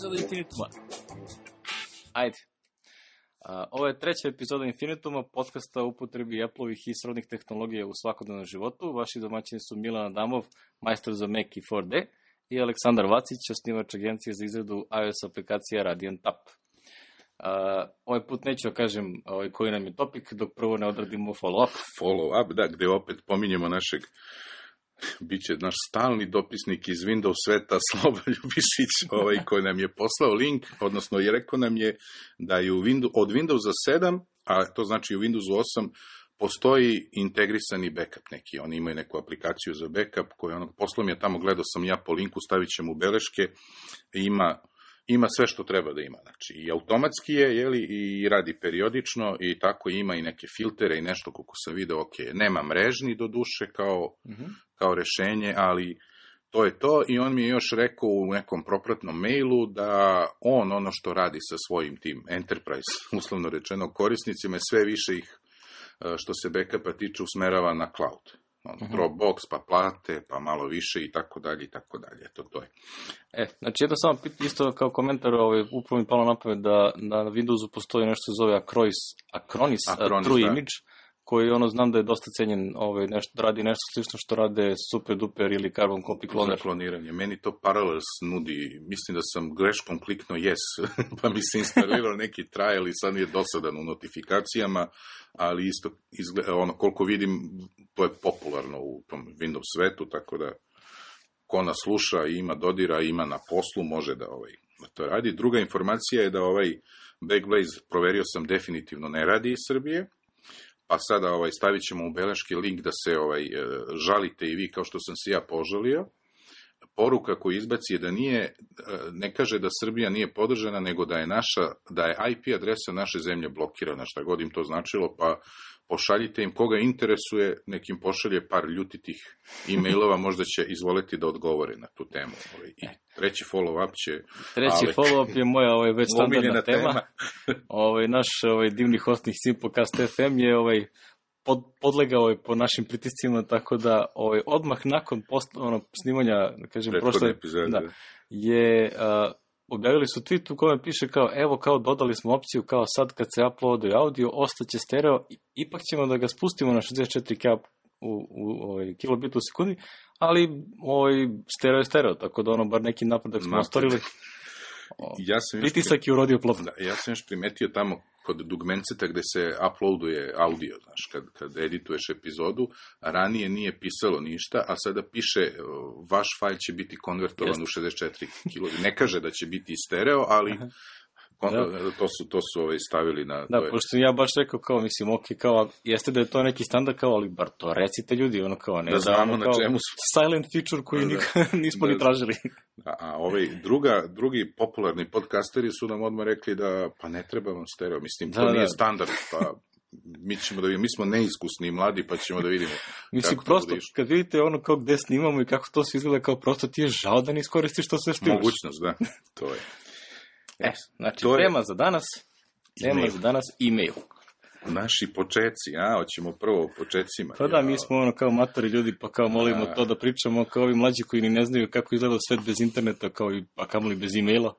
epizoda Infinituma. Ajde. Ovo je treća epizoda Infinituma, podcasta o upotrebi Apple-ovih i srodnih tehnologija u svakodnevnom životu. Vaši domaćini su Milan Adamov, majstor za Mac i 4D, i Aleksandar Vacić, osnivač agencije za izradu iOS aplikacija Radiant App. Ovaj put neću da kažem koji nam je topik, dok prvo ne odradimo follow-up. Follow-up, da, gde opet pominjemo našeg, biće naš stalni dopisnik iz Windows sveta, Sloba Ljubišić, koji nam je poslao link, odnosno je rekao nam je da je od Windowsa 7, a to znači u Windowsu 8, postoji integrisani backup neki. Oni imaju neku aplikaciju za backup, koju poslao mi je tamo, gledao sam ja po linku, stavit ćemo u beleške, ima sve što treba da ima. Znači, i automatski je, i radi periodično, i tako ima i neke filtere i nešto, koliko sam video, ok, nema mrežni do duše kao rešenje, ali to je to. I on mi je još rekao u nekom propratnom mailu da on ono što radi sa svojim tim enterprise, uslovno rečeno, korisnicima, je sve više ih, što se backupa tiče, usmerava na cloud. Dropbox, pa plate, pa malo više i tako dalje i tako dalje. To je. Znači jedno samo isto kao komentar, upravo mi palo na pamet da na Windowsu postoji nešto se zove Acronis True Image, koji znam da je dosta cenjen, radi nešto slično što rade Super Duper ili Carbon Copy Cloner. Za kloniranje. Meni to Parallels nudi, mislim da sam greškom kliknuo yes, pa mi se instalirao neki trial i sad je dosadan u notifikacijama, ali isto izgleda, koliko vidim, to je popularno u tom Windows svetu, tako da ko nas sluša i ima dodira, ima na poslu, može da to radi. Druga informacija je da Backblaze, proverio sam, definitivno ne radi iz Srbije. Pa sada stavit ćemo u beleški link da se žalite i vi, kao što sam se ja požalio. Poruka koju izbaci je da ne kaže da Srbija nije podržana, nego da je IP adresa naše zemlje blokirana, šta god im to značilo, pa pošaljite im, koga interesuje, nekim pošalje par ljutitih e-mailova, možda će izvoliti da odgovore na tu temu. I treći follow-up će Treći follow-up je moja već standardna tema. Naš divni hostnik Simplecast FM je podlegao po našim pritiscima, tako da odmah nakon snimanja, da kažem, prošle epizode, objavili su tweet u kojem piše kao dodali smo opciju kao sad kad se uploaduje audio, ostaće stereo, ipak ćemo da ga spustimo na 64K u kilobit u sekundi, ali stereo je stereo, tako da bar neki napredak smo ostvarili. Pritisak je urodio plodom. Ja sam još primetio tamo kod dugmenceta gde se uploaduje audio, kad edituješ epizodu, ranije nije pisalo ništa, a sada piše vaš fajl će biti konvertovan u 64 kg. Ne kaže da će biti stereo, ali to su stavili na... Da, pošto ja baš rekao jeste da je to neki standard, ali bar to recite ljudi, ne da znamo na čemu su. Silent feature koji nismo ni tražili. A drugi popularni podcasteri su nam odmah rekli da pa ne treba vam stereo, mislim, to nije standard, pa mi ćemo da vidimo, mi smo neiskusni i mladi, pa ćemo da vidimo. Mislim, prosto, kad vidite gde snimamo i kako to se izgleda, prosto ti je žao da ne iskoristiš to sve što imaš. Mogućnost, da, to je. Znači, tema za danas, e-mail. Naši počeci, hoćemo prvo o počecima. Pa da, mi smo kao matori ljudi, pa molimo to da pričamo kao ovi mlađi koji ni ne znaju kako izgleda svet bez interneta, a kamoli bez e-maila.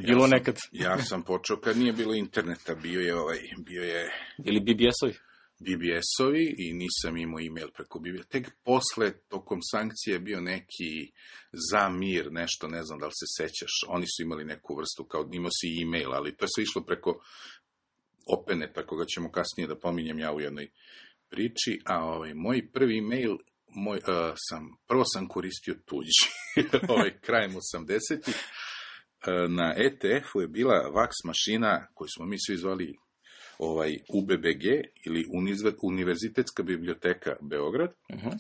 Bilo nekad. Ja sam počeo kad nije bilo interneta, bio je... Ili BBS-ovi? BBS-ovi i nisam imao e-mail preko BBS. Tek posle, tokom sankcije, je bio neki za mir, nešto, ne znam da li se sećaš. Oni su imali neku vrstu, kao imao si e-mail, ali to je sve išlo preko Openeta, koga ćemo kasnije da pominjem ja u jednoj priči. A moj prvi e-mail, prvo sam koristio tuđi, krajem 80-ih. Na ETF-u je bila VAX mašina koju smo mi svi zvali UBBG ili Univerzitetska biblioteka Beograd.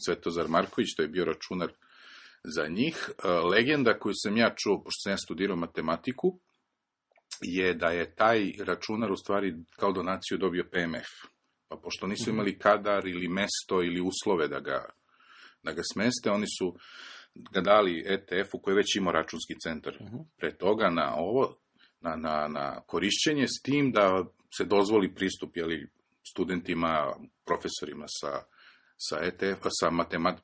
Svetozar Marković, to je bio računar za njih. Legenda koju sam ja čuo, pošto sam ja studirao matematiku, je da je taj računar u stvari kao donaciju dobio PMF. Pa pošto nisu imali kadar ili mesto ili uslove da ga smeste, oni su ga dali ETF-u koji je već imao računski centar pre toga na korišćenje, s tim da se dozvoli pristup studentima, profesorima sa sa ETF-a, sa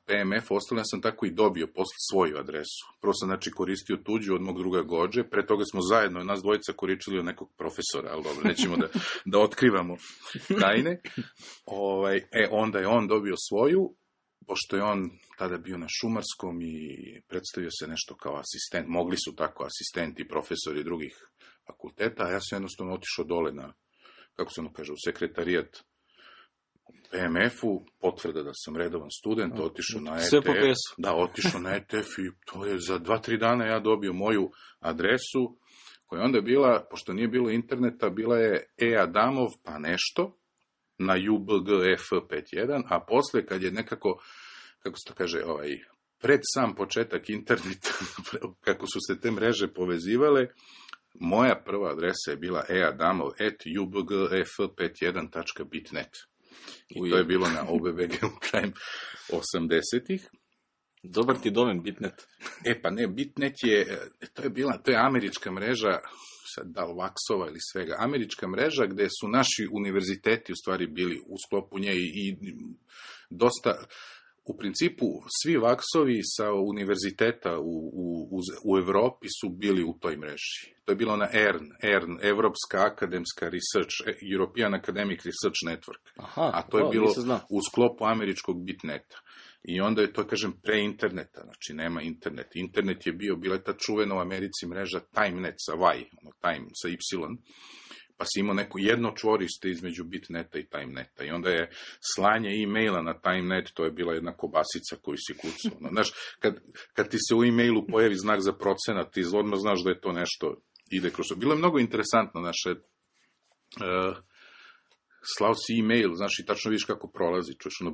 PMF, ostavljeno sam tako i dobio posle svoju adresu. Prvo sam, znači, koristio tuđu od mog druga Gođe, pre toga smo zajedno, nas dvojica, koričili od nekog profesora, ali dobro, nećemo da otkrivamo tajne. Onda je on dobio svoju, pošto je on tada bio na Šumarskom i predstavio se nešto kao asistent, mogli su tako asistenti, profesori drugih fakulteta, a ja sam jednostavno otišao dole na, kako se ono kaže, u sekretarijat PMF-u, potvrda da sam redovan student, otišao na ETF. Da, otišao na ETF i to je za 2-3 dana ja dobio moju adresu, koja je onda bila, pošto nije bilo interneta, bila je Adamov pa nešto, na UBGF51, a posle kad je nekako, kako se to kaže, pred sam početak interneta, kako su se te mreže povezivale, moja prva adresa je bila eadamov@ubgf51.bitnet. I to je bilo na OBBG-u krajem 80-ih. Dobar ti domen, Bitnet. Pa ne, Bitnet je, to je američka mreža, sad da li Vaksova ili svega, američka mreža gde su naši univerziteti u stvari bili u sklopu nje i dosta, u principu svi Vaksovi sa univerziteta u Evropi su bili u toj mreži. To je bilo na ERN, Evropska akademska research, European Academic Research Network. A to je bilo u sklopu američkog Bitneta. I onda je to, kažem, pre interneta, znači nema internet. Internet je bila ta čuvena u Americi mreža TimeNet sa Y, Time sa Y, pa si imao neko jedno čvorište između Bitneta i TimeNeta. I onda je slanje e-maila na TimeNet, to je bila jedna kobasica koju si kucao. Znaš, kad ti se u e-mailu pojavi znak za procenat, ti odmah znaš da je to nešto ide kroz to. Bilo je mnogo interesantno, naše slao si e-mail, znaš, i tačno vidiš kako prolazi, čuješ ono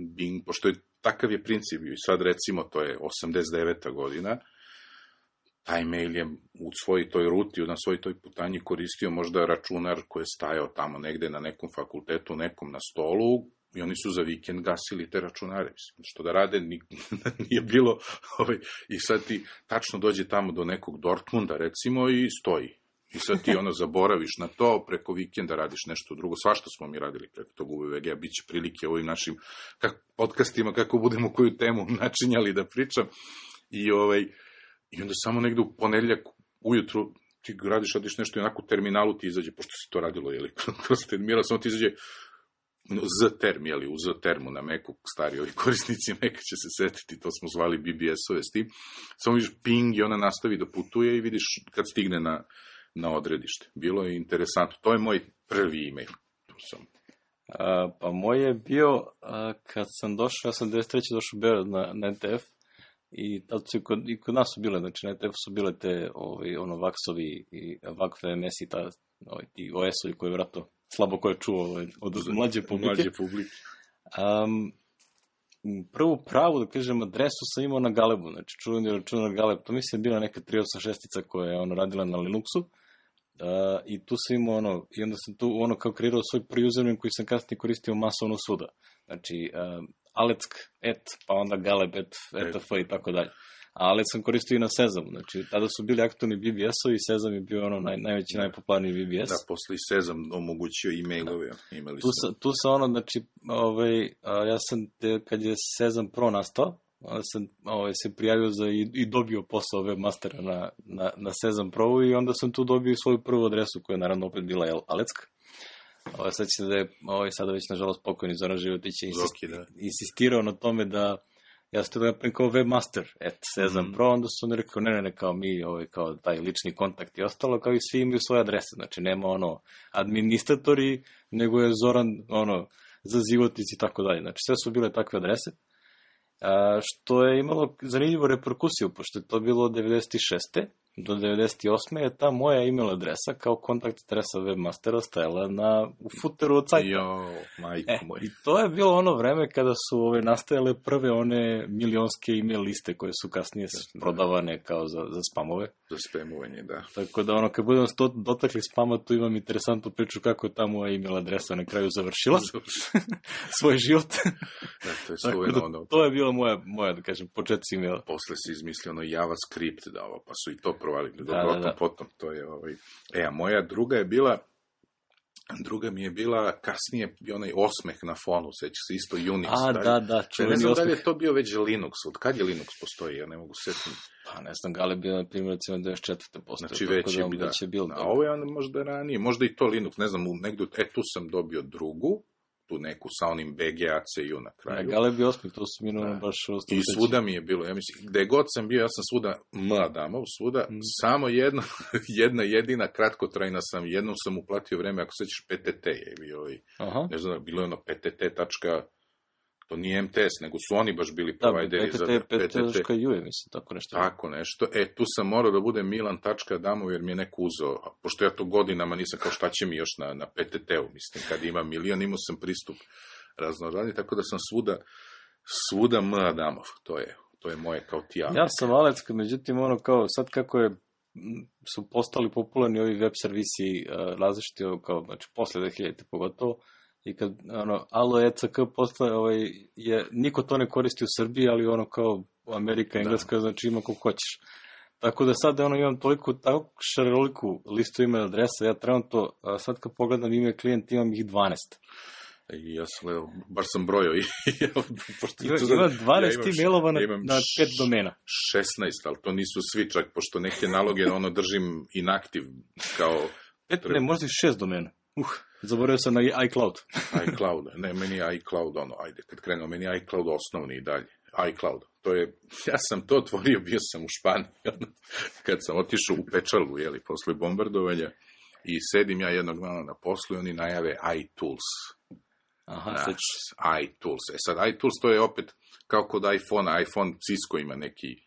bing, pošto je takav je princip, i sad recimo to je 89. godina, taj mail je u svojoj toj ruti, na svojoj toj putanji koristio možda računar koji je stajao tamo negde na nekom fakultetu, nekom na stolu, i oni su za vikend gasili te računare. Što da rade, nije bilo. I sad ti tačno dođe tamo do nekog Dortmunda, recimo, i stoji. I sad ti zaboraviš na to, preko vikenda radiš nešto drugo. Svašta smo mi radili preko tog UVG-a, bit će prilike ovim našim podcastima, kako budemo koju temu načinjali da pričam. I onda samo negde u ponedeljak ujutru ti radiš nešto i onako u terminalu ti izađe, pošto se to radilo, kroz terminal, samo ti izađe Z-term, u Z-termu na Macu, stari ovi korisnici Maca će se setiti, to smo zvali BBS-ove s tim. Samo vidiš ping i ona nastavi da putuje i vidiš kad stigne na odredište. Bilo je interesantno. To je moj prvi e-mail. Pa moj je bio, kad sam došao, ja sam 93. došao u Beograd na NTF, i tad su i kod nas su bile, znači na NTF su bile te Vaksovi i VakFMS i ti OS-ovi koji je vratno slabo ko je čuo od mlađe publike. Prvu pravu, da kažem, adresu sam imao na Galebu, znači čuveni računar Galeb, to mislim je bila neka 386 koja je radila na Linuxu, i tu sam imao i onda sam tu kao kreirao svoj prvi username koji sam kasnije koristio masovno svuda, znači Aleck, pa onda Galeb, etf i tako dalje. A Aleck sam koristio i na Sezamu, znači tada su bili aktualni BBS-ovi i Sezam je bio najveći, najpopularniji BBS. Da, posle i Sezam omogućio e-mailove. Tu sam znači, ja sam, kad je Sezam Pro nastao, sam se prijavio i dobio posao webmastera na Sezam Pro i onda sam tu dobio svoju prvu adresu koja je naravno opet bila Aleck. Sad će da je, sada već nažalost pokojni Zoran Životić je insistirao na tome da ja sam to napravim kao webmaster Sezam Pro, onda su oni rekao ne, kao mi, kao taj lični kontakt i ostalo, kao i svi imaju svoje adrese, znači nema administratori, nego je Zoran za Životić i tako dalje, znači sve su bile takve adrese, što je imalo zanimljivu reperkusiju, pošto je to bilo od 96. do 98. je ta moja email adresa kao kontakt adresa webmastera stajala u footeru od sajta. I to je bilo ono vreme kada su nastajale prve one milionske email liste koje su kasnije prodavane kao za spamove. Za spamovanje, da. Tako da kad budemo dotakli spama, tu imam interesantnu priču kako je ta moja email adresa na kraju završila svoj život. To je bilo moja, da kažem, početci emaila. Posle si izmislio JavaScript, pa su i to provalili. Potom, to je a moja druga je bila Druga mi je bila, kasnije bio onaj osmeh na fonu, seća se isto Unix. Da, čuveni ne znam osmeh. da li je to bio već Linux, od kad je Linux postoji, ja ne mogu setiti. Pa ne znam, Gale bio na primjer, recimo 94. postoje. Znači već je bilo. A ovo je onda možda ranije, možda i to Linux, ne znam, negdje, tu sam dobio drugu, tu neku sa onim BGAC-u na kraju. Gale bio osmih, to su minuno baš i svuda mi je bilo, ja mislim, gde god sam bio, ja sam svuda Adamov, svuda, samo jedna jedina kratkotrajna sam, jednom sam uplatio vreme, ako sećaš, PTT je bio, ne znam, bilo je ono PTT. To nije MTS, nego su oni baš bili provajderi za PTT.ju je, mislim, tako nešto. Tako nešto. Tu sam morao da budem Milan.Adamov, jer mi je neko uzeo, pošto ja to godinama nisam kao šta će mi još na PTT-u, mislim, kad imam milion, imao sam pristup raznoradni, tako da sam svuda Adamov, to je moje kao ti. Ja sam Alecka, međutim, ono kao, sad kako su postali popularni ovi web servisi različiti, kao, znači, posle 2000 pogotovo, i kad, Alo ECK postane, niko to ne koristi u Srbiji, ali kao Amerika, Engleska, znači ima koliko hoćeš. Tako da sad, imam toliko, tako šaroliku listu email adresa, ja trenutno, sad kad pogledam ime klijent, imam ih 12. I ja sam, baš sam brojao. Ima 12 emailova na 5 domena. 16, ali to nisu svi čak, pošto neke naloge, držim inactive, kao... Ne, možda i 6 domena. Zaboravio sam na iCloud. iCloud, ne, meni je iCloud, ajde, kad krenuo, meni je iCloud osnovni i dalje. iCloud, ja sam to otvorio, bio sam u Španiji, kad sam otišao u Pečalu, posle bombardovanja, i sedim ja jednog dana na poslu i oni najave iTools. iTools. Sad, iTools to je opet, kao kod iPhone Cisco ima neki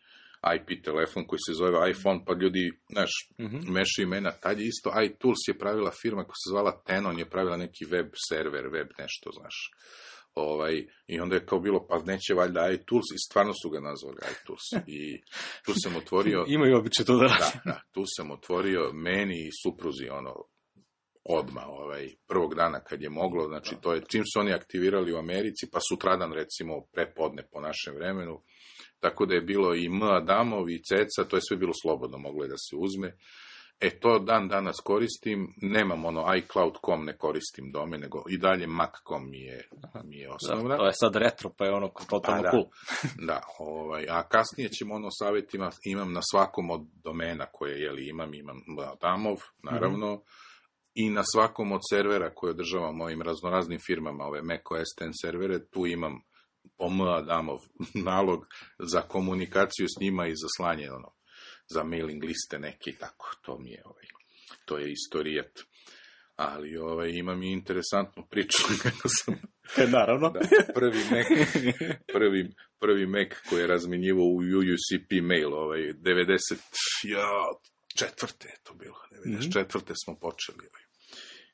IP telefon koji se zove iPhone, pa ljudi, mešaju imena. Tad je isto, iTools je pravila firma koja se zvala Tenon, je pravila neki web server, web nešto, znaš. I onda je kao bilo, pa neće valjda iTools, i stvarno su ga nazvali iTools. I tu sam otvorio... Imaju običaj to da radi. Da, tu sam otvorio meni i supruzi, odmah, prvog dana kad je moglo, znači to je, čim su oni aktivirali u Americi, pa sutradan, recimo, prepodne po našem vremenu, tako da je bilo i Adamov i Ceca, to je sve bilo slobodno, moglo je da se uzme. To dan danas koristim, nemam iCloud.com, ne koristim domen, nego i dalje Mac.com mi je osnovna. To je sad retro, pa je totalno cool. Da, a kasnije ćemo savjetima, imam na svakom od domena koje imam Adamov, naravno, i na svakom od servera koje održavam mojim raznoraznim firmama, ove macOS 10 servere, tu imam po Adamov nalog za komunikaciju s njima i za slanje, za mailing liste neki, tako, to je istorijat. Ali imam i interesantnu priču kako sam... Naravno. Da, prvi Mac koji je razminjivao u UUCP mail, 94. je to bilo, 94. smo počeli.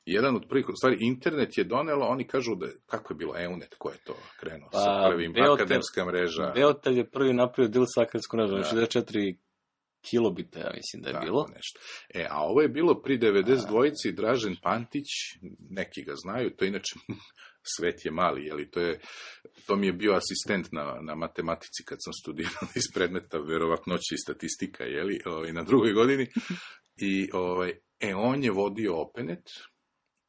Jedan od prvih, u stvari, internet je donelo, oni kažu da, kako je bilo EUNET, ko je to krenuo sa prvim, akademska mreža. Beotel je prvi napravio deal sa akademskom mrežom, 64 kilobita, ja mislim da je bilo. Nešto. A ovo je bilo pri 92-ci, Dražen Pantić, neki ga znaju, to inače svet je mali, to mi je bio asistent na matematici kad sam studirao iz predmeta verovatnoće i statistika, na drugoj godini. I on je vodio Openet,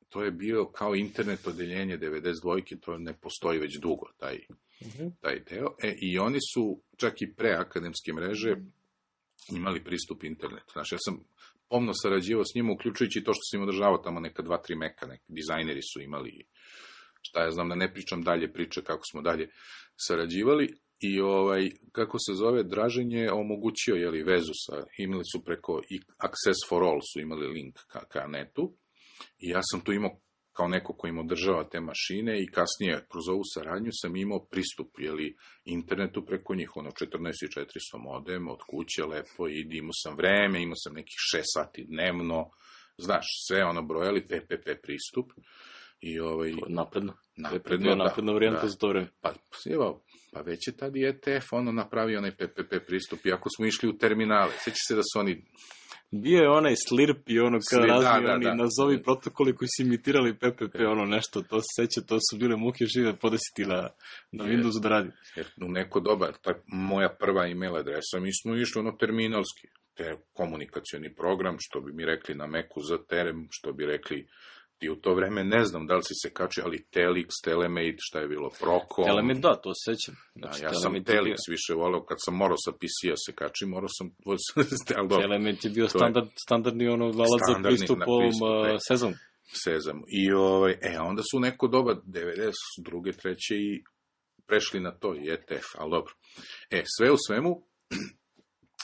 to je bio kao internet odeljenje 92-ki, to ne postoji već dugo, taj deo. I oni su, čak i pre akademske mreže, imali pristup internetu. Znači, ja sam pomno sarađivao s njima, uključujući to što sam im održavao tamo neka 2-3 meka, neki dizajneri su imali, šta ja znam, da ne pričam dalje priče kako smo dalje sarađivali. I kako se zove, Dražen je omogućio vezu imali su preko Access for All su imali link ka netu i ja sam tu imao kao neko ko im održava te mašine i kasnije kroz ovu saradnju sam imao pristup internetu preko njih, 14.400 modem od kuće, lepo, i imao sam vreme, imao sam nekih 6 sati dnevno, znaš, sve brojali, PPP pristup. I napredna varijanta za to vreme. Pa već je tad i ETF napravio onaj PPP pristup, iako smo išli u terminale. Sjeća se da su oni... Bio je onaj Slirp i kada razni nazovi protokoli koji su imitirali PPP, nešto, to se seća, to su bile muke žive podesiti na Windowsu da radi. U neko doba, moja prva email adresa, mi smo išli terminalski, te komunikacioni program, što bi mi rekli na Macu za terem, što bi rekli ti u to vreme ne znam da li si se kačio, ali Telix, Telemate, šta je bilo, Procom. Telemate, da, to se sećam. Znači, ja sam Telix više voleo, kad sam morao sa PC-a se kačim, morao sam... Telemate je bio standardni valac za pristup ovom Sezamu. I onda su neko doba 92. 3. i prešli na to, i ETF, ali dobro. Sve u svemu,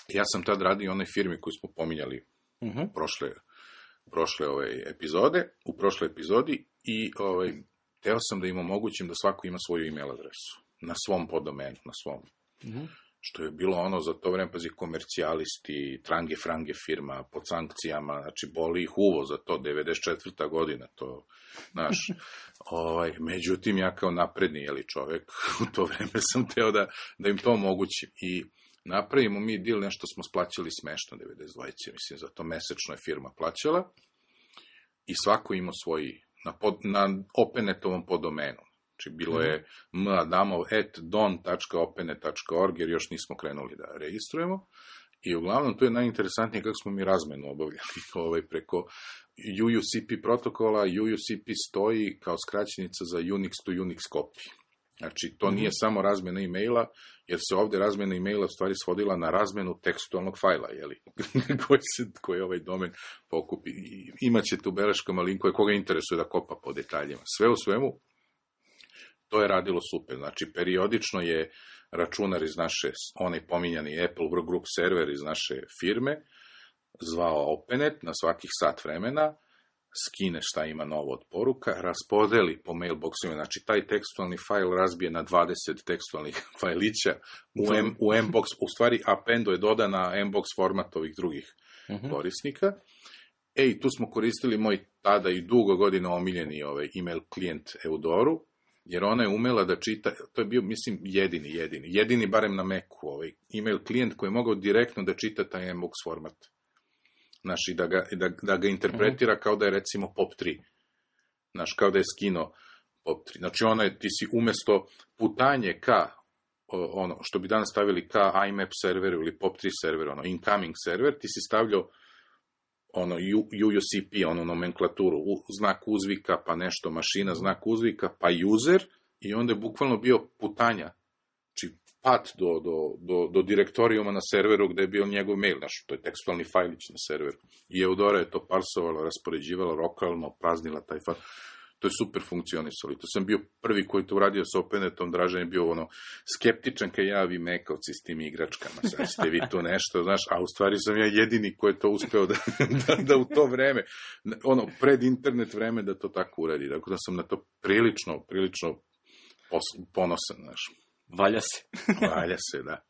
ja sam tad radio onoj firmi koju smo pominjali u prošloj epizodi i teo sam da im omogućim da svako ima svoju email adresu na svom poddomenu, na svom. Što je bilo za to vreme, pazi, komercijalisti, trange frange firma, pod sankcijama, znači boli ih uvo za to, 94. godina, to, znaš, međutim, ja kao napredni, čovek, u to vreme sam teo da im to omogućim i napravimo mi deal, nešto smo splaćali smešno 92. Mislim, za to mesečno je firma plaćala i svako imao svoj, na OpenNet-ovom poddomenu. Znači, bilo je madamov@don.openet.org, jer još nismo krenuli da registrujemo. I uglavnom, to je najinteresantnije kako smo mi razmenu obavljali preko UUCP protokola. UUCP stoji kao skraćenica za Unix to Unix copy. Znači, to nije samo razmena e-maila, jer se ovde razmena e-maila u stvari svodila na razmenu tekstualnog fajla, koji ovaj domen pokupi. Imaćete u beleškama linkove koga interesuje da kopa po detaljima. Sve u svemu, to je radilo super. Znači, periodično je računar iz naše, onaj pominjani Apple Group server iz naše firme, zvao OpenNet na svakih sat vremena, skine šta ima novo od poruka, raspodeli po mailboxima, znači taj tekstualni fajl razbije na 20 tekstualnih fajlića u Mbox, u stvari appendo je dodan na Mbox format ovih drugih korisnika. I tu smo koristili moj tada i dugo godina omiljeni email klijent Eudoru, jer ona je umela da čita, to je bio, mislim, jedini barem na Macu, email klijent koji je mogao direktno da čita taj Mbox format. Znači, da ga interpretira kao da je, recimo, POP3. Znači, kao da je skino POP3. Znači, ti si umesto putanje ka, što bi danas stavili ka IMAP serveru ili POP3 serveru, incoming server, ti si stavljao UUCP, nomenklaturu, znak uzvika, pa nešto mašina, znak uzvika, pa user, i onda je bukvalno bio putanja. Znači, pad do direktorijuma na serveru gde je bio njegov mail, to je tekstualni fajlić na serveru. I Eudora je to parsovala, raspoređivala lokalno, praznila taj fajl. To je super funkcionisalo. To sam bio prvi koji to uradio sa OpenNetom. Dražan je bio skeptičan kad javi mekavci s tim igračkama. Sad ste vi tu nešto, znaš, a u stvari sam ja jedini koji je to uspeo da u to vreme, pred internet vreme da to tako uradi. Tako da sam na to prilično ponosan, znaš. Valja se. Valja se, da.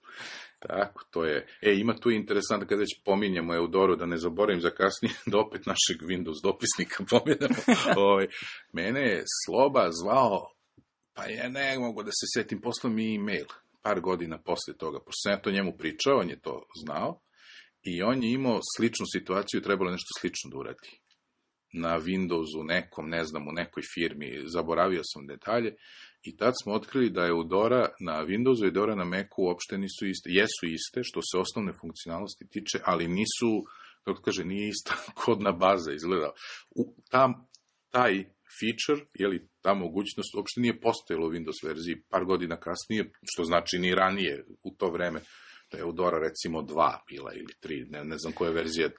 Tako, to je. Ima tu interesantno, kada već pominjamo Eudoru, da ne zaboravim za kasnije, da opet našeg Windows dopisnika pominjamo. Mene je Sloba zvao, pa ja ne mogu da se setim, poslao mi e-mail, par godina posle toga, pošto sam ja to njemu pričao, on je to znao, i on je imao sličnu situaciju, trebalo nešto slično da uradi. Na Windowsu nekom, ne znam, u nekoj firmi, zaboravio sam detalje, i tad smo otkrili da je Eudora na Windowsu i Eudora na Macu uopšte nisu iste. Jesu iste, što se osnovne funkcionalnosti tiče, ali nisu, kako kaže, nije ista kodna baza izgleda. Taj feature, ta mogućnost, uopšte nije postojala u Windows verziji par godina kasnije, što znači ni ranije u to vreme. Da je Eudora recimo 2 bila ili 3, ne znam koja verzija.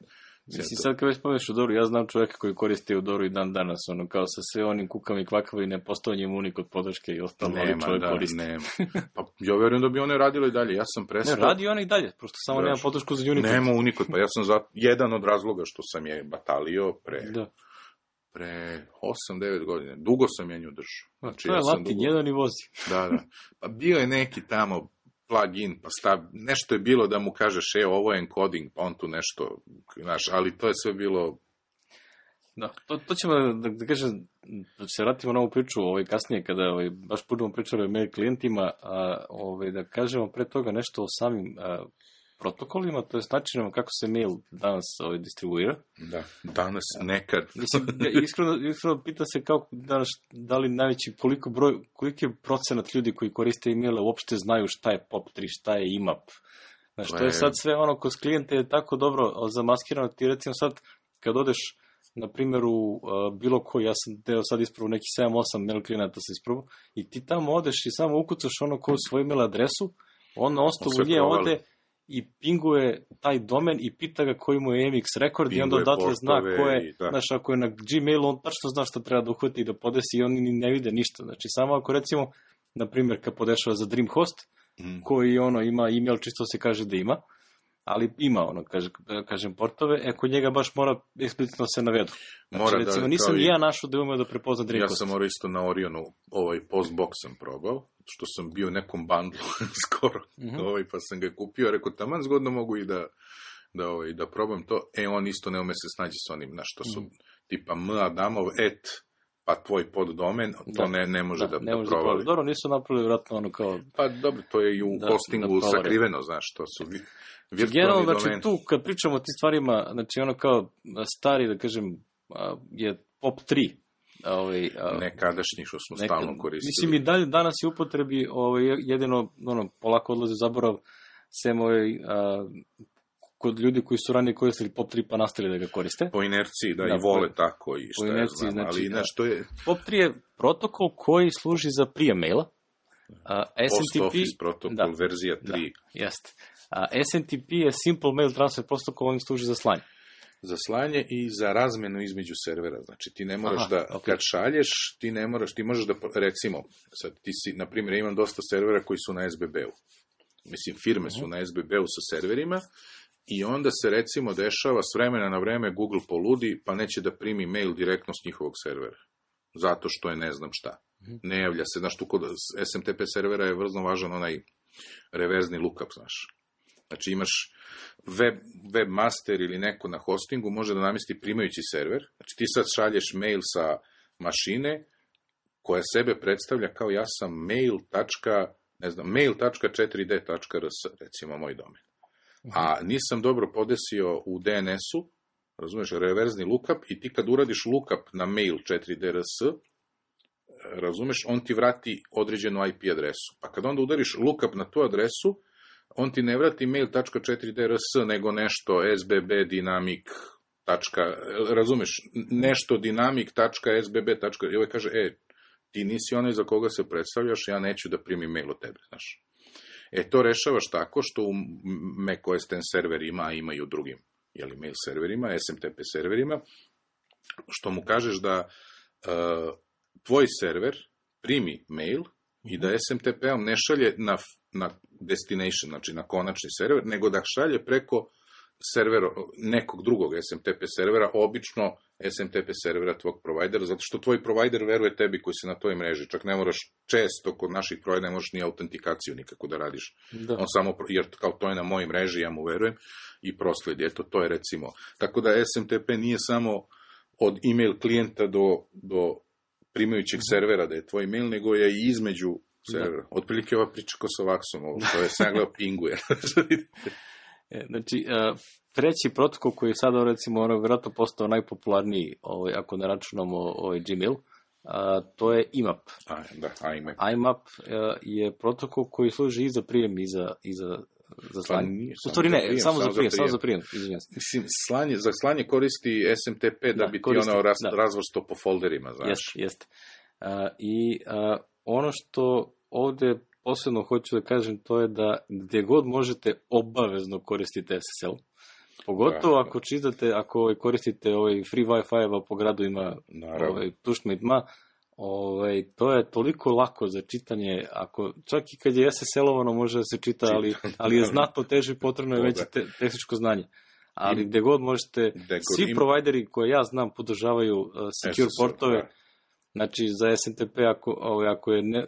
Mislim, sad kad već spomeneš Eudoru, ja znam čovjeka koji koristi Eudoru i dan danas, kao sa sve onim kukama i kvakama i nepostojanjem unikod podrške i ostalo, ali čovjek koristi. Nema. Pa ja verujem da bi one radile i dalje, ja sam prestao. Ne, radi one i dalje, prosto samo nema podršku za unikod. Nema unikod, pa ja sam jedan od razloga što sam je batalio pre 8-9 godina. Dugo sam je nju držao. Znači, to je Latin, jedan i vozi. Da. Pa bio je neki tamo plugin, pa nešto je bilo da mu kažeš, ovo je encoding, pa on tu nešto, znaš, ali to je sve bilo... Da, to ćemo da kažem, da se vratimo na ovu priču kasnije, kada baš budemo pričali o mail klijentima, da kažemo pre toga nešto o samim protokolima, to je načinom kako se mail danas distribuira. Da, danas, nekad. Mislim, iskreno pita se kao danas, da li najveći, koliki je procenat ljudi koji koriste e-maile uopšte znaju šta je POP3, šta je IMAP. Znaš, to je sad sve kod klijenta je tako dobro zamaskirano, ti recimo sad kad odeš na primjer, u bilo koji, ja sam deo sad ispravo neki 7-8 mail klijenata sam ispravo, i ti tamo odeš i samo ukucaš ono koju svoju mail adresu, on na osnovu nje ode i pinguje taj domen i pita ga koji mu je MX rekord i onda odatle zna ko je, znaš, ako je na Gmailu, on tačno zna šta treba da uhvati i da podesi i oni ne vide ništa. Znači, samo ako recimo, na primjer, kad podešava za Dreamhost, koji ima email, čisto se kaže da ima, ali ima kažem portove, kod njega baš mora eksplicitno se navedu. Znači, recimo, nisam ja našao da je umeo da prepozna Dreamhost. Ja sam morao isto na Orionu, postbox sam probao, što sam bio u nekom bandlu skoro, pa sam ga kupio, rekao, taman zgodno mogu i da probam to, on isto ne ume se snađi s onim, znaš, što su tipa Adamov, pa tvoj poddomen, to ne može da provali. Dobro, nisu napravili vratno ono kao... Pa dobro, to je i u hostingu sakriveno, znaš, to su virtualni generalno, domeni. znači tu, kad pričamo o tim stvarima, znači ono kao stari, da kažem, je POP3, nekadašnji što smo stalno koristili. Mislim, i dalje danas je upotrebi jedino, polako odlaze u zaborav, sem kod ljudi koji su ranije koristili POP3 pa nastavili da ga koriste. Po inerciji, da, i vole tako i što ja znam, znači, ali nešto je... POP3 je protokol koji služi za prijem maila. Post Office protokol, verzija 3. Da, jeste. SMTP je Simple Mail Transfer protokol, on služi za slanje. Za slanje i za razmenu između servera. Znači, ti ne moraš kad šalješ, ti možeš da, recimo, sad ti si, na primjer, imam dosta servera koji su na SBB-u. Mislim, firme su na SBB-u sa serverima i onda se, recimo, dešava s vremena na vreme Google poludi, pa neće da primi mail direktno s njihovog servera. Zato što je ne znam šta. Ne javlja se, znaš, tu kod SMTP servera je vrlo važan onaj reverzni lookup, znaš. Znači, imaš webmaster ili neko na hostingu može da namesti primajući server. Znači, ti sad šalješ mail sa mašine koja sebe predstavlja kao ja sam mail.4d.rs, recimo moj domen. A nisam dobro podesio u DNS-u, razumeš, reverzni lookup, i ti kad uradiš lookup na mail 4d.rs, razumeš, on ti vrati određenu IP adresu. Pa kad onda udariš lookup na tu adresu, on ti ne vrati mail.4d.rs, nego nešto sbb dynamic. Razumeš, nešto dynamic.sbb. I ovaj kaže, ti nisi onaj za koga se predstavljaš, ja neću da primim mail od tebe, znaš. To rešavaš tako što u macOS X serverima, ima i u drugim mail serverima, SMTP serverima, što mu kažeš da tvoj server primi mail i da SMTP-om ne šalje na destination, znači na konačni server, nego da šalje preko servera, nekog drugog SMTP servera, obično SMTP servera tvog provajdera, zato što tvoj provajder veruje tebi koji se na toj mreži. Čak ne moraš često kod naših provajdera, ne možeš ni autentikaciju nikako da radiš. Da. On samo, jer kao to je na mojoj mreži, ja mu verujem i prosledi. To je recimo. Tako da SMTP nije samo od email klijenta do primajućeg servera da je tvoj email, nego je i između servera. Otprilike ova priča ko sa Vaxom, to je sam gledao pinguje. Znači, treći protokol koji je sada, recimo, vjerojatno postao najpopularniji, ako ne računamo Gmail, to je IMAP. IMAP je protokol koji služi i za prijem i za slanje. U stvari ne, samo za prijem. Mislim, za slanje koristi SMTP da bi ti ono razvrsto po folderima, znaš. Jeste. I ono što ovde posebno hoću da kažem, to je da gde god možete obavezno koristiti SSL. Pogotovo ako koristite free Wi-Fi, po gradu ima tušmidma, to je toliko lako za čitanje, čak i kad je SSL-ovano može da se čita, ali je znatno teže i potrebno je veće tehničko znanje. Ali gde god možete, svi provajderi koje ja znam podržavaju secure portove. Znači, za SMTP,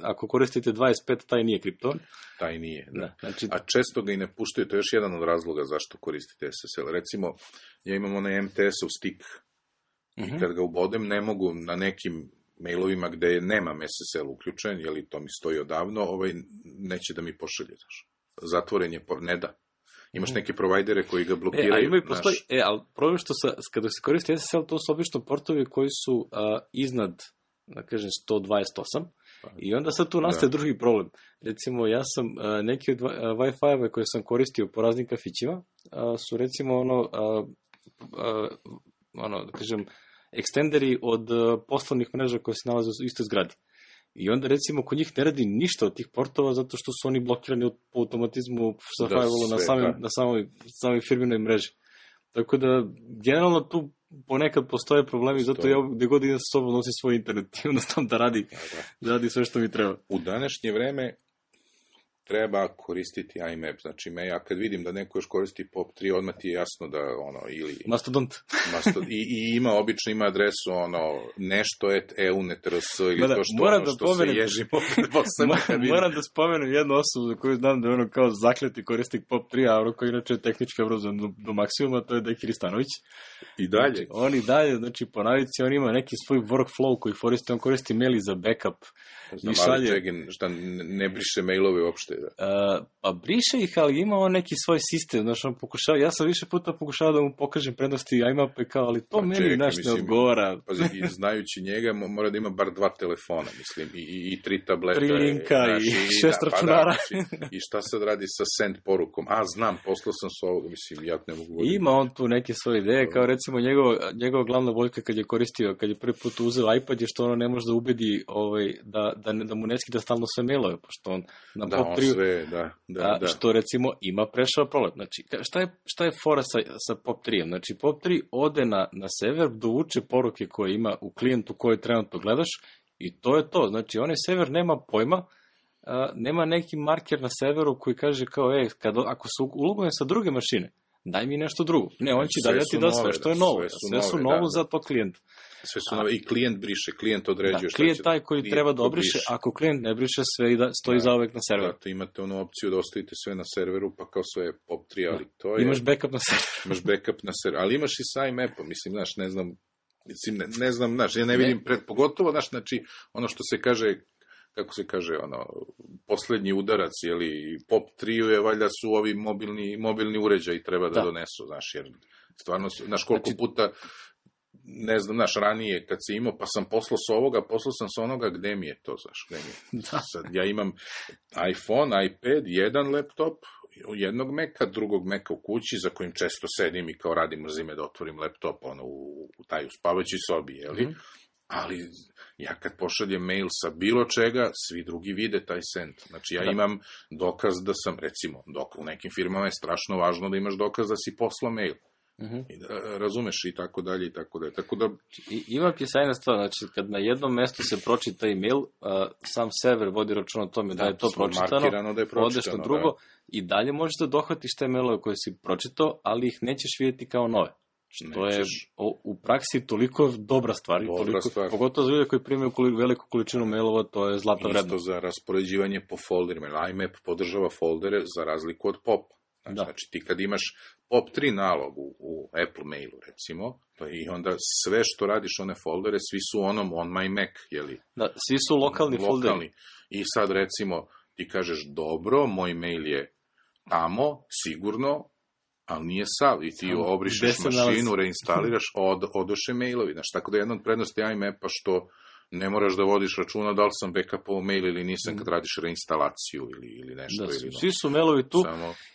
ako koristite 25, taj nije kriptovan. Taj nije, da. Znači, a često ga i ne puštaju, to je još jedan od razloga zašto koristite SSL. Recimo, ja imam onaj MTS-ov stick i kad ga ubodem, ne mogu na nekim mailovima gde nemam SSL uključen, jer to mi stoji odavno, neće da mi pošalje. Zatvoren je, ne da. Imaš neke provajdere koji ga blokiraju. Ali problem što kada se koristi SSL, to su obično portovi koji su iznad, da kažem, 128, i onda sad tu nastaje drugi problem. Recimo, ja sam neki od Wi-Fi-ove koje sam koristio po raznim kafićima, su recimo da kažem, ekstenderi od poslovnih mreža koje se nalaze u istoj zgradi. I onda, recimo, kod njih ne radi ništa od tih portova zato što su oni blokirani po automatizmu sa firewallu na samoj firminoj mreži. Tako da, generalno tu ponekad postoje problemi, zato ja gde god idem sa sobom nosim svoj internet i jednostavno da radi sve što mi treba. U današnje vreme treba koristiti IMAP, znači ja kad vidim da neko još koristi POP3, odmah ti je jasno da ili... Mastodont. I ima adresu nešto@eunetrs ili to što se ježimo. Moram da spomenem jednu osobu za koju znam da je kao zakleti korisnik POP3, a koji inače je tehnički obrazovan do maksimuma, to je Deki Ristanović. I dalje. Znači, on i dalje, znači po navici, on ima neki svoj workflow koji on koristi maili za backup. Znam, ali Čegin, šta ne briše mailove uopšte? Pa briše ih, ali ima on neki svoj sistem, znači on pokušava, ja sam više puta pokušao da mu pokažem prednosti IMAP, ali to meni ne odgovara. Pazi, znajući njega, mora da ima bar 2 telefona, mislim, i 3 tableta. 3 linka i 6 računara. I šta sad radi sa send porukom? Znam, poslao sam s ovoga, mislim, ja ne mogu voditi. Ima on tu neke svoje ideje, kao recimo njegova glavna boljka kad je prvi put uzeo iPad je što ono ne može da ubedi da mu ne skida stalno sve mailove, pošto on na POP3 što recimo ima prešao problem. Znači, šta je fora sa POP3-em? Znači, POP3 ode na server, dovuče poruke koje ima u klijentu koje trenutno gledaš i to je to. Znači, onaj server nema pojma, nema neki marker na serveru koji kaže kao, ako se ulogujem sa druge mašine, daj mi nešto drugo. Ne, on će dalje ti da sve što je novo. Sve su novo za to klijenta. Sve su nove, i klijent briše, klijent određuje šta će. Klijent taj koji treba da obriše, ako klijent ne briše, sve i stoji zauvek na serveru. Zato imate onu opciju da ostavite sve na serveru, pa kao sve POP3, ali to je... Imaš backup na serveru. Imaš backup na serveru, ali imaš i sa IMAP-om, mislim, znaš, ne znam, znaš, ja ne vidim pogotovo, znaš, znači, ono što se kaže, kako se kaže, poslednji udarac, jeli, POP3 je, valjda su ovi mobilni uređaji treba da donesu, znaš, jer stvarno, znaš, koliko puta, ne znam, znaš, ranije kad si imao, pa sam poslao sam s onoga, gde mi je to, znaš, gde mi je. Sad, ja imam iPhone, iPad, jedan laptop, jednog Maca, drugog Maca u kući, za kojim često sedim i kao radim, mrzime da otvorim laptop, u taj uspavajućoj sobi, jeli? Ali ja kad pošaljem mail sa bilo čega, svi drugi vide taj send. Znači ja imam dokaz da sam, recimo, u nekim firmama je strašno važno da imaš dokaz da si poslao mail. I da, razumeš i tako dalje i tako dalje. Tako da... Ima sjajna stvar, znači kad na jednom mestu se pročita email, sam server vodi račun o tome da je to pročitano, odeš na drugo i dalje možeš da dohvatiš te mailove koje si pročitao, ali ih nećeš vidjeti kao nove. Što je u praksi toliko dobra stvar. Pogotovo za ljudi koji primaju veliku količinu mailova, to je zlatno vredno. Isto za raspoređivanje po folderima. IMAP podržava foldere za razliku od POP. Znači ti kad imaš POP3 nalog u Apple mailu, recimo, i onda sve što radiš one foldere, svi su on my Mac, jeli? Da, svi su lokalni folderi. I sad, recimo, ti kažeš, dobro, moj mail je tamo, sigurno, ali nije sav, i ti obrišeš mašinu, reinstaliraš, odoše mailovi. Znači, tako da je jedna od prednosti IMAP-a što ne moraš da vodiš računa da li sam backupovao mail ili nisam kad radiš reinstalaciju ili nešto. Svi su mailovi tu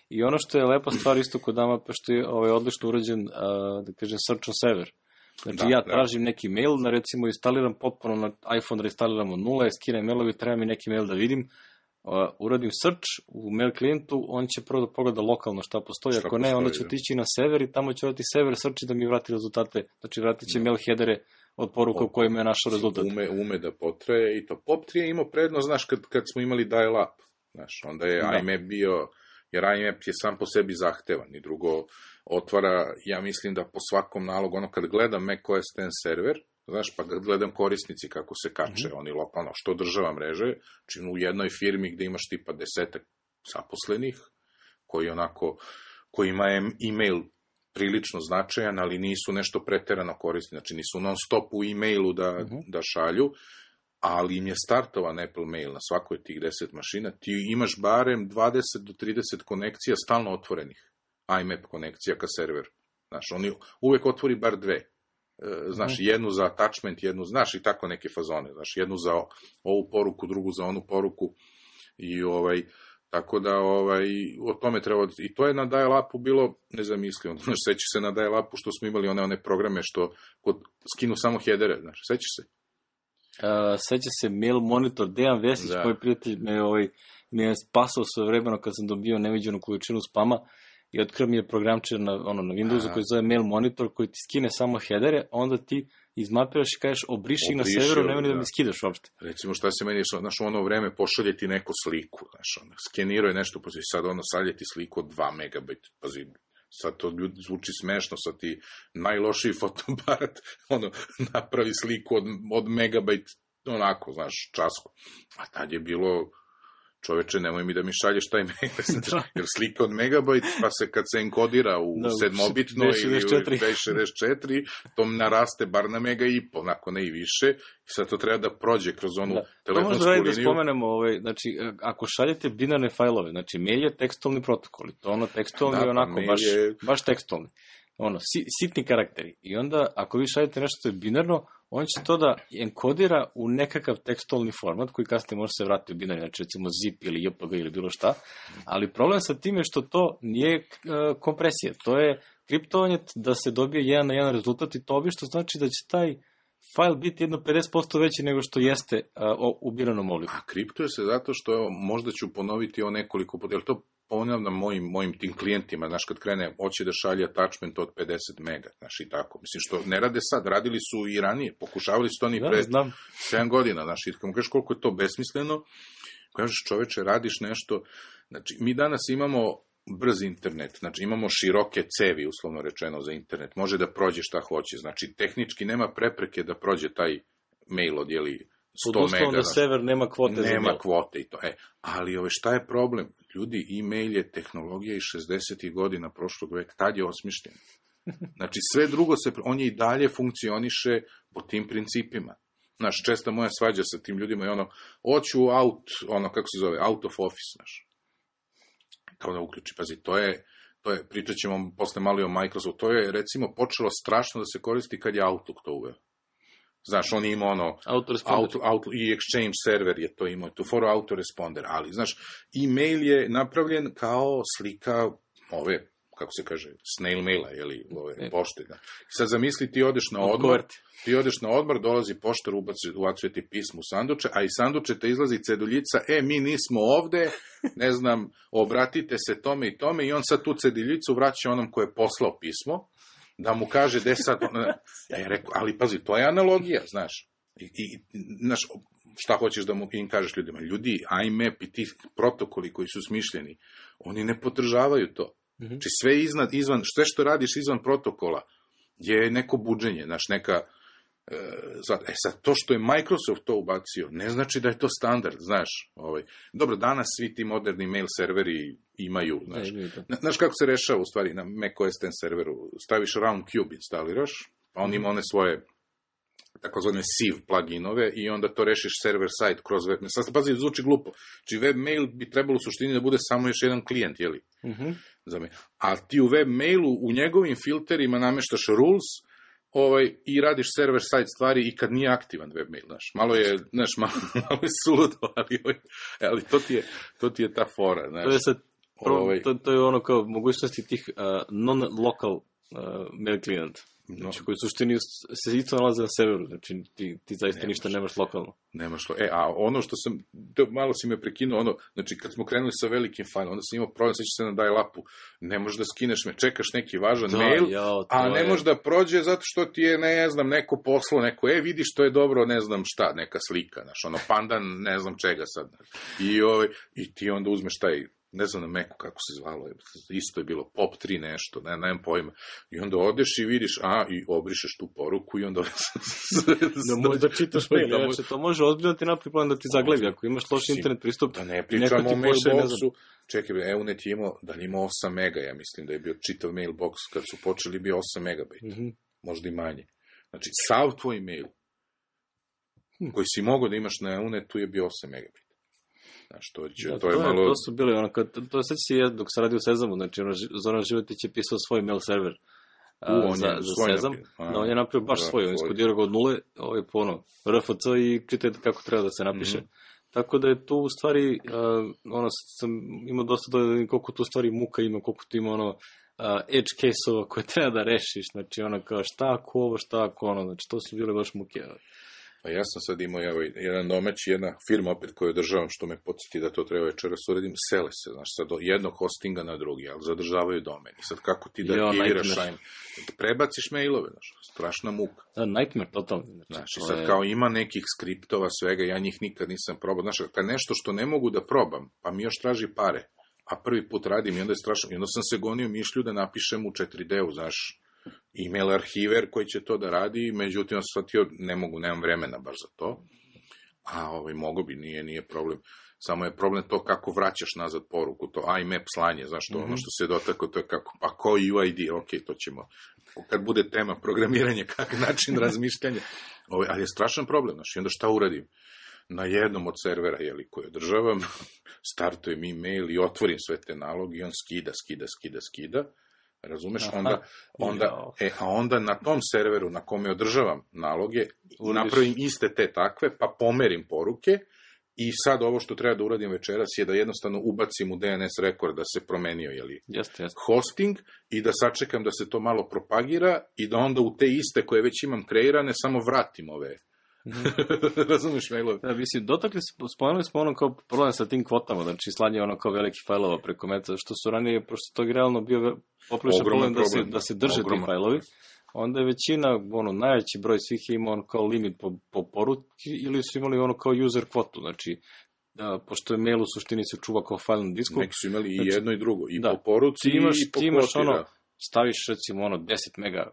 i ono što je lepa stvar isto kod IMAP-a što je odlično urađen, da kažem, search on server. Znači ja tražim neki mail, recimo instaliram potpuno na iPhone, reinstaliramo 0, skinem mailovi, treba mi neki mail da vidim, uradim search u mail klijentu, on će prvo da pogleda lokalno šta postoji, ako ne, onda će otići na server i tamo će urati server search da mi vrati rezultate, znači vratit će mail headere od poruka u kojima je našao rezultat. Ume da potraje i to. POP3 je imao prednost, znaš, kad smo imali dial-up, znaš, onda je IMAP bio, jer IMAP je sam po sebi zahtevan i drugo otvara, ja mislim da po svakom nalogu, kad gledam macOS X server, znaš, pa gledam korisnici kako se kače, oni lokalno, što država mreže, čim u jednoj firmi gde imaš tipa 10 zaposlenih, koji ima e-mail prilično značajan, ali nisu nešto preterano korisni, znači nisu non stop u e-mailu da šalju, ali im je startovan Apple mail na svakoj od tih 10 mašina, ti imaš barem 20 do 30 konekcija stalno otvorenih, IMAP konekcija ka serveru, znaš, oni uvek otvori bar 2, znaš, jednu za attachment, jednu, znaš, i tako neke fazone, znaš, jednu za ovu poruku, drugu za onu poruku, i Tako da, o tome treba... I to je na dial-upu bilo nezamislivo. Znaš, sećaš se na dial-upu što smo imali one programe što skinu samo headere, znaš, sećaš se? Seća se Mail Monitor, Dejan Vesić, moj prijatelj me je spasao sve vremeno kad sam dobio neviđenu količinu spama i otkrio mi je programčer na Windowsu koji zove Mail Monitor, koji ti skine samo headere, onda ti izmapiraš i kažeš obriši na severu, nema ni da mi skidaš uopšte. Recimo šta se meni, znaš, ono vreme pošalje ti neku sliku, znaš, skeniruje nešto, pazi, sad šalje ti sliku od 2 megabajta, pazi, sad to zvuči smešno, sad ti najlošiji fotoaparat, napravi sliku od megabajt, onako, znaš, časku. A tad je bilo, čoveče, nemoj mi da mi šalješ taj megabajt, jer slika od megabajt, pa se kad se enkodira u 7-bitno ili u 264, to naraste bar na mega i pol, onako ne i više, i sad to treba da prođe kroz onu telefonsku liniju. Da spomenemo, znači, ako šaljete binarne fajlove, znači, mail je tekstualni protokol, i to tekstualni onako, baš tekstualni. Sitni karakteri. I onda, ako vi šaljete nešto što je binarno, on će to da enkodira u nekakav tekstualni format, koji kasnije može se vratiti u binarni, znači recimo zip ili JPG ili bilo šta, ali problem sa tim je što to nije kompresija, to je kriptovanje da se dobije 1 na 1 rezultat i to obično znači da će taj fajl biti jedno 50% veći nego što jeste u biranom obliku. A kriptuje se zato što, možda ću ponoviti nekoliko puta, jer to ponavljam mojim tim klijentima, znaš, kad krene, hoće da šalje attachment od 50 mega, znaš, i tako. Mislim, što ne rade sad, radili su i ranije, pokušavali su to ni pre 7 godina, znaš, i kad kažeš koliko je to besmisleno, kažeš, čoveče, radiš nešto, znači, mi danas imamo brz internet, znači imamo široke cevi, uslovno rečeno, za internet, može da prođe šta hoće, znači, tehnički nema prepreke da prođe taj mail od, 100 mega. Da sever nema kvote za mail. Nema kvote i to. Ali šta je problem? Ljudi, e-mail je tehnologija iz 60. godina prošlog veka, tad je osmišljen. Znači, sve drugo on je i dalje funkcioniše po tim principima. Znaš, česta moja svađa sa tim ljudima je hoću kako se zove, out of office, znaš. Kao da uključi, pazi, to je, pričat ćemo posle malo i o Microsoftu, to je, recimo, počelo strašno da se koristi kad je Outlook to uveo. Znaš, on ima i Exchange server je to imao, tu foru autoresponder, ali, znaš, e-mail je napravljen kao slika kako se kaže, snail maila, pošte. Da. Sad zamisli, ti odeš na odmor, dolazi poštar, ubacuje ti pismo u sanduče, a iz sanduče te izlazi ceduljica, mi nismo ovde, ne znam, obratite se tome i tome, i on sad tu ceduljicu vraća onom ko je poslao pismo, da mu kaže gde sad... Ja rekao, ali pazi, to je analogija, znaš. Znaš, šta hoćeš da im kažeš ljudima? Ljudi, IMAP i ti protokoli koji su smišljeni, oni ne podržavaju to. Znači, sve što radiš izvan protokola je neko buđenje, znaš, neka... sad, to što je Microsoft to ubacio, ne znači da je to standard, znaš. Dobro, danas svi ti moderni mail serveri imaju, znaš kako se rešava u stvari na macOS X serveru, staviš Roundcube, instaliraš, pa on ima one svoje takozvane sieve pluginove i onda to rešiš server-side kroz web. Sad, pazi, zvuči glupo. Znači, web mail bi trebalo u suštini da bude samo još jedan klijent, jeli? A ti u web mailu, u njegovim filterima nameštaš rules i radiš server-side stvari i kad nije aktivan web mail, znaš. Malo je suludo, ali to ti je ta fora, znaš. To je sad, to je kao mogućnosti tih non-local mail klijenta. Znači, koji u suštini se isto nalaze na severu, znači ti zaista ništa nemaš lokalno. Nemaš lo. A ono što sam, malo si me prekinuo, znači kad smo krenuli sa velikim fajlom, onda sam imao problem, sećaš se na dial-upu, ne možeš da skineš čekaš neki važan mail, a ne možeš da prođe zato što ti je, ne znam, neko poslao, neko, vidiš, to je dobro, ne znam šta, neka slika, znaš, pandan, ne znam čega sad. I ti onda uzmeš taj, ne znam na Macu kako se zvalo, isto je bilo Pop 3 nešto, nemam pojma. I onda odeš i vidiš, i obrišeš tu poruku i onda... da čitaš mail, znači to može ozbiljno ti napravi plan da ti zaglebi, ako imaš loš internet pristup. Da ne pričamo o mailboxu, čekaj, Eunet je imao, da li imao 8 mega, ja mislim da je bio čitav mailbox, kad su počeli bio 8 megabajta, možda i manje. Znači, sav tvoj mail, koji si mogao da imaš na Eunetu je bio 8 megabajta. Znaš, to je malo... To su bili, to sad si dok se radi u Sezamu, znači Zoran Životić je pisao svoj mail server za Sezam, on je napravio baš svoj, on iskodirao ga od nule, po RFC i čitajte kako treba da se napiše. Tako da je tu u stvari, sam imao dosta da koliko tu u stvari muka ima, koliko tu ima edge case-ova koje treba da rešiš, znači kao šta ako ovo, šta ako znači to su bile baš muke. Pa ja sam sad imao jedan domaći, jedna firma opet koju održavam, što me podsjeti da to treba večeras uradim, sele se, znaš, sad od jednog hostinga na drugi, ali zadržavaju domen. I sad kako ti da aktiviraš prebaciš mailove, znaš, strašna muka. Da, nightmare, totalno. Znaš, i sad kao ima nekih skriptova, svega, ja njih nikad nisam probao. Znaš, kad nešto što ne mogu da probam, pa mi još traži pare, a prvi put radim i onda je strašno. I onda sam se gonio mišlju da napišem u 4D-u, znaš, email arhiver koji će to da radi, međutim, ja sam shvatio, nemam vremena baš za to. A mogo bi, nije problem. Samo je problem to kako vraćaš nazad poruku, to IMAP slanje, znaš, to ono što se dotaklo, to je kako, pa ko UID, ok, to ćemo, kad bude tema programiranja, kakav način razmišljanja, ali je strašan problem, znaš, i onda šta uradim? Na jednom od servera, koji održavam, startujem email i otvorim sve te naloge i on skida, razumeš, onda na tom serveru na kome održavam naloge, napravim iste te takve, pa pomerim poruke i sad ovo što treba da uradim večeras je da jednostavno ubacim u DNS rekord da se promenio, hosting i da sačekam da se to malo propagira i da onda u te iste koje već imam kreirane samo vratim ove. Razumiješ mailove? Da, mislim, spomenuli smo kao problem sa tim kvotama, znači slanje kao veliki fajlova preko meta, što su ranije, pošto to je realno bio popriličan problem da se drže ti fajlovi, onda je većina, najveći broj svih je imao kao limit po poruci ili su imali kao user kvotu, znači pošto je mail u suštini se čuva kao file na disku. Neki su imali i jedno i drugo, i po poruci i po kvoti. Staviš recimo 10 mega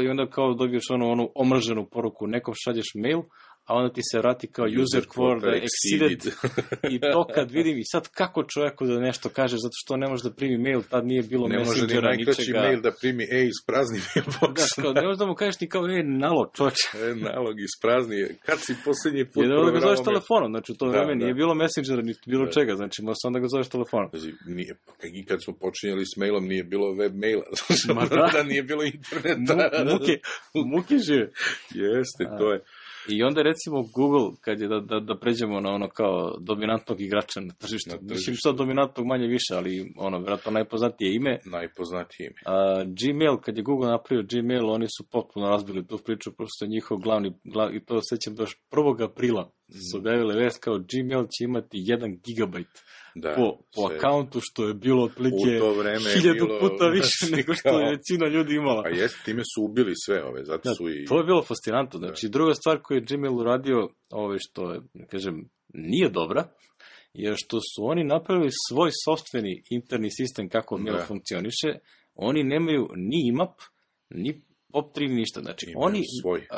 i onda kao dobiješ onu omrženu poruku, nekom šalješ mail, a onda ti se vrati kao user quota exceeded. I to kad vidim, i sad kako čovjeku da nešto kaže, zato što ne može da primi mail, tad nije bilo messengera, ničega. Ne može ni najkraći mail da primi, isprazni mailbox. Ne možeš da mu kažeš ni kao, nalog, čoče. Nalog, isprazni, kad si posljednji put proveravao? Jer onda ga zoveš telefonom, znači u to vreme nije bilo messengera, ni bilo čega, znači možeš onda ga zoveš telefonom. I kad smo počinjali s mailom, nije bilo web maila, da nije bilo interneta. Muke žive. Jeste, to je. I onda recimo Google, kad je da pređemo na kao dominantnog igrača na tržištu, mislim sad dominantnog manje više, ali vjerojatno najpoznatije ime. Gmail, kad je Google napravio Gmail, oni su potpuno razbili tu priču, prosto njihov glavni, i to sećam da još 1. aprila su objavili vest kao Gmail će imati 1 gigabajt po akauntu, što je bilo otprilike 1000 puta više nego što je većina ljudi imala. A jeste, time su ubili sve ove, zato su i... To je bilo fascinantno, znači druga stvar koju je Gmail uradio, što je, kažem, nije dobra, je što su oni napravili svoj sopstveni interni sistem kako mail funkcioniše, oni nemaju ni IMAP, ni POP3, ništa, znači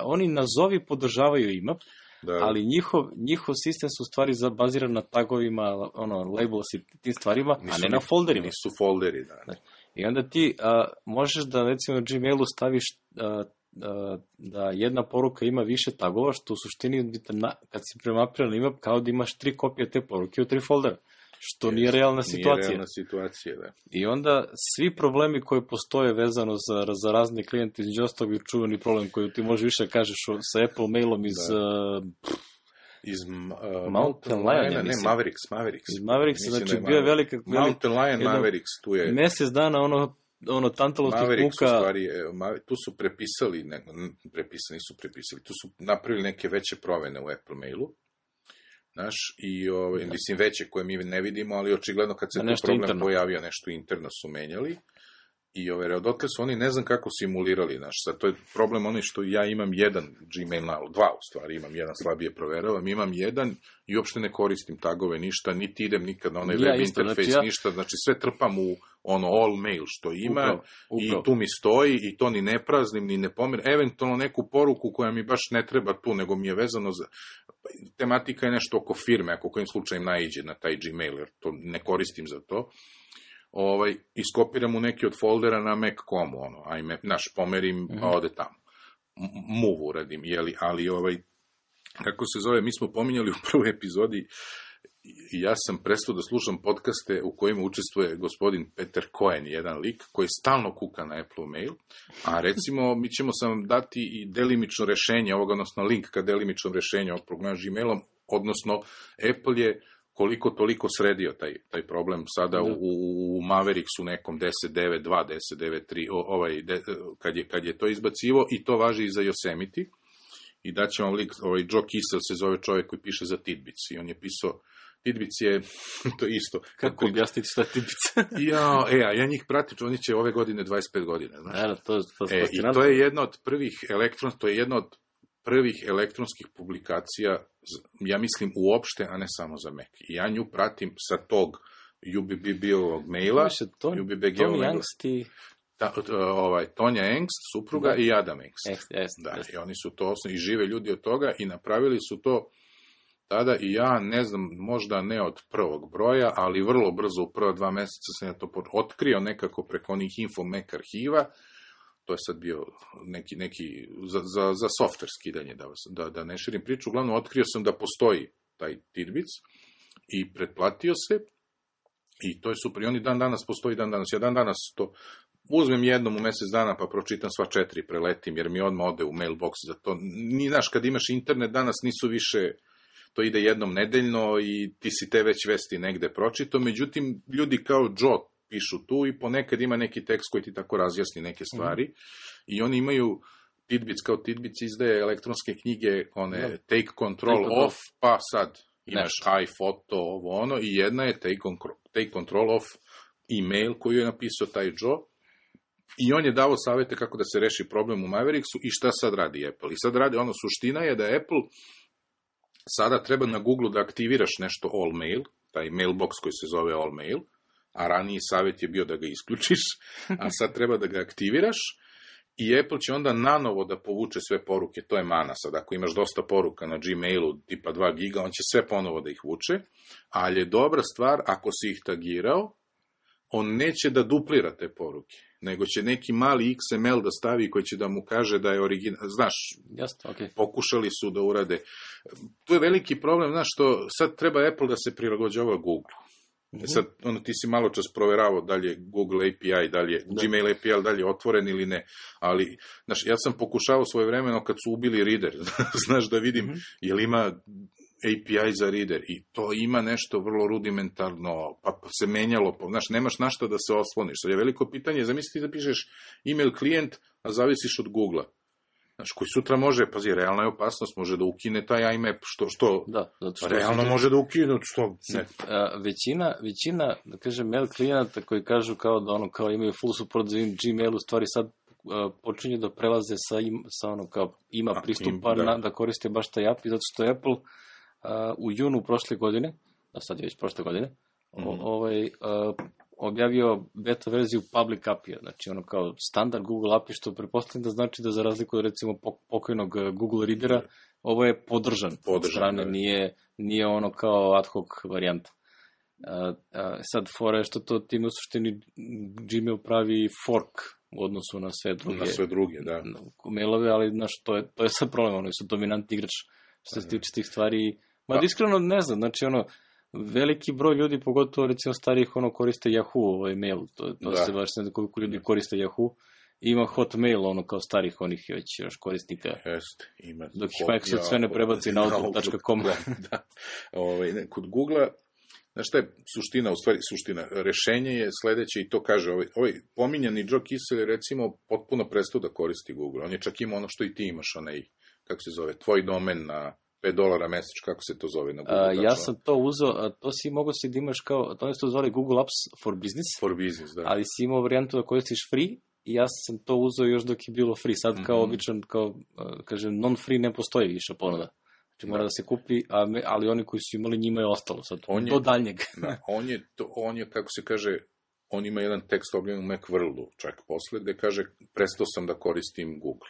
oni nazovi podržavaju IMAP, ali njihov sistem su u stvari baziran na tagovima, labels i tim stvarima, a ne na folderima. Nisu folderi, da. I onda ti možeš da, recimo, na Gmailu staviš da jedna poruka ima više tagova, što u suštini, kad si premapiran IMAP, kao da imaš 3 kopije te poruke u 3 foldera. Što nije realna situacija. Nije realna situacija, da. I onda svi problemi koji postoje vezano za razne klijente, između ostalog je čuveni problem koji ti može više kažeš sa Apple mailom iz Mountain Lion, ne, Mavericks. Iz Mavericks, znači bio je velika... Mountain Lion Mavericks, tu je... Mesec dana tantalovskih muka... Mavericks u stvari, tu su prepisali, nisu prepisali, tu su napravili neke veće promene u Apple mailu. Znaš, i mislim veće koje mi ne vidimo, ali očigledno kad se tu problem pojavio, nešto interno su menjali. I odotle su oni, ne znam kako simulirali, znaš, sad to je problem onaj što ja imam jedan Gmail, 2 u stvari, imam jedan slabije proveravam, imam jedan i uopšte ne koristim tagove, ništa, niti idem nikad na onaj web interfejs, ništa, znači sve trpam u all mail što ima i tu mi stoji i to ni ne praznim, ni ne pomerim, eventualno neku poruku koja mi baš ne treba tu, nego mi je vezano za... Tematika je nešto oko firme, ako kojim slučajem naiđe na taj Gmail, jer to ne koristim za to. Iskopiram u neki od foldera na Mac.com, ajme, pomerim, pa ode tamo. Move uradim, ali kako se zove, mi smo pominjali u prvoj epizodi, ja sam prestao da slušam podcaste u kojima učestvuje gospodin Peter Cohen, jedan lik, koji stalno kuka na Apple mail, a recimo, mi ćemo sam dati i delimično rešenje ovoga, odnosno link ka delimičnom rešenju ovog problema Gmailom, odnosno Apple je koliko toliko sredio taj problem sada u Mavericksu nekom 10.9.2, 10.9.3, kad je to izbacivo, i to važi i za Yosemite. I daće vam link, Joe Kissel se zove čovjek koji piše za Tidbits, i on je pisao, Tidbits je, to isto. Kako objasniti šta je Tidbits? Ja njih pratim, oni će ove godine 25 godina, znaš. I to je jedna od prvih elektronskih publikacija, ja mislim uopšte, a ne samo za Mac. I ja nju pratim sa tog UBB-ovog maila, UBBG-ovog maila. Tonja Engst, supruga, i Adam Engst. I oni su to i žive ljudi od toga i napravili su to tada, i ja ne znam, možda ne od prvog broja, ali vrlo brzo, u prva 2 meseca sam ja to otkrio nekako preko onih Info-Mac arhiva. To je sad bio neki za software skidanje, da ne širim priču. Uglavnom, otkrio sam da postoji taj Tidbits i pretplatio se, i to je super. I oni dan danas postoji, ja dan danas to uzmem jednom u mesec dana, pa pročitam sva 4, preletim, jer mi odmah ode u mailbox za to. Znaš, kad imaš internet, danas nisu više, to ide jednom nedeljno i ti si te već vesti negde pročito, međutim, ljudi kao Joe pišu tu i ponekad ima neki tekst koji ti tako razjasni neke stvari, i oni imaju Tidbits, kao Tidbits izdaje elektronske knjige, one Take Control Off, pa sad imaš iPhoto, ovo ono, i jedna je Take Control Off email koju je napisao taj Joe, i on je dao savete kako da se reši problem u Mavericksu. I šta sad radi Apple? I sad radi, suština je da Apple sada treba na Google da aktiviraš nešto All Mail, taj mailbox koji se zove All Mail, a raniji savjet je bio da ga isključiš, a sad treba da ga aktiviraš, i Apple će onda nanovo da povuče sve poruke. To je mana sad. Ako imaš dosta poruka na Gmailu tipa 2 giga, on će sve ponovo da ih vuče, ali je dobra stvar, ako si ih tagirao, on neće da duplira te poruke, nego će neki mali XML da stavi koji će da mu kaže da je original. Znaš, pokušali su da urade. Tu je veliki problem, znaš, što sad treba Apple da se prilagođava Google. Sad, ti si malo čas proveravao da li je Google API, da li je Gmail API, da li je otvoren ili ne, ali, znaš, ja sam pokušavao svojevremeno kad su ubili Reader, znaš, da vidim, je li ima API za Reader, i to ima nešto vrlo rudimentarno, pa se menjalo, znaš, nemaš na šta da se osloniš. Sad je veliko pitanje, zamisli da pišeš email klijent, a zavisiš od Google-a. Znaš, koji sutra može, pazi, realna je opasnost, može da ukine taj IMAP, što realno može da ukine, što ne. Većina, da kažem, mail klijenata koji kažu kao imaju full support za Gmail, u stvari sad počinju da prelaze sa kao ima pristupa da koriste baš taj API, zato što je Apple u junu prošle godine, a sad je već prošle godine, objavio beta verziju public API-a, znači kao standard Google API, što pretpostavljam da znači da za razliku od recimo pokojnog Google Readera, ovo je podržan od strane, nije kao ad hoc varijanta. Sad fora je što to time u suštini Gmail pravi fork u odnosu na sve druge. Da. Mailove, ali to je sad problem, oni su dominantni igrač što se tiče tih stvari. Iskreno ne znam, znači veliki broj ljudi, pogotovo recimo starijih, koriste Yahoo mail, to se baš ne znam koliko ljudi koriste Yahoo, ima Hotmail, kao starih onih već još korisnika, dok ih Microsoft sve ne prebaci na outlook.com. Kod Google-a, znaš šta je suština, rešenje je sledeće, i to kaže, pominjani Joe Kissel recimo potpuno prestao da koristi Google, on je čak imao ono što i ti imaš, kako se zove, tvoj domen na $5 mesec, kako se to zove na Google? Ja sam to uzeo, to si mogo si da imaš kao, to se zove Google Apps for Business, da. Ali si imao varijantu da koristiš free, i ja sam to uzeo još dok je bilo free, sad kao običan, kažem, non-free ne postoji više ponuda. Znači mora da se kupi, ali oni koji su imali, njima je ostalo sad, do daljnjeg. On je, kako se kaže, on ima jedan tekst objavljen u Macworldu, čak posle, gde kaže, prestao sam da koristim Google.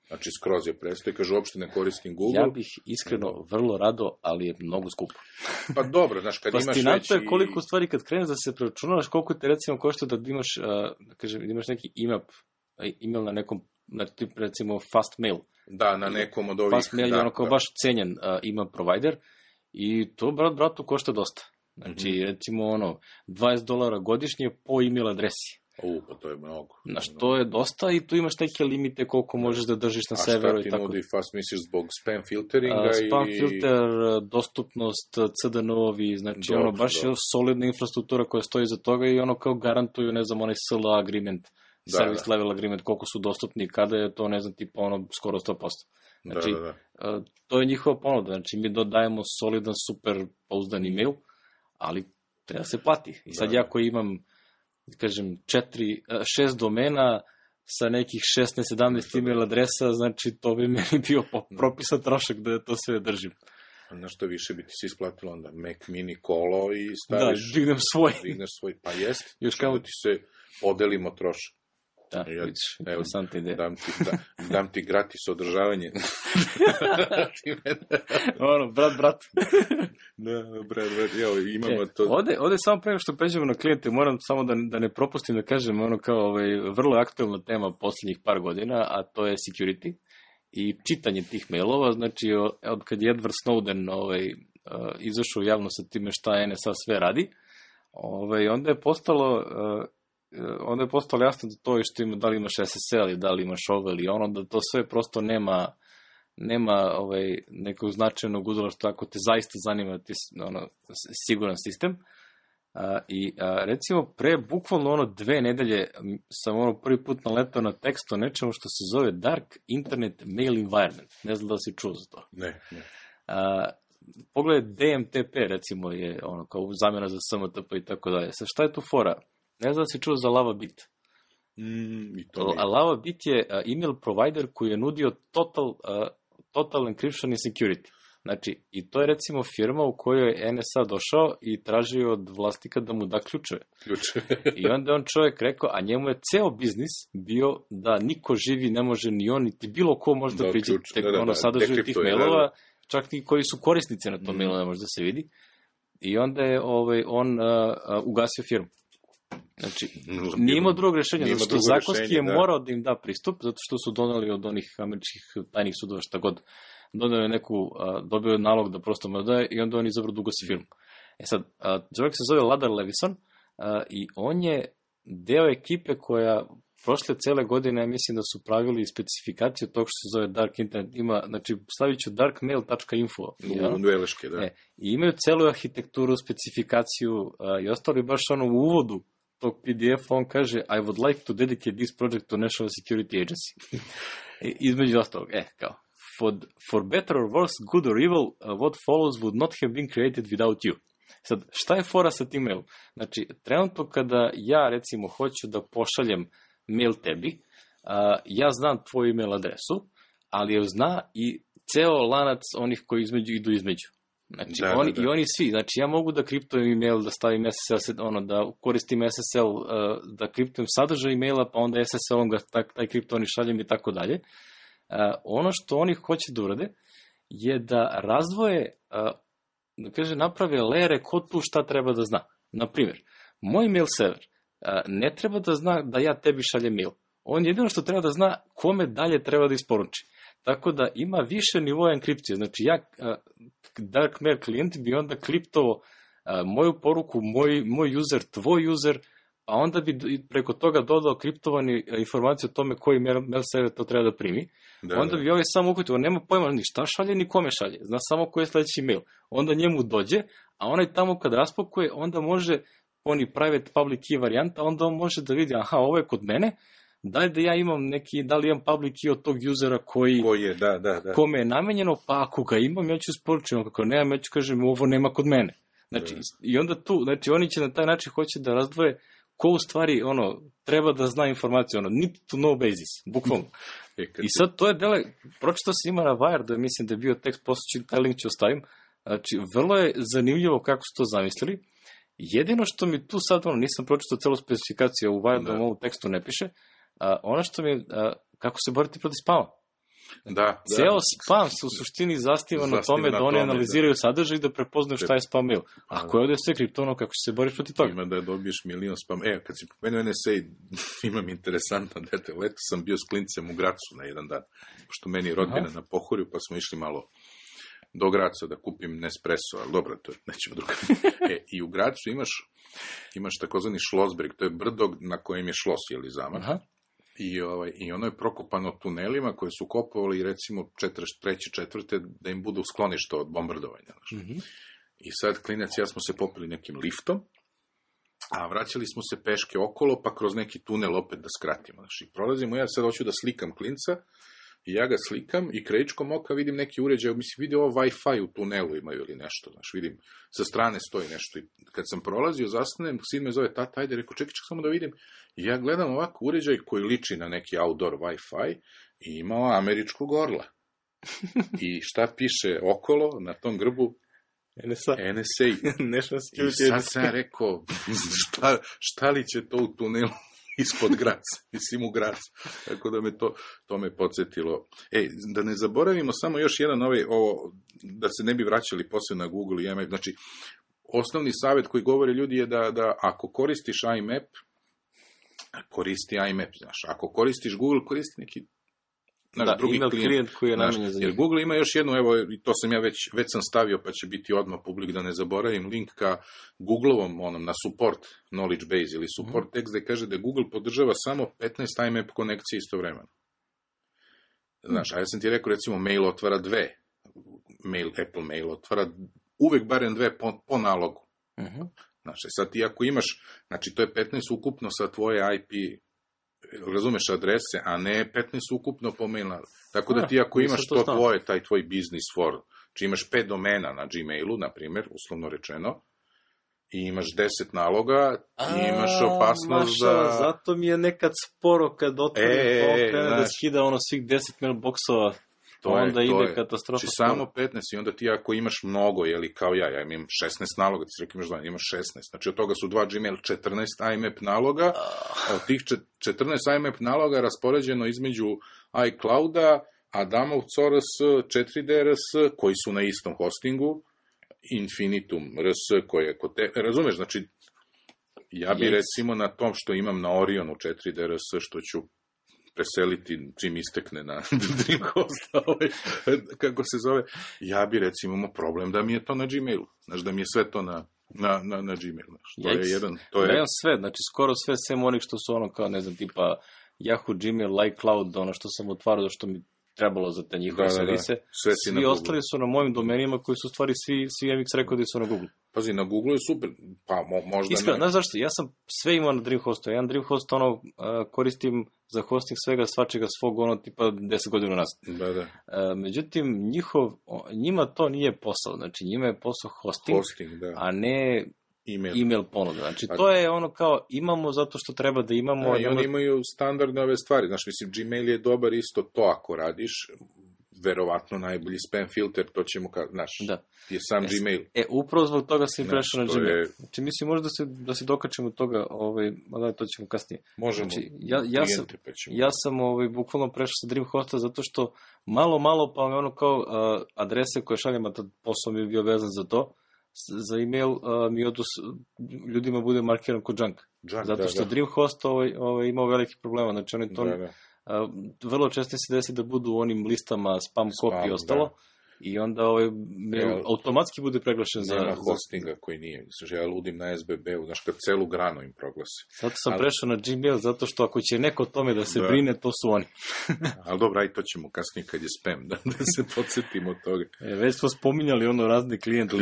Znači, skroz je prestao i kaže, uopšte ne koristim Google. Ja bih iskreno vrlo rado, ali je mnogo skupo. Pa dobro, znaš, kad imaš već... Fascinantno je koliko stvari kad kreneš da se preračunavaš, koliko te recimo košta da imaš, imaš neki email na nekom, recimo fast mail. Da, na nekom od ovih... Fast mail je kao baš cenjen email provider, i to, bratu, košta dosta. Znači, recimo, $20 godišnje po email adresi. Pa to je mnogo. Znaš, to je dosta i tu imaš neke limite koliko možeš da držiš na serveru i tako. A šta ti nudi fast, misliš, zbog spam filteringa spam filter, dostupnost, CDN-ovi, znači baš je solidna infrastruktura koja stoji za toga i kao garantuju, ne znam, onaj SLA agreement, service level agreement, koliko su dostupni, kada je to, ne znam, tipa skoro 100%. Znači, to je njihova ponuda, znači mi dodajemo solidan, super pouzdan email, ali treba se plati. I sad ja koji imam, kažem, 6 domena sa nekih 16-17 email adresa, znači to bi meni bio propisan trošak da to sve držim. Na što više bi ti se isplatilo onda Mac Mini kolo i staviš... Da, digneš svoj, pa jest, još kao ti se podelimo trošak. Da, vidiš, interesantna ideja. Dam ti gratis održavanje. Brat. Brat, evo, imamo to. Ovde samo prema što pređemo na klijente, moram samo da ne propustim da kažem, kao vrlo aktualna tema posljednjih par godina, a to je security i čitanje tih mailova, znači od kad je Edward Snowden izašao javno sa time šta NSA sve radi, onda je postalo jasno da to što ima, da li imaš SSL i da li imaš ovo ili ono, da to sve prosto nema nekog značajnog udjela što ako te zaista zanima siguran sistem. Recimo, bukvalno 2 nedelje sam prvi put naletao na tekst o nečemu što se zove Dark Internet Mail Environment. Ne znam da si čuo za to. Ne. Pogledaj, DMTP recimo je kao zamjena za SMTP i tako dalje. Sad šta je tu fora? Ne znam da si čuo za LavaBit. LavaBit je email provider koji je nudio total encryption i security. Znači, i to je recimo firma u kojoj je NSA došao i tražio od vlasnika da mu da ključeve. I onda je on čovjek rekao, a njemu je ceo biznis bio da niko živi ne može ni on, niti bilo ko može da priđe sadržaju tih mailova, čak i koji su korisnici na tom mailu ne može da se vidi. I onda je on ugasio firmu. Znači, nije imao drugog rešenja, zato što zakonski je morao da im da pristup, zato što su doneli od onih američkih tajnih sudova šta god, dobio nalog da prosto mu daje i onda on izabrao da ugasi firmu. Sad, čovjek se zove Ladar Levison i on je deo ekipe koja prošle cele godine, mislim da su pravili specifikaciju tog što se zove Dark Internet. Znači, stavit ću darkmail.info. Veleške, da. I imaju celu arhitekturu, specifikaciju i ostalo i baš u uvodu tog PDF on kaže I would like to dedicate this project to National Security Agency. Između ostalog, kao for better or worse, good or evil, what follows would not have been created without you. Sad, šta je fora sa tim mailom? Znači, trenutno kada ja, recimo, hoću da pošaljem mail tebi, ja znam tvoju email adresu, ali je zna i ceo lanac onih koji idu između. Znači, i oni svi. Znači, ja mogu da kriptujem email, da stavim SSL, da koristim SSL, da kriptujem sadržaj emaila, pa onda SSL-om ga taj kripto oni šaljem i tako dalje. Ono što oni hoće da urade je da razdvoje, naprave lere ko tu šta treba da zna. Naprimjer, moj mail server ne treba da zna da ja tebi šaljem mail. On jedino što treba da zna kome dalje treba da isporuči. Tako da ima više nivoja enkripcije. Znači, Dark Mail klijent bi onda kriptovao moju poruku, moj user, tvoj user, a onda bi preko toga dodao kriptovani informaciju o tome koji mail server to treba da primi. Onda bi ovaj samo uhvatio, nema pojma ni šta šalje, ni kome šalje. Zna samo koji je sledeći mail. Onda njemu dođe, a onaj tamo kad raspakuje, onda može, oni private public key varijanta, onda on može da vidi, aha, ovo je kod mene, da ja imam da li imam public key od tog usera kome je namenjeno, pa ako ga imam, ja ću isporučiti, kako nemam, ja ću kažem, ovo nema kod mene. Znači, i onda tu, znači, oni će na taj način hoće da razdvoje ko u stvari, treba da zna informaciju, need to know basis, bukvalno. I sad to je pročitao sam ima na Wired, mislim da je bio tekst, posle taj link ću ostavim, znači, vrlo je zanimljivo kako su to zamislili. Jedino što mi tu sad, nisam pročitao celu specifikaciju, u Wired ovom tekstu ne piše, ono što mi, kako se boriti protiv spama. Ceo spam se u suštini zastiva na tome da oni analiziraju sadržaj i da prepoznaju šta je spam mail. Ako je ovdje sve kriptovano, kako se boriš protiv toga? Ima da dobiješ milion spam. Kad si pomenuo NSA, imam interesantan detalj. Leto sam bio s klincem u Gracu na jedan dan, pošto meni je rodbina na Pohorju, pa smo išli malo do Graca da kupim Nespresso, ali dobro, to je nećemo drugo. I u Gracu imaš takozvani Schlossberg, to je brdo na kojem je šlos, jeli zamak. Aha. I ono je prokopano tunelima koje su kopovali, recimo, 43. 4. da im budu sklonište od bombardovanja. I sad klinac i ja smo se popili nekim liftom, a vraćali smo se peške okolo, pa kroz neki tunel opet da skratimo. Znači, prolazimo, ja sad hoću da slikam klinca, i ja ga slikam i krajičkom oka vidim neki uređaj, mislim, vidi ovo Wi-Fi u tunelu imaju ili nešto, znači, vidim, sa strane stoji nešto. I kad sam prolazio, zastanem, sin me zove, tata, ajde, rekao, čekaj samo da vidim. I ja gledam ovako uređaj koji liči na neki outdoor Wi-Fi i imao američkog orla. I šta piše okolo na tom grbu? NSA. I sad sam rekao, šta li će to u tunelu ispod Graca, mislim u Gracu. Tako da to me podsjetilo. Da ne zaboravimo samo još jedan ovo, da se ne bi vraćali posle na Google i IMAP. Znači, osnovni savjet koji govore ljudi je da ako koristiš IMAP, koristi IMAP, znaš. Ako koristiš Google, koristi neki drugi klijent koji je namenjen za njih. Jer Google ima još jednu, evo, i to sam ja već sam stavio, pa će biti odmah publik, da ne zaboravim, link ka Googleovom, na support knowledge base ili support text, gde kaže da Google podržava samo 15 IMAP konekcije istovremeno. Znaš, a ja sam ti rekao, recimo, mail otvara 2. Apple mail otvara uvek barem 2 po nalogu. Znači, sad ti ako imaš, znači, to je 15 ukupno sa tvoje IP, razumeš, adrese, a ne 15 ukupno po mailu. Tako da ti ako imaš to tvoje, taj tvoj business for, či imaš 5 domena na Gmailu, na primjer, uslovno rečeno, i imaš 10 naloga, i imaš opasnost da... Zato mi je nekad sporo kad otvorim to, krene da skida svih 10 mailboxova, onda ide katastrofa. Znači samo 15 i onda ti ako imaš mnogo, jeli kao ja imam 16 naloga, ti si rekao imaš 16, znači od toga su 2 Gmail, 14 IMAP naloga, od tih 14 IMAP naloga raspoređeno između iClouda, Adamov CORS, 4DRS, koji su na istom hostingu, Infinitum RS, koji je kod te... Razumeš, znači, ja bi recimo na tom što imam na Orionu 4DRS, što ću preseliti čim istekne na Dreamhost, kako se zove, ja bi recimo imao problem da mi je to na Gmailu, znači da mi je sve to na Gmailu. To je sve, znači skoro sve, sem onih što su kao, ne znam, tipa Yahoo, Gmail, iCloud, ono što sam otvarao, što mi trebalo za te njihove servise. Svi ostali su na mojim domenima koji su stvari svi MX rekodi su na Google. Pazi, na Google je super, pa možda iskreno, znaš zašto? Ja sam sve imao na Dreamhostu. Jedan Dreamhost koristim za hosting svega svačega svog tipa 10 godina nazad. Međutim, njima to nije posao. Znači, njima je posao hosting a ne email ponuda. Znači, to je kao imamo zato što treba da imamo. I oni imaju standardne ove stvari. Znači, mislim, Gmail je dobar isto to ako radiš. Verovatno najbolji spam filter, to ćemo je sam Gmail. Upravo zbog toga sam prešao na Gmail. Znači, mislim, možda da se dokačemo toga, to ćemo kasnije. Možemo, znači, ja sam bukvalno prešao sa Dreamhosta zato što malo, pa me kao adrese koje šaljem, a tad posao mi je bio vezan za to, za email mi ljudima bude markiran kod junk. Zato što Dreamhost imao veliki problema, znači oni to... vrlo često se desi da budu u onim listama spam copy i ostalo i onda mail automatski bude preglašen za... Nema hostinga koji nije. Ja ludim na SBB-u, znaš, kad celu granu im proglasi. Zato sam prešao na Gmail, zato što ako će neko o tome da se brine, to su oni. Ali dobro, aj to ćemo kasnije kad je spam, da se podsjetimo od toga. Već smo spominjali razne klijente,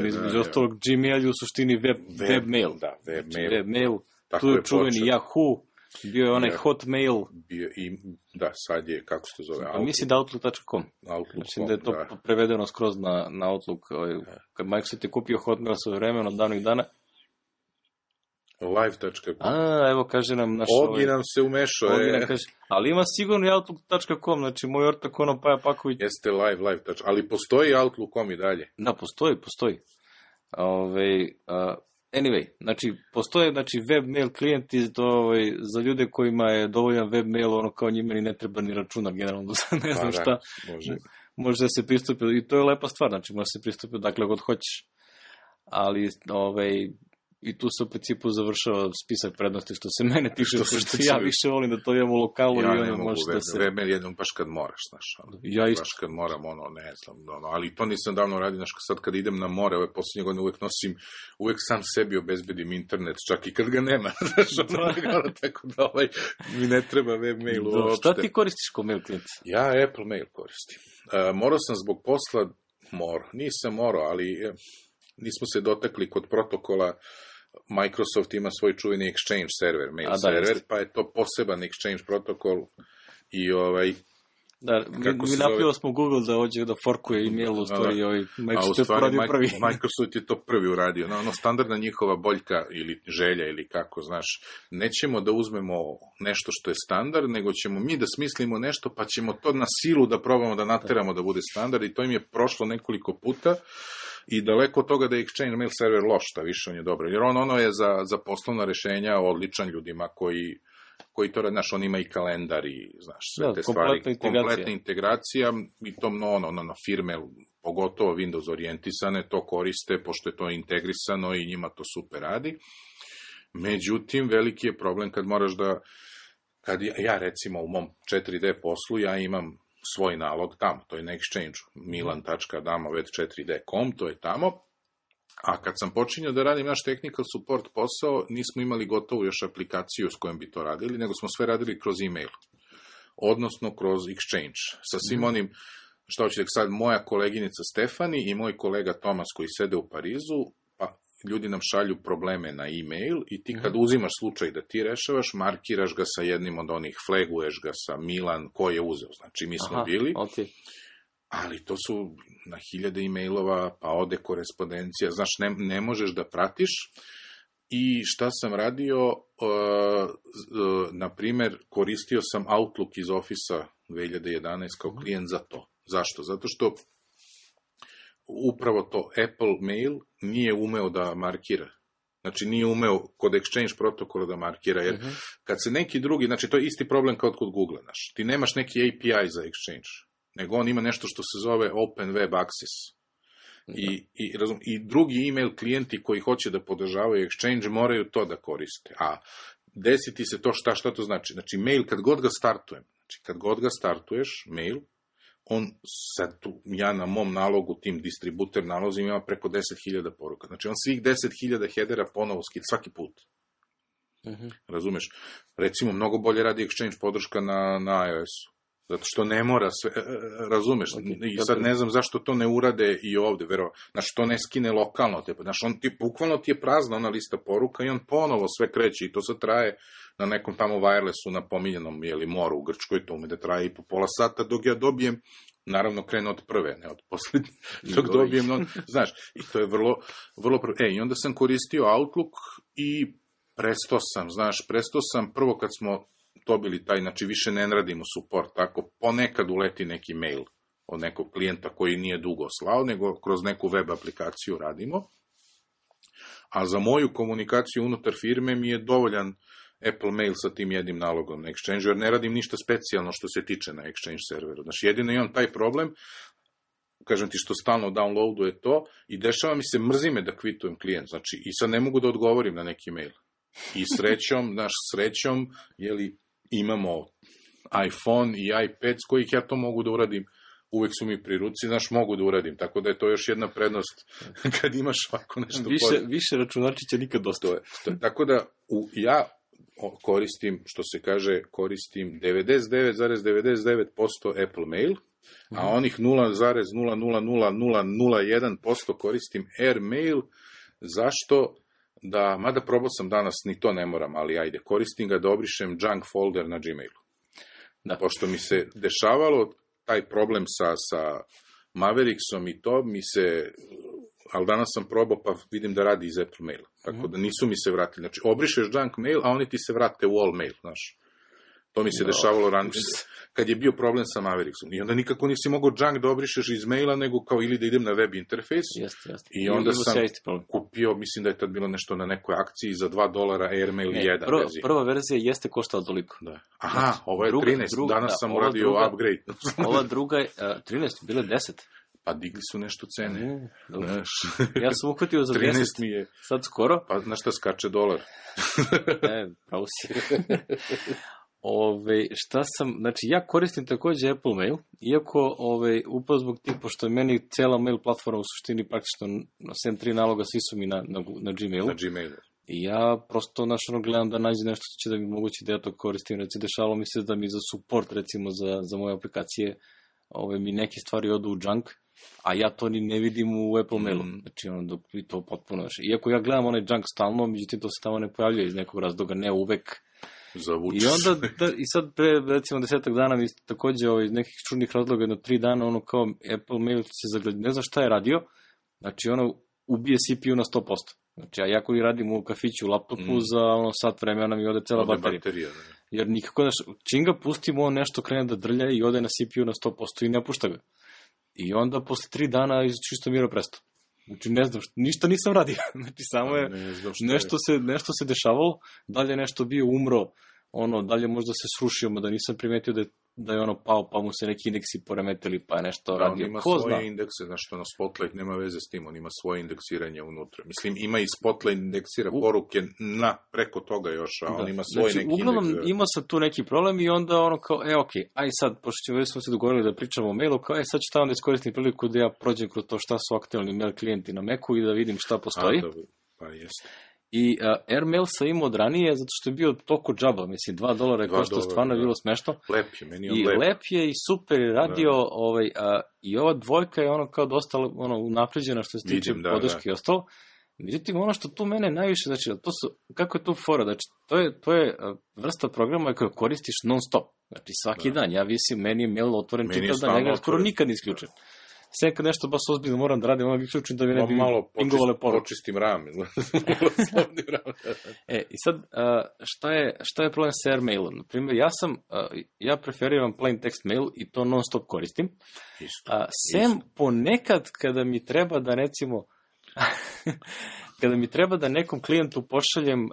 između ostalog Gmail je u suštini web mail. Da, web mail. Tu je čuveni Yahoo, bio je onaj Hotmail. Da, sad je, kako se to zove? A mislim da Outlook.com. Mislim da je to prevedeno skroz na Outlook. Kad Microsoft je kupio Hotmail sa vremenom od davnih dana. Live.com. Evo kaže nam naš... Ogi nam se umešao. Ali ima sigurno i Outlook.com, znači moj ortak Paja Paković. Jeste live, ali postoji Outlook.com i dalje. Da, postoji. Anyway, znači, postoje web mail klijenti za ljude kojima je dovoljan web mail, kao njima ni ne treba ni računar, generalno, ne znam šta. Može da se pristupi, i to je lepa stvar, znači, može se pristupi dakle god hoćeš. Ali, I tu se u principu završava spisak prednosti što se mene tiče, što ja više volim da to imam u lokalu ja i ne ono mogu može da se... webmail jednom baš kad moraš, znaš. Ja isto. Baš kad moram, ne znam, ali to nisam davno radio, znaš, sad kad idem na more, ove posljednje godine uvek sam sebi obezbedim internet, čak i kad ga nema, znaš, tako da mi ne treba webmail uopšte. Šta ti koristiš kao mail klijent? Ja Apple Mail koristim. Morao sam zbog posla, nisam morao, ali nismo se dotakli kod protokola. Microsoft ima svoj čuveni Exchange server, mail server, pa je to poseban Exchange protokol i Da, mi napravili smo Google da hoće da forkuje e-mail, u stvari Microsoft je radio prvi. Microsoft je to prvi uradio. Standardna njihova boljka ili želja ili kako, znaš, nećemo da uzmemo nešto što je standard, nego ćemo mi da smislimo nešto, pa ćemo to na silu da probamo da nateramo da bude standard i to im je prošlo nekoliko puta. I daleko od toga da je Exchange mail server loš, šta više on je dobro. Jer ono je za poslovna rešenja odličan ljudima koji to rade, znaš, on ima i kalendar i, znaš, sve te stvari. Kompletna integracija i to na firme, pogotovo Windows orijentisane, to koriste, pošto je to integrisano i njima to super radi. Međutim, veliki je problem kad moraš kad ja recimo u mom 4D poslu, ja imam svoj nalog tamo, to je na Exchange-u, milan.damovet4d.com, to je tamo, a kad sam počinjao da radim naš technical support posao, nismo imali gotovu još aplikaciju s kojom bi to radili, nego smo sve radili kroz e-mail, odnosno kroz Exchange, sa svim onim, što hoćete sad, moja koleginica Stefani i moj kolega Tomas koji sede u Parizu, pa ljudi nam šalju probleme na e-mail i ti kad uzimaš slučaj da ti rešavaš, markiraš ga sa jednim od onih, flaguješ ga sa Milan, ko je uzeo, znači mi smo bili, ali to su na hiljade e-mailova, pa ode korespondencija, znaš, ne možeš da pratiš. I šta sam radio, na primer, koristio sam Outlook iz Office-a 2011 kao klijent za to. Zašto? Zato što upravo to Apple Mail nije umeo da markira. Znači, nije umeo kod Exchange protokola da markira, jer kad se neki drugi, znači, to je isti problem kao kod Google, znaš, ti nemaš neki API za Exchange, nego on ima nešto što se zove Open Web Access. I drugi e-mail klijenti koji hoće da podržavaju Exchange moraju to da koriste. A desiti se to šta to znači? Znači, mail, kad god ga startuješ, mail, on sad tu, ja na mom nalogu, tim distributer nalozima ima preko 10.000 poruka. Znači, on svih 10.000 headera ponovo skida svaki put. Razumeš? Recimo, mnogo bolje radi Exchange podrška na iOS-u. Zato što ne mora sve, razumeš, i sad ne znam zašto to ne urade i ovde, znaš, to ne skine lokalno, znaš, bukvalno ti je prazna ona lista poruka i on ponovo sve kreće i to sad traje na nekom tamo wirelessu na pominjenom, moru u Grčkoj, to ume da traje i po pola sata dok ja dobijem, naravno krenu od prve, ne od poslednje, dok dobijem, znaš, i to je vrlo i onda sam koristio Outlook i prestao sam prvo kad smo dobili taj, znači više ne radimo support, tako ponekad uleti neki mail od nekog klijenta koji nije dugo slao, nego kroz neku web aplikaciju radimo, a za moju komunikaciju unutar firme mi je dovoljan Apple Mail sa tim jednim nalogom na Exchange, jer ne radim ništa specijalno što se tiče na Exchange serveru. Znači, jedino imam taj problem, kažem ti što stalno downloaduje to i dešava mi se, mrzi me da kvitujem klijent, znači i sad ne mogu da odgovorim na neki mail. I srećom, imamo iPhone i iPad s kojih ja to mogu da uradim, uvek su mi pri ruci, mogu da uradim, tako da je to još jedna prednost kad imaš ovako nešto. Više računarčića nikad dosta. Tako da ja koristim, što se kaže, koristim 99,99% Apple Mail, a onih 0,0000001% koristim Airmail. Zašto? Mada probao sam danas, ni to ne moram, ali ajde, koristim ga da obrišem junk folder na Gmailu. Pošto mi se dešavalo taj problem sa Mavericksom i to, ali danas sam probao pa vidim da radi iz Apple Maila. Tako da nisu mi se vratili. Znači, obrišeš junk mail, a oni ti se vrate u all mail, znaš. To mi se dešavalo ranije, kad je bio problem sa Mavericksom. I onda nikako nisi mogao junk da obrišeš iz maila, nego kao ili da idem na web interfejs. I onda sam kupio, mislim da je tad bilo nešto na nekoj akciji za $2 Airmail 1. Prva verzija jeste koštala toliko. Aha, ovo je 13, danas sam uradio upgrade. Ova druga je 13, bile 10. Pa digli su nešto cene. Znaš, Ja sam uhvatio za 13 10, mi je. sad skoro. Pa znaš šta skače dolar? Pravo si. Šta sam, znači ja koristim takođe Apple Mail, iako upravo zbog tih, pošto je meni cela mail platforma u suštini praktično, sem 3 naloga, svi su mi na Gmailu. Na Gmailu. I ja prosto gledam da nađe nešto što će da mi mogući da ja to koristim. Recimo, dešalo mi se da mi za support, recimo za moje aplikacije, mi neke stvari odu u junk, a ja to ni ne vidim u Apple Mailu. Znači, dok mi to potpuno... Iako ja gledam onaj junk stalno, međutim to se tamo ne pojavljuje iz nekog razloga, ne uvek. Zavuče I onda, i sad pre, recimo, 10 dana mi takođe iz nekih čudnih razloga, jedno 3 dana, kao Apple Mail se zagleda, ne znam šta je radio, znači ubije CPU na 100%. Znači, ja koji radim u kafiću u laptopu, za sat vremena mi ode cela baterija. Jer nikako, čim ga pustimo, on nešto krene da drlja i ode na CPU na 100% i ne pušta ga. I onda posle 3 dana čisto miro presto. Znači, ne znam, ništa nisam radio. Znači, samo je, nešto se dešavalo, dalje nešto bio umro, dalje možda se srušio, da nisam primetio da je pao, pa mu se neki indeksi poremetili, pa je nešto radio. On ima svoje indekse, znaš što, Spotlight nema veze s tim, on ima svoje indeksiranje unutra. Mislim, ima i Spotlight indeksira poruke preko toga još, a on ima svoj neki indeks. Uglavnom, imao sam tu neki problem i onda aj sad, pošto smo se dogovorili da pričamo o mailu, sad ću tamo da iskoristim priliku da ja prođem kroz to šta su aktualni mail klijenti na Macu i da vidim šta postoji. Pa jeste. I Airmail sam imao od ranije, zato što je bio toliko džaba, mislim, $2 je koštao, stvarno je bilo smešno. Lep je, meni je on lep. I lep je i super je radio, i ova dvojka je kao dosta unapređena što se tiče podrške i ostalo. Međutim, ono što tu mene najviše, znači, kako je tu fora, znači, to je vrsta programa koju koristiš non stop, znači, svaki dan, ja visim, meni je mail otvoren čitav dan, ja ga skoro nikad ne isključem. Sve kad nešto baš ozbiljno moram da radim, onda bih ključim da mi ne bi pingovale poruke. Počistim rame. I sad, šta je problem sa Airmailom? Naprimjer, ja preferiram plain text mail i to non stop koristim. Sem ponekad kada mi treba da, recimo, kada mi treba da nekom klijentu pošaljem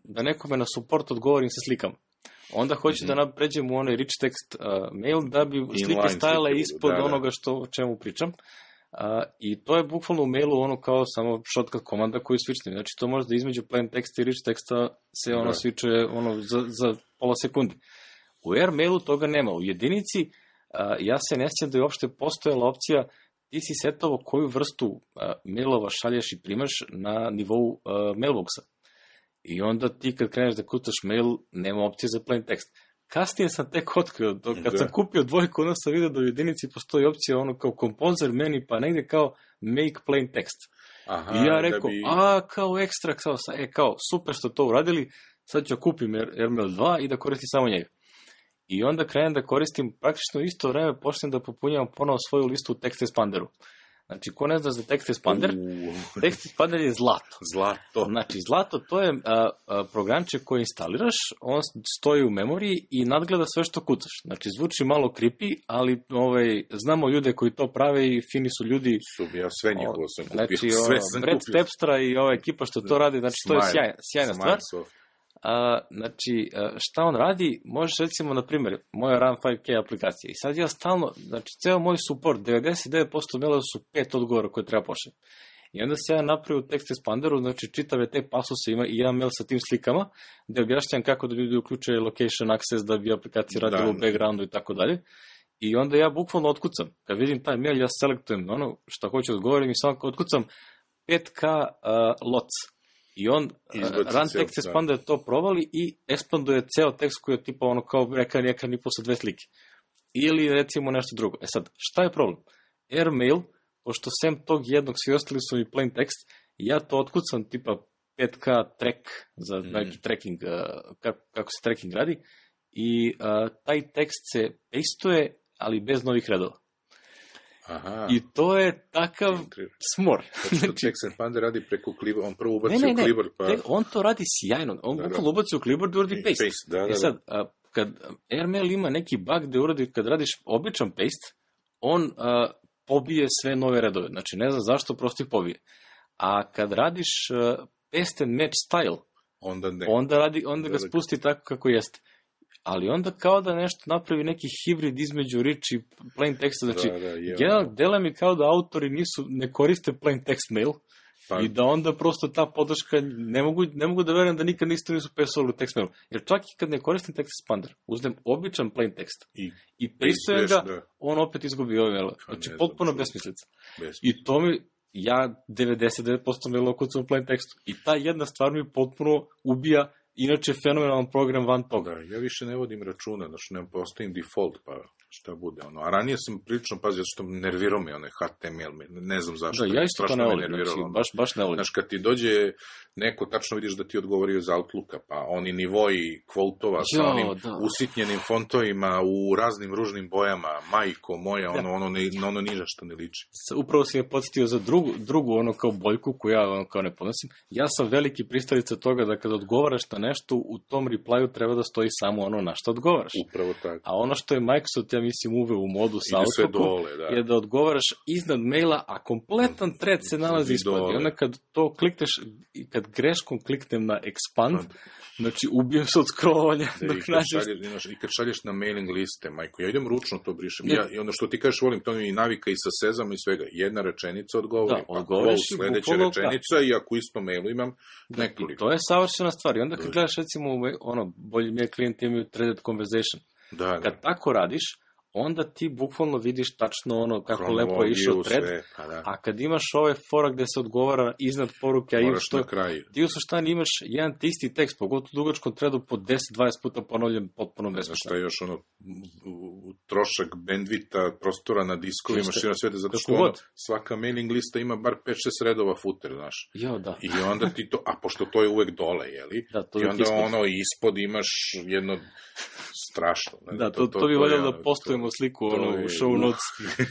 da nekome na support odgovorim sa slikama. Onda hoću da pređem u onaj rich text mail da bi slike stajale ispod onoga o čemu pričam. I to je bukvalno u mailu kao samo shortcut komanda koju switchnem. Znači to možda između plain teksta i rich teksta se switchuje za pola sekunde. U Airmailu toga nema. U jedinici ja se ne sjećam da je uopšte postojala opcija ti si setovao koju vrstu mailova šalješ i primaš na nivou mailboxa. I onda ti kad kreneš da kucaš mail, nema opcije za plain tekst. Kasnije sam tek otkrio, kad sam kupio dvojku, onda sam vidio da u jedinici postoji opcija kao composer meni, pa negde kao make plain text. I ja rekao, kao ekstra, kao super što to uradili, sad ću kupim Airmail 2 i da koristim samo njega. I onda krenem da koristim praktično isto vreme, počnem da popunjavam ponovo svoju listu u Text Expanderu. Znači, ko ne zna za Text Expander, Text Expander je zlato. Znači, zlato to je programče koje instaliraš, on stoji u memoriji i nadgleda sve što kucaš. Znači, zvuči malo creepy, ali znamo ljude koji to prave i fini su ljudi. Ja sve njihovo sam kupio. Znači, Brad Stepstra i ova ekipa što to radi, znači, to je sjajna stvar. Znači, šta on radi, možeš recimo, na primjer, moja Run 5K aplikacija i sad ja stalno, znači, ceo moj support, 99% mailova su 5 odgovora koje treba pošaljem. I onda se ja napravio u Text Expanderu, znači, čitave te pasuse ima i jedan mail sa tim slikama, gde objašnjam kako da ljudi uključuje location access da bi aplikacija radila u backgroundu i tako dalje. I onda ja bukvalno otkucam. Kad vidim taj mail, ja selektujem ono što hoću da odgovorim i samo otkucam 5K lots. I on, Run Text Expander to provali i ekspanduje ceo tekst koji je tipa kao ekran i posle 2 slike. Ili recimo nešto drugo. Sad, šta je problem? Airmail, pošto sem tog jednog, svi ostali su mi plain tekst, ja to otkucam tipa 5K track za neki tracking, kako se tracking radi, i taj tekst se pastuje, ali bez novih redova. I to je takav smor. Znači, Text Expander radi preko Clipboard, on prvo ubaci u Clipboard. On to radi sjajno. On bukvalno ubaci u Clipboard i uradi paste. I sad, kad Airmail ima neki bug gde uradi, kad radiš običan paste, on pobije sve nove redove. Znači, ne znam zašto, prosto ih pobije. A kad radiš paste and match style, onda ga spusti tako kako jeste. ali onda kao da nešto napravi neki hibrid između rich i plain teksta, znači, dela mi kao da autori ne koriste plain text mail, i da onda prosto ta podrška, ne mogu da verujem da nikad nisu pesovali u text mailu. Jer čak i kad ne koristim text expander, uzmem običan plain tekst i pristujem ga, on opet izgubi ovaj mail. Znači, potpuno besmislica. I to mi, ja 99% maila kucam u plain tekstu. I ta jedna stvar mi potpuno ubija inače fenomenalan program van toga. Ja više ne vodim računa, znači ne postavim default, pa šta bude. A ranije sam prilično pazio, zato što nervirao me onaj HTML, ne znam zašto. Da, ja isto to ne volim, baš ne volim. Znaš, kad ti dođe neko, tačno vidiš da ti odgovorio iz Outlooka, pa oni nivoji kvotova sa onim usitnjenim fontovima u raznim ružnim bojama, majko moja, ono niža što ne liči. Upravo si me podsjetio za drugu ono kao boljku koju ja ono kao ne podnosim. Ja sam veliki pristalica toga da kada odgovaraš na nešto, u tom replyu treba da stoji samo ono na što odgovaraš. Upravo tako. A ono što je Microsoft, ja mislim, uveo u modu sa Outlookom, je da odgovaraš iznad maila, a kompletan thread se nalazi ispod. I onda kad to klikneš, kad greškom kliknem na expand, znači ubijem se od scrollovanja. I kad šalješ na mailing liste, majko, ja idem ručno to brišem. I ono što ti kažeš, volim, to mi navikao i sa Sezama i svega. Jedna rečenica odgovori, pa sledeća rečenica i ako isto mailu imam nekoliko. To je savršena stvar. I onda kad gledaš, recimo, bolji mi je klijent imaju threaded conversation. Kad tako radiš, onda ti bukvalno vidiš tačno ono kako lepo je išao thread, a kad imaš ovaj fora gde se odgovara iznad poruke, ti u suštini imaš jedan te isti tekst, pogotovo u dugačkom threadu po 10-20 puta ponovljen potpuno besmisleno. Šta je još trošak bandvita, prostora na diskovima, širom sveta, zato što svaka mailing lista ima bar 5-6 redova footer, znaš. I onda ti to, a pošto to je uvek dole, jeli? I onda ispod imaš jedno strašno. Da, to bi voljelo da postojimo sliku u show notes,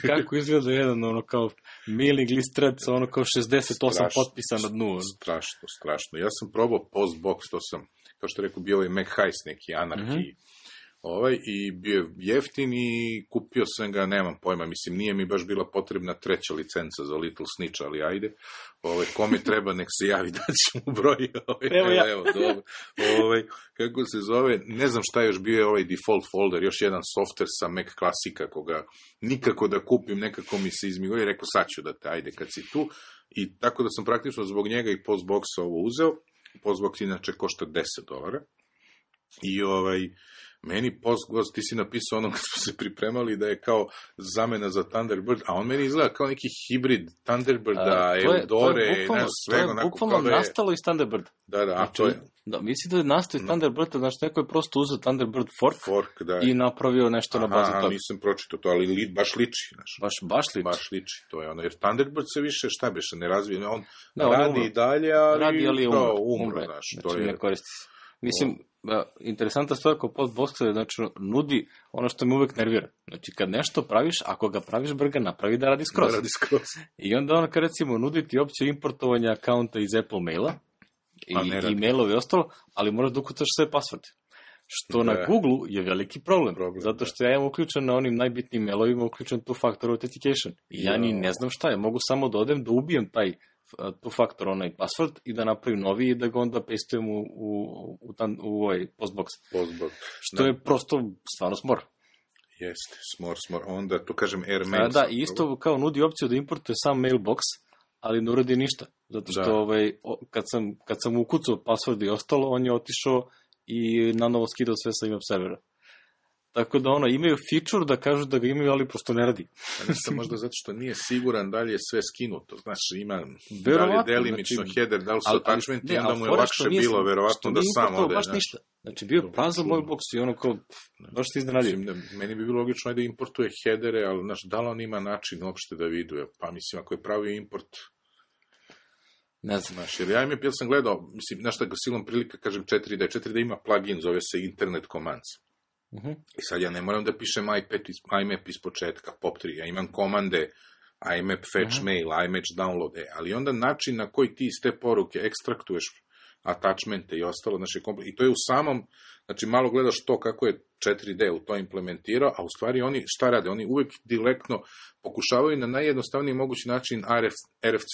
kako izgleda jedan kao mailing list thread sa kao 68 potpisa na dnu. Strašno. Ja sam probao Postbox, to sam, kao što rekao, bio je Mac Heist, neki anarhiji. I bio je jeftin i kupio sam ga, nemam pojma, mislim, nije mi baš bila potrebna treća licenca za Little Snitch, ali ajde, kome treba, nek se javi, da ćemo broj. Evo, dobro. Kako se zove, ne znam šta još bio je ovaj default folder, još jedan software sa Mac klasika, koga nikako da kupim, nekako mi se izmigo i rekao, sad ću da te, ajde, kad si tu. I tako da sam praktično zbog njega i Postboxa ovo uzeo. Postbox inače košta $10. I meni Postbox, ti si napisao ono kad smo se pripremali da je kao zamena za Thunderbird, a on meni izgleda kao neki hibrid Thunderbirda, Eudore, svega onako. To je bukvalno nastalo iz Thunderbirda. Da, to je. Da, mislim da je nastao iz Thunderbirda, znači neko je prosto uzeo Thunderbird fork i napravio nešto na bazi toga. Nisam pročitao to, ali baš liči. Baš liči. To je ono, jer Thunderbird se više, šta beše, ne razvije, on radi i dalje, ali umre. Znači ne koristi se. Mislim, interesantna stvar kod Postboxa je, znači, nudi ono što me uvek nervira. Znači, kad nešto praviš, ako ga praviš brga, napravi da radi skroz. I onda ono, kad recimo, nudi ti opciju importovanja akaunta iz Apple maila i mailove i ostalo, ali moraš da ukucaš sve pasvorde. Što na Google je veliki problem, zato što ja imam uključen na onim najbitnijim mailovima uključen two-factor authentication. I ja ni ne znam šta je, mogu samo da odem da ubijem taj two-factor onaj password i da napravim novi i da ga onda pastujem u ovaj Postbox. Što je prosto stvarno smor. Jeste, smor. Onda tu kažem AirMail. Da, i isto kao nudi opciju da importuje sam mailbox, ali ne uradi ništa. Zato što kad sam ukucao password i ostalo, on je otišao i nanovo skidao sve sa web servera. Tako da imaju feature da kažu da ga imaju, ali prosto ne radi. Nešto možda zato što nije siguran da li je sve skinuto. Znači, ima da li je delimično header, da li su attachmenti, onda mu je lakše bilo, verovatno da sam ode. Baš ništa. Znači, bio je prazan moj box i kao, baš se iznenadio. Meni bi bilo logično da importuje headere, ali da li on ima način uopšte da viduje? Pa mislim, ako je pravio import... Ne znam. Jer ja sam gledao, mislim, znaš šta ga silom prilika, kažem 4D. 4D ima plugin, zove se Internet Commands. I sad ja ne moram da pišem IMAP iz početka, POP3, ja imam komande IMAP fetch mail, IMAP download, ali onda način na koji ti iz te poruke ekstraktuješ attachmente i ostalo, i to je u samom, znači malo gledaš to kako je 4D u to implementirao, a u stvari oni šta rade? Oni uvek direktno pokušavaju na najjednostavniji mogući način RFC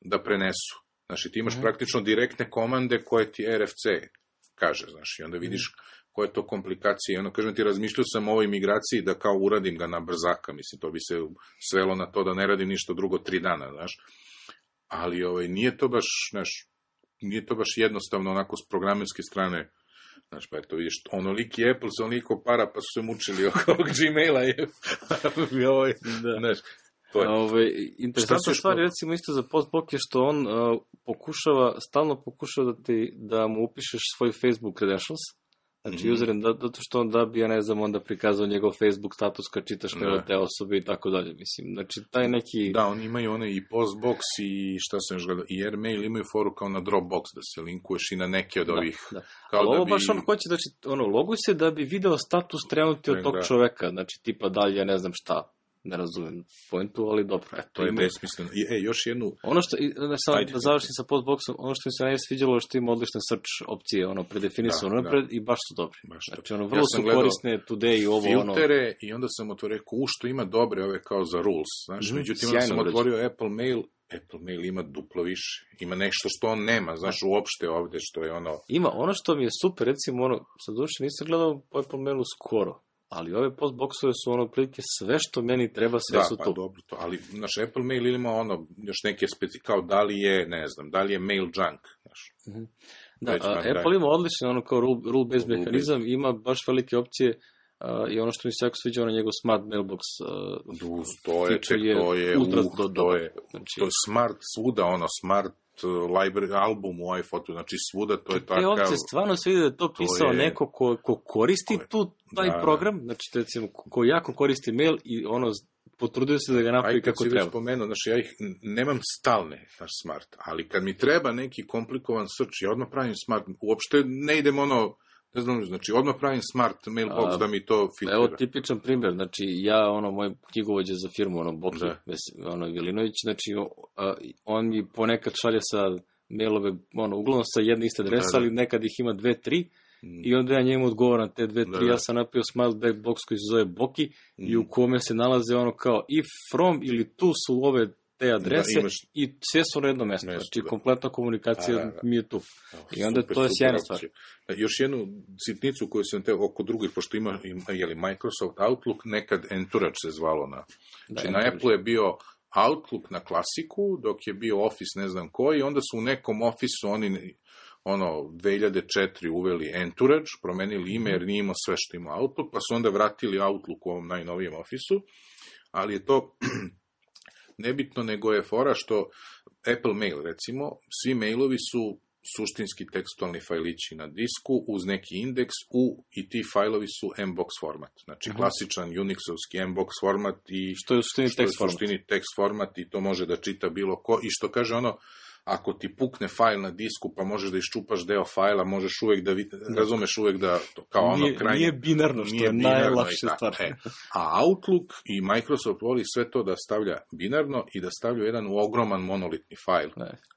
da prenesu. Znači ti imaš praktično direktne komande koje ti RFC kaže, znaš, i onda vidiš koje to komplikacije. Ono, kažem ti, razmišljao sam o ovoj migraciji da kao uradim ga na brzaka, mislim, to bi se svelo na to da ne radim ništa drugo 3 dana, znaš. Ali nije to baš jednostavno onako s programerske strane. Znaš, pa eto, vidiš, onoliki Apple sa onoliko para, pa su se mučili oko ovog Gmaila. Znaš, interesantna stvar, recimo isto za Postbox je što on stalno pokušava da mu upišeš svoj Facebook credentials, znači username, zato što on da bi, ja ne znam, onda prikazao njegov Facebook status kad čitaš mail te osobe i tako dalje, mislim, znači taj neki... Da, oni imaju i Postbox i šta sam još gledao, i Airmail imaju foru kao na Dropbox, da se linkuješ i na neke od ovih... Ali ovo baš on hoće, znači, loguj se da bi video status trenutni od tog čoveka, znači tipa dalje, ja ne znam šta, ne razumem pointu, ali dobro. To je besmisleno. Još jednu... Ono što, da završim sa Postboxom, ono što mi se najviše sviđalo što ima odlične search opcije, predefinisano napred i baš su dobri. Znači, vrlo su korisne today i ovo, filtere, i onda sam otvorio, što ima dobre ove kao za rules, znaš, međutim, onda sam otvorio Apple Mail ima duplo više, ima nešto što on nema, znaš, uopšte ovde, što je Ima, ono što mi je super, recimo, sad duše nisam gledao po Apple Mailu skoro, ali ove Postboxove su otprilike sve što meni treba, sve su tu. Da, pa dobro to, ali naš Apple Mail ima još neke kao da li je, ne znam, da li je mail junk, znaš. Da, Apple ima odličan kao rule-based mehanizam, ima baš velike opcije i ono što mi se jako sviđa, njegov smart mailbox to je smart svuda, smart library album u iPhoto, znači svuda to je takav... Te ovdje stvarno se vidi da je to pisao neko ko koristi taj program, znači recimo ko jako koristi mail i potrudio se da ga napravi kako treba. Već spomenuo, znači ja ih nemam stalne, smart, ali kad mi treba neki komplikovan search, ja odmah pravim smart, uopšte ne idem ne znam, znači odmah pravim smart mailbox da mi to filtrira. Evo tipičan primjer, znači ja, moj knjigovođa za firmu, Boki, Vilinović, znači on mi ponekad šalje sa mailove, uglavnom sa jedne iste adrese, ali nekad ih ima 2-3, i onda ja njemu odgovoram te 2-3, ja sam napravio smart box koji se zove Boki, i u kome se nalaze kao if, from ili tu su ove te adrese i sve su na jedno mesto. Znači, kompletna komunikacija mi je tu. I onda to je sjajna stvar. Još jednu sitnicu koju sam oko drugih, pošto ima Microsoft Outlook, nekad Entourage se zvalo Znači, na Apple je bio Outlook na klasiku, dok je bio Office ne znam koji, onda su u nekom Office oni 2004 uveli Entourage, promenili ime jer nije imao sve što ima Outlook, pa su onda vratili Outlook u ovom najnovijem Office-u, ali je to nebitno, nego je fora što Apple Mail, recimo, svi mailovi su suštinski tekstualni fajlići na disku uz neki indeks i ti fajlovi su mbox format. Znači, klasičan Unixovski mbox format i što je u suštini tekst format i to može da čita bilo ko i što kaže ako ti pukne fajl na disku, pa možeš da iščupaš deo fajla, možeš uvek da razumeš uvek da kao krajnje... Nije binarno, što je najlakše stvar. A Outlook i Microsoft voli sve to da stavlja binarno i da stavlja jedan ogroman monolitni fajl.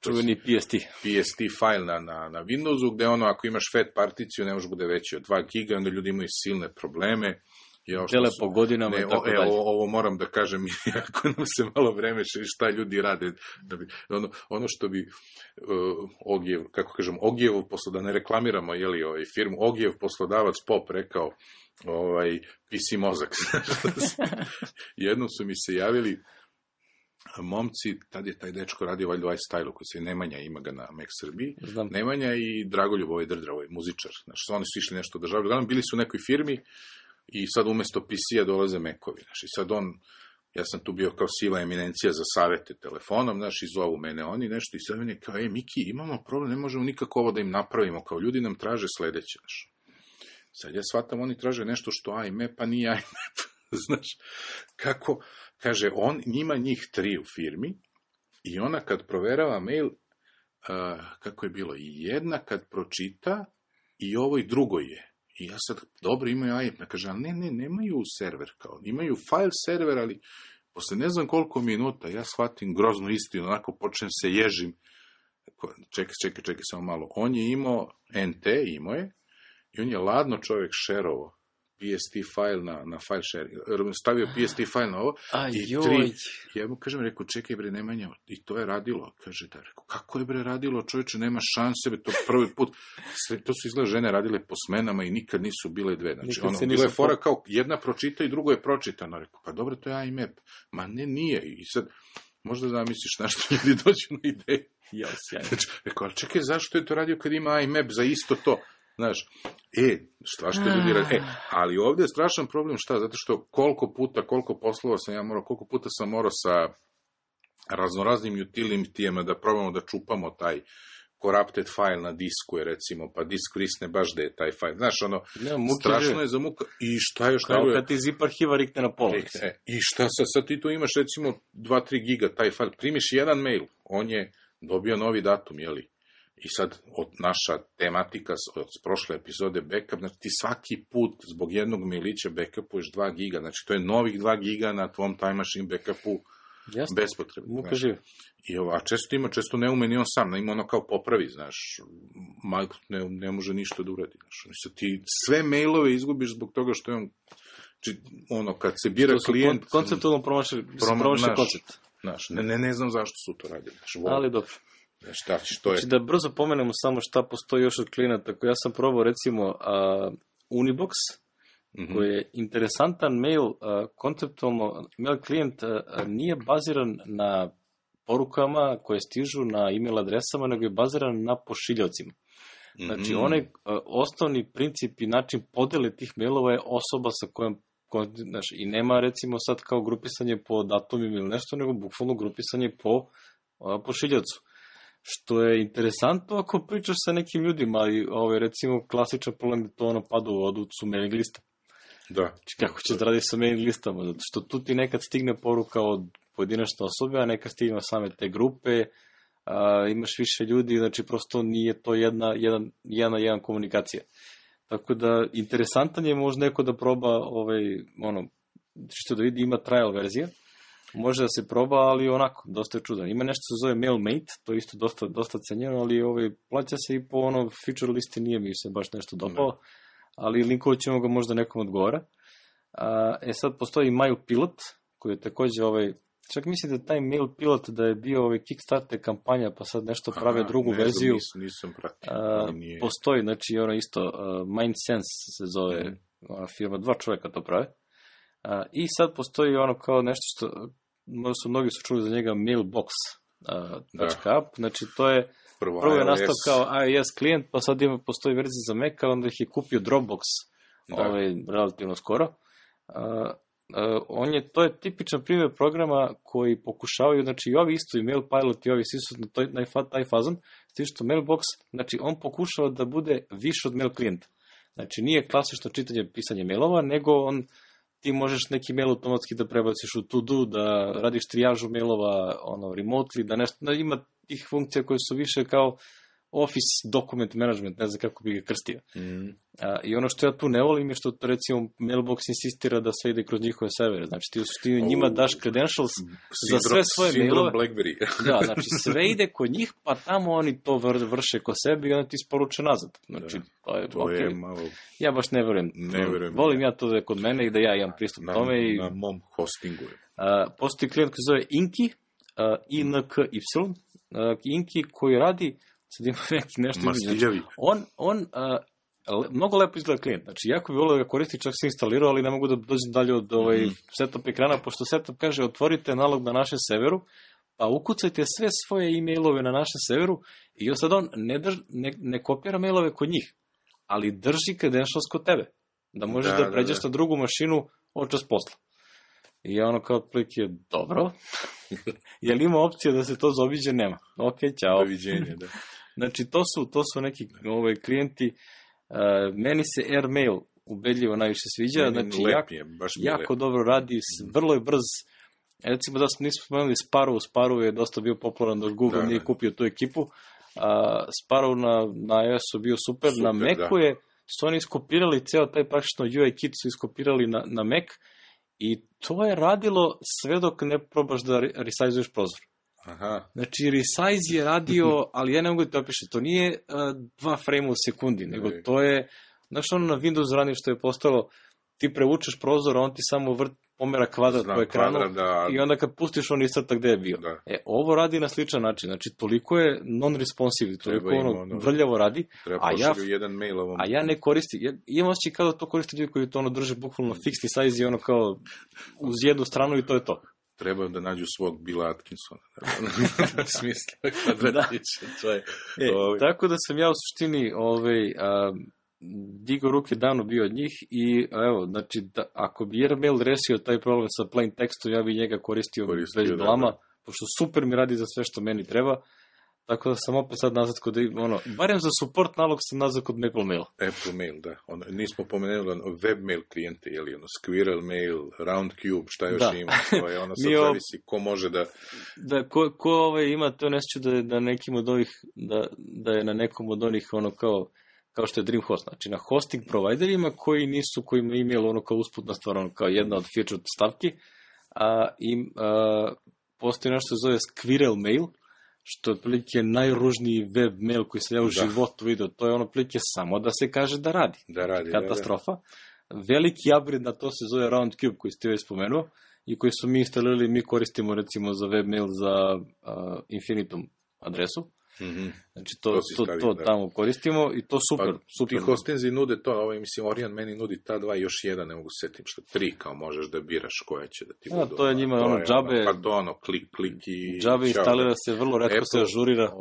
Čuveni PST. PST fajl na Windowsu, gde ako imaš fat particiju, ne može bude veći od 2 giga, onda ljudi imaju silne probleme. Dele po godinama i tako dalje. Ovo moram da kažem, ako nam se malo vreme šta ljudi rade. Ono što bi Ogijevov poslodavac, da ne reklamiramo firmu, Ogijev poslodavac Pop rekao PC mozak. Jednom su mi se javili momci, tad je taj dečko radio valjda iStyle-u, koji se Nemanja, ima ga na Mac Srbiji, Nemanja i Dragoljub, Drdra, muzičar. Znači, oni su išli nešto državljaju. Bili su u nekoj firmi, i sad umesto PC-a dolaze Mac-ovi, i sad ja sam tu bio kao siva eminencija za savete telefonom, i zovu mene oni nešto, i sad meni kao, Miki, imamo problem, ne možemo nikako ovo da im napravimo, kao ljudi nam traže sledeće, Sad ja shvatam, oni traže nešto što IMAP, pa nije IMAP, kako, kaže, njih 3 u firmi, i ona kad proverava mail, kako je bilo, jedna kad pročita, i ovo i drugo je. I ja sad, dobro, imaju IMAP, kaže, ali nemaju server, kao, imaju file server, ali posle ne znam koliko minuta, ja shvatim groznu istinu, onako počnem se ježim, čekaj, samo malo, on je imao NT, imao je, i on je ladno čovjek šerovo PST file na file sharing, stavio PST file na ovo, ja mu kažem, rekao, čekaj bre, Nemanja, i to je radilo, kaže da, rekao, kako je bre radilo, čovječe, nema šanse, to prvi put, to su izgleda žene radile po smenama i nikad nisu bile dve, znači, bilo je fora kao, jedna pročita i drugo je pročitano, rekao, pa dobro, to je IMAP, ma ne, nije, i sad, možda zamisliš na što ljudi dođu na ideju. Znači, rekao, ali čekaj, zašto je to radio kad ima IMAP za isto to? Znaš, što ljudi radi? Ali ovdje je strašan problem, šta? Zato što koliko poslova sam ja morao, koliko puta sam morao sa raznoraznim utilitijama da probamo da čupamo taj corrupted file na disku, je recimo, pa disk vrisne baš da je taj file. Znaš, strašno je za muka. I šta još kao kad ti zip arhiva rikne na pola. I šta sad ti tu imaš, recimo, 2-3 giga taj file. Primiš jedan mail, on je dobio novi datum, jeli? I sad, naša tematika od prošle epizode backup, znači ti svaki put zbog jednog mailića backupuješ 2 giga, znači to je novih 2 giga na tvom time machine backupu bespotrebno. A često ne ume ni on sam, ima ono kao popravi, znaš, ne može ništa da uradi. Znaš. Ti sve mailove izgubiš zbog toga što je on, kad se bira klijent... Konceptualno promaši koncept. Znaš, ne znam zašto su to radili. Ali dobro. Znači, da brzo pomenemo samo šta postoji još od klijenata. Ja sam probao recimo Unibox, koji je interesantan mail, konceptualno mail klijent nije baziran na porukama koje stižu na email adresama, nego je baziran na pošiljocima. Znači, onaj osnovni princip i način podele tih mailova je osoba sa kojom, znači, i nema recimo sad kao grupisanje po datumima ili nešto, nego bukvalno grupisanje po pošiljocu. Što je interesantno ako pričaš sa nekim ljudima, ali recimo klasičan problem je to pada u vodu su mailing lista. Da. Kako ćeš da radiš sa mailing listama? Zato što tu ti nekad stigne poruka od pojedinačne osobe, a nekad stigne same te grupe, imaš više ljudi, znači prosto nije to jedna komunikacija. Tako da interesantan je možda neko da proba što da vidi, ima trial verzija. Može da se proba, ali onako, dosta je čudan. Ima nešto se zove MailMate, to je isto dosta cenjeno, ali plaća se i po feature listi, nije mi se baš nešto dopalo, ali linkovat ćemo ga možda nekom odgovara. Sad postoji MailPilot, koji je također čak mislim da taj MailPilot da je bio Kickstarter kampanja, pa sad nešto prave drugu verziju. Nisam pratio. Postoji, znači isto, MindSense se zove firma, 2 čovjeka to prave. I sad postoji kao nešto što, možda su mnogi čuli za njega, Mailbox.app, znači to je prvo je nastao kao iOS klijent, pa sad postoji verzija za Mac, onda ih je kupio Dropbox relativno skoro. To je tipičan primjer programa koji pokušavaju, znači i ovi isto, i MailPilot i ovi svi su na taj fazon, s tim što Mailbox, znači on pokušava da bude više od mail klijenta. Znači nije klasično čitanje, pisanje mailova, nego ti možeš neki mail automatski da prebaciš u to-do, da radiš trijažu mailova remotely, da nešto, ima tih funkcija koje su više kao Office document management, ne znam kako bi ga krstio. I ono što ja tu ne volim je što recimo Mailbox insistira da sve ide kroz njihove servere. Znači ti njima daš credentials za sve svoje mailove. BlackBerry. Da, znači sve ide kod njih, pa tamo oni to vrše kod sebe i onda ti isporuče nazad. Znači, to je malo... Ja baš ne verujem. Volim ja to da je kod mene i da ja imam pristup tome. Na mom hostingu. Postoji klijent koji zove Inky, INKY, Inky koji radi, sad ima nešto Mastiljavi. On mnogo lepo izgleda klijent. Znači, jako bi volio da ga koristi, čak se instalirao, ali ne mogu da dođem dalje od setup ekrana, pošto setup kaže otvorite nalog na našem serveru, pa ukucajte sve svoje e-mailove na našem serveru i sad on ne kopira mailove kod njih, ali drži credentials kod tebe. Da možeš da pređeš na drugu mašinu očas posla. I ja kao otprilike dobro. Je li ima opcija da se to zaobiđe? Nema. Ok, ćao. Doviđenje, da. Znači, to su neki klijenti. Meni se AirMail ubedljivo najviše sviđa. Znači, jako dobro radi, vrlo je brz. Recimo da nismo spomenuli Sparrow je dosta bio popularan dok Google nije kupio tu ekipu. Sparrow na iOS-u bio super. Na Macu su oni iskopirali ceo taj praktično UI kit su iskopirali na Mac i to je radilo sve dok ne probaš da resizuješ prozor. Aha. Znači, resize je radio, ali ja ne mogu da te opišem, to nije 2 frame u sekundi, nego to je, znaš na Windows rani što je postalo ti prevučeš prozor, on ti samo pomera kvadrat po ekranu i onda kad pustiš on iscrta gde je bio. Da. Ovo radi na sličan način, znači toliko je non-responsive, toliko vrljavo radi, a ja ne koristim, imam osjećaj kao da to koriste ljudi koji to drže bukvalno fiksni size i ono kao uz jednu stranu i to je to. Treba da nađu svog Billa Atkinsona. Smisla kvadratića. Tako da sam ja u suštini digao ruke davno bio od njih i evo, znači, ako bi Airmail rešio taj problem sa plain tekstom, ja bi njega koristio bez blama, pošto super mi radi za sve što meni treba, tako da sam opet sad nazad kod, barem za support nalog sam nazad kod Maple Mail. Apple Mail, da. Nismo pomenuli webmail klijente, Squirrel Mail, Roundcube, šta još ima, to je sad zavisi ko može da... Da, ko ima to nesjeću da nekim od ovih, da je na nekom od onih kao što je Dreamhost, znači na hosting providerima koji ima email kao usputna stvar, kao jedna od featured stavki, postoji nešto se zove Squirrel Mail, što je otprilike najružniji web mail koji sam ja u životu vidio, to je otprilike samo da se kaže da radi. Katastrofa. Veliki upgrade na to se zove Roundcube koji ste joj spomenuo i koji su mi instalirali, mi koristimo recimo za web mail za Infinitum adresu. Znači to tamo koristimo i to super. Ti hostinzi nude to, Orion meni nudi ta dva, još jedan, ne mogu setim što, 3 kao možeš da biraš koja će da ti budu. To je njima džabe. Pa to klik i... Džabe instalira se, vrlo retko se ažurira.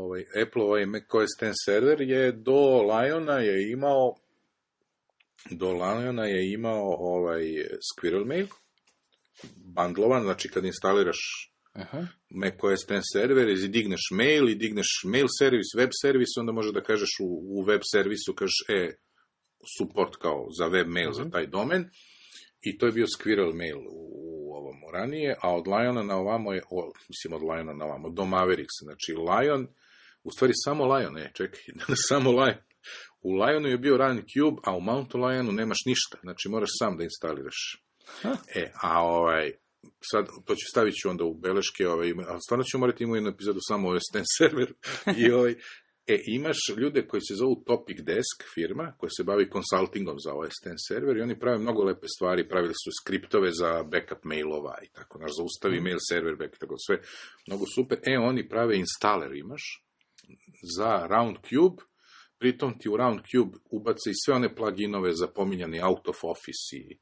Apple macOS X server je do Liona je imao Squirrel Mail, bundlovan, znači kad instaliraš macOS X server, i digneš mail, i digneš mail servis, web servis, onda može da kažeš u web servisu, kažeš support kao za web mail za taj domen, i to je bio Squirrel Mail u ovom ranije, a od Liona na ovamo je, do Mavericks, znači Lion, u stvari samo Lion, samo Lion. U Lionu je bio Roundcube, a u Mountain Lionu nemaš ništa, znači moraš sam da instaliraš. Sad, to ću stavit ću onda u beleške, ali stvarno ću morati imati jednu epizodu samo o OS X server. Imaš ljude koji se zovu Topic Desk firma, koja se bavi konsultingom za OS X server i oni prave mnogo lepe stvari, pravili su skriptove za backup mailova i tako, zaustavi mail server, backup, tako sve, mnogo super. Oni prave installer imaš za Roundcube, pritom ti u Roundcube ubace i sve one pluginove za pominjani out of office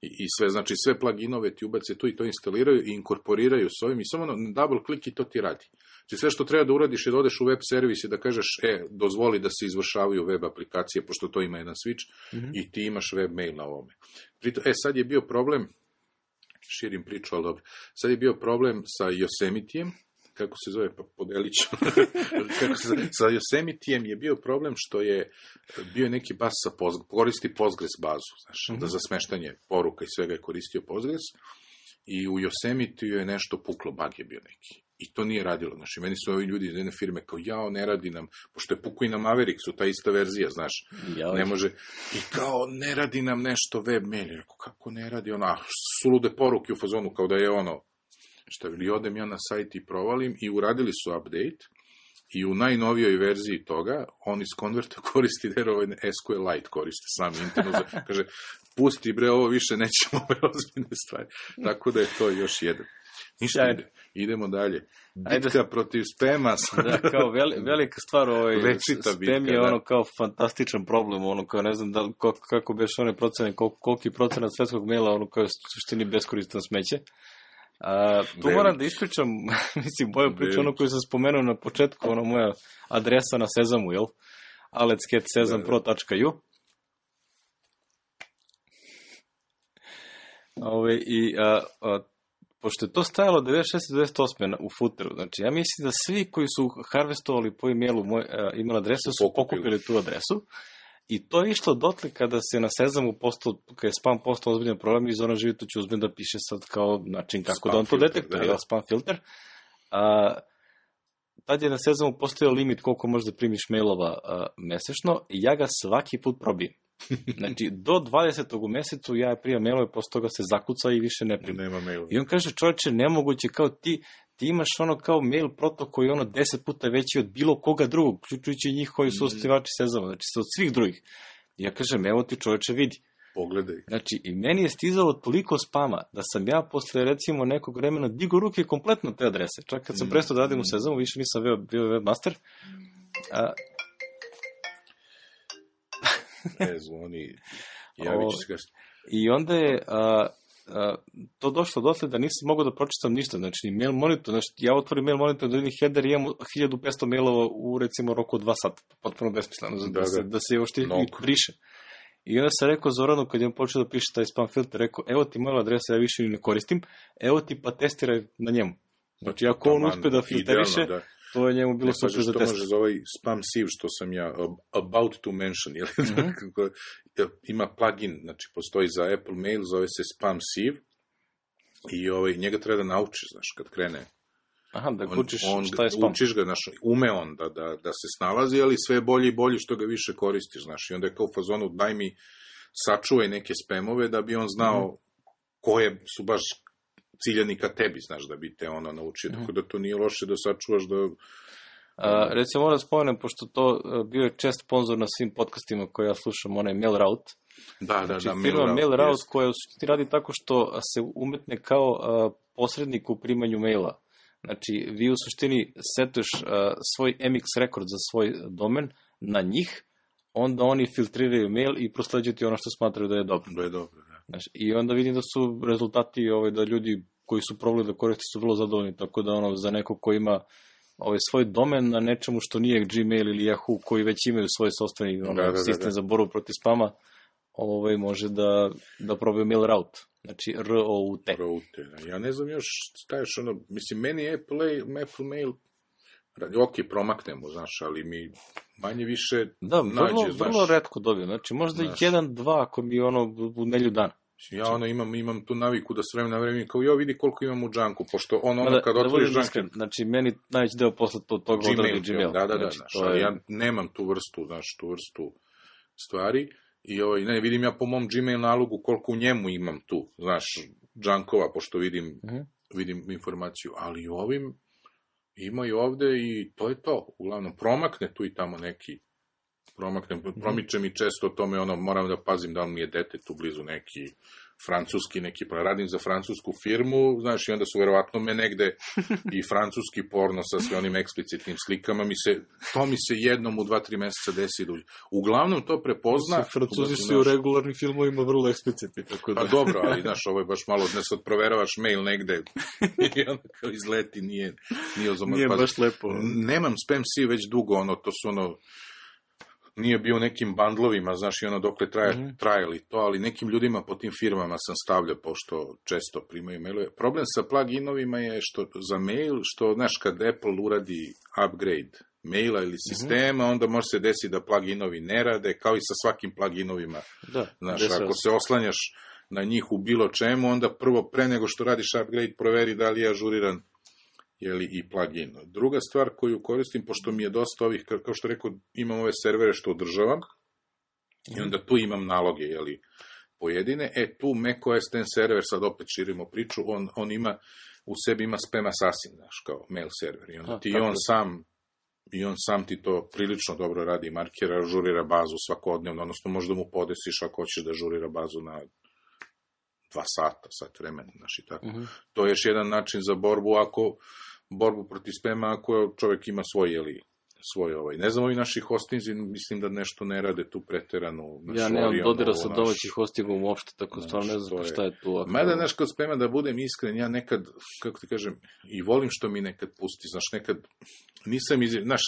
i sve, znači sve pluginove ti ubace tu i to instaliraju i inkorporiraju s ovim i samo double click i to ti radi. Znači sve što treba da uradiš je da odeš u web servis i da kažeš, dozvoli da se izvršavaju web aplikacije, pošto to ima jedan switch, i ti imaš web mail na ovome. Sad je bio problem, širim priču, ali dobro, sad je bio problem sa Yosemitijem, kako se zove, pa podelit ću. Sa Yosemitijem je bio problem što je bio neki bas sa koristi Postgres bazu, da za smeštanje poruka i svega je koristio Postgres, i u Yosemitiju je nešto puklo, bug je bio neki. I to nije radilo. Znači, meni su ovi ljudi iz jedne firme kao, ne radi nam, pošto je puku i na Mavericksu, ta ista verzija, znaš, ne može. I kao, ne radi nam nešto web mail. Rekao, kako ne radi? Sulude poruke u fazonu, kao da je odem ja na sajt i provalim, i uradili su update, i u najnovijoj verziji toga, on iz konverta koristi SQLite, koristi sam internet, kaže, pusti bre, ovo više nećemo ozbiljne stvari. Tako da je to još jedan. Ništa, idemo dalje. Bitka protiv spema. Da, kao velika stvar, spam je kao fantastičan problem, kao ne znam kako beš one procene, koliki procenat svetskog maila, kao suštini beskoristan smeće. Tu moram da ispričam, moju priču, koju sam spomenuo na početku, moja adresa na Sezamu, aletscatsezam.pro.u. Pošto je to stajalo 96-98 u footeru, znači ja mislim da svi koji su harvestovali po e-mailu moj email adresu su pokupili tu adresu. I to je išlo dotle kada se na Sezamu kada je spam postao ozbiljan problem i Zoran Živito će uzmem da piše sad kao način kako spam da on to detektuje, spam filter. Tad je na Sezamu postojao limit koliko možeš da primiš mailova mesečno i ja ga svaki put probijem. Znači, do 20. u mesecu ja primam mailove, posle toga se zakuca i više ne primam. I on kaže, čovječe, nemoguće, kao ti imaš kao mail protok koji je 10 puta veći od bilo koga drugog, uključujući njih koji su osnivači Sezama, znači od svih drugih. I ja kažem, evo ti čovječe, vidi. Pogledaj. Znači, i meni je stizalo toliko spama da sam ja posle, recimo, nekog vremena digo ruke kompletno te adrese. Čak kad sam prestao da radim u Sezamu, više nisam bio webmaster. Zvoni, javit ću se kasnije. I onda je to došlo dotle da nisam mogao da pročitam ništa. Znači, mail monitor, znači, ja otvorim mail monitor, da vidim header i imam 1500 mailova u, recimo, roku od 2 sata. Potpuno besmisleno, da se još ti briše. I onda sam rekao Zoranu, kad je počeo da piše taj spam filter, rekao, evo ti mail adresa, ja više ne koristim, evo ti pa testiraj na njemu. Znači, ako on uspe da filteriše, to je njemu bilo super za test. Što može za ovaj spam sieve, što sam ja about to mention, ima plugin, znači postoji za Apple Mail, zove se spam sieve, i njega treba da naučiš, znaš, kad krene. Aha, da učiš šta je spam. Učiš ga, znaš, ume on da se snalazi, ali sve je bolje i bolje što ga više koristiš, znaš, i onda je kao u fazonu, daj mi, sačuvaj neke spamove da bi on znao koje su baš ciljani ka tebi, znaš, da bi te ono naučio, tako da to nije loše da sačuvaš da... Recimo, moram da spomenem, pošto to bio je čest sponzor na svim podcastima koje ja slušam, onaj MailRoute. Da, firma MailRoute koja ti radi tako što se umetne kao posrednik u primanju maila. Znači, vi u suštini setuješ svoj MX rekord za svoj domen na njih, onda oni filtriraju mail i prosleđuju ti ono što smatraju da je dobro. Da je dobro, da. Znači, i onda vidim da su rezultati da ljudi koji su probali da koriste su vrlo zadovoljni, tako da za neko ko ima svoj domen na nečemu što nije Gmail ili Yahoo, koji već imaju svoj sopstveni sistem za borbu protiv spama, može da probaju MailRoute. Znači, R-O-U-T. Ja ne znam još, staješ mislim, meni Apple Mail, ok, promaknemo, znaš, ali mi manje više nađe, znaš. Vrlo retko dobijem, znači, možda 1-2 ako mi u nelju dana. Ja imam tu naviku da s vremena na vreme, kao vidi koliko imam u džanku, pošto kad otvoriš džank... Znači, meni najveći deo posle toga odradi Gmail. Da, ali ja nemam tu vrstu stvari. I ne vidim ja po mom Gmail nalogu koliko u njemu imam tu, znaš, džankova, pošto vidim informaciju, ali ovim ima i ovde i to je to. Uglavnom, promakne tu i tamo neki, promiče mi često o tome, moram da pazim da li mi je dete tu blizu neki francuski, radim za francusku firmu, znaš, i onda su verovatno me negde i francuski porno sa sve onim eksplicitnim slikama, to mi se jednom u 2-3 meseca desi. Uglavnom to prepozna. Francuzi su u regularnim filmovima vrlo eksplicitni. Pa dobro, ali znaš, ovo je baš malo, ne sad proveravaš mail negde i onda kao izleti, nije baš lepo. Nemam spam sieve već dugo, to su nije bio nekim bandlovima, znaš, i dokle trajali to, ali nekim ljudima po tim firmama sam stavljao, pošto često primaju mailove. Problem sa pluginovima je što za mail, što, znaš, kad Apple uradi upgrade maila ili sistema, onda može se desiti da pluginovi ne rade, kao i sa svakim pluginovima. Znaš, ako se oslanjaš na njih u bilo čemu, onda prvo, pre nego što radiš upgrade, proveri da li je ažuriran i plugin. Druga stvar koju koristim, pošto mi je dosta ovih, kao što rekao, imam ove servere što održavam, i onda tu imam naloge, pojedine, tu macOS ten server, sad opet širimo priču, on ima, u sebi ima spam assassin, znaš, kao mail server, i onda on sam ti to prilično dobro radi, markera, ažurira bazu svakodnevno, odnosno možda mu podesiš ako hoćeš da ažurira bazu na 2 sat vremena, znaš, i tako. To je još jedan način za borbu protiv spama, ako čovjek ima svoj ne znam, ovi naši hostinzi, mislim da nešto ne rade tu preterano. Ja nemam dodira sa domaćih hostingom uopšte, tako stvarno ne znam šta je tu. Mada, znaš, kod spama, da budem iskren, ja nekad, kako ti kažem, i volim što mi nekad pusti, znaš, nekad nisam, znaš,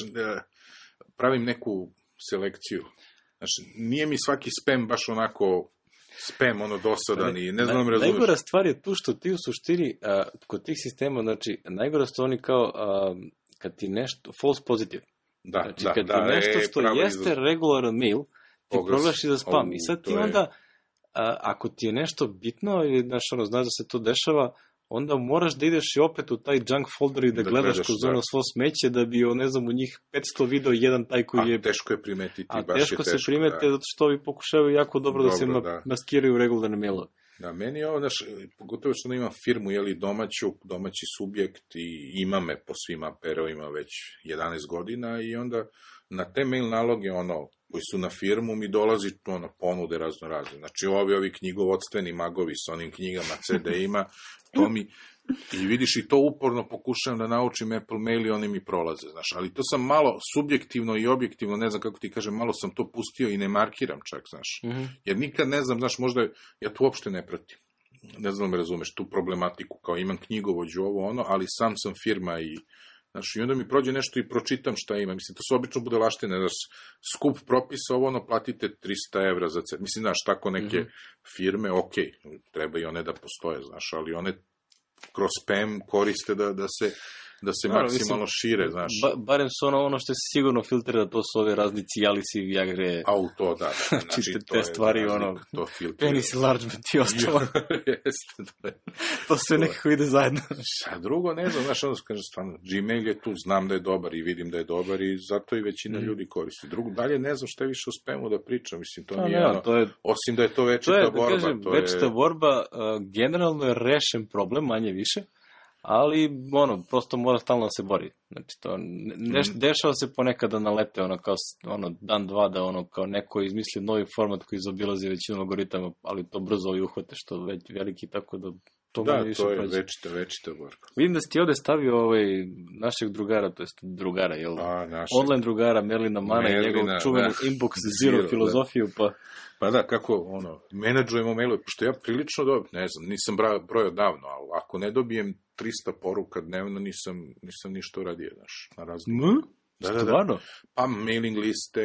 pravim neku selekciju. Znaš, nije mi svaki spam baš onako spam, dosadan i ne znam, razumeš. Najgora stvar je tu što ti u suštini, kod tih sistema, znači, najgora su oni kao, kad ti nešto, false positive. Znači, kad ti nešto što jeste regularan mail, ti proglaši za spam. I sad ti onda, ako ti je nešto bitno, ili znaš da se to dešava, onda moraš da ideš i opet u taj junk folder i da gledaš kroz svo smeće, da bi, ne znam, u njih 500 video jedan taj koji je... A teško je primetiti, baš je teško. A teško se primete, zato što ovi pokušavaju jako dobro da se maskiraju regularne mailove. Da, meni je ovo, pogotovo što imam firmu, domaći subjekt i ima me po svim APR-ovima već 11 godina i onda na te mail naloge, koji su na firmu, mi dolazi ponude razno. Znači, ovi knjigovodstveni magovi s onim knjigama, CD-ima, to mi, i vidiš, i to uporno pokušavam da naučim Apple mail i oni mi prolaze, znaš, ali to sam malo subjektivno i objektivno, ne znam kako ti kažem, malo sam to pustio i ne markiram čak, znaš, jer nikad ne znam, znaš, možda ja to uopšte ne pratim, ne znam da me razumeš, tu problematiku, kao imam knjigovođu ali sam firma i znaš, i onda mi prođe nešto i pročitam šta ima. Mislim, to su obično budalaštine, znaš, skup propisa, platite 300 evra za cel. Mislim, znaš, tako neke firme, treba i one da postoje, znaš, ali one kroz spam koriste da se maksimalno šire, znaš. Barem su ono što se sigurno filtrira, to su ove razni Cialisi, Viagre, to, da. Znači, te stvari, penis enlargement i ostalo. To sve nekako ide zajedno. A drugo, ne znam, znaš, kaže, stvarno, Gmail je tu, znam da je dobar i vidim da je dobar i zato i većina ljudi koristi. Drugo, dalje ne znam šta je više o spamu da pričam, mislim, to nije osim da je to večita borba. Večita borba, generalno je rešen problem, manje više, ali, prosto mora stalno da se bori. Znači, to, dešava se ponekad da nalete, kao, dan, dva, da, kao neko izmisli novi format koji zaobilazi većinu algoritama, ali to brzo i uhvate, što već veliki, tako da to manje više prođe. Da, to je večita borba. Vidim da si ti ovde stavio našeg drugara, to jest drugara, jel? Online drugara, Merlina Mana i njegov čuvenu Inbox Zero filozofiju, Pa da, kako, menadžujemo mailove, pošto ja prilično ne znam, nisam brojao davno, ali ako ne dobijem 300 poruka dnevno, nisam ništa uradio, znaš, na razliku. Da. Pa mailing liste,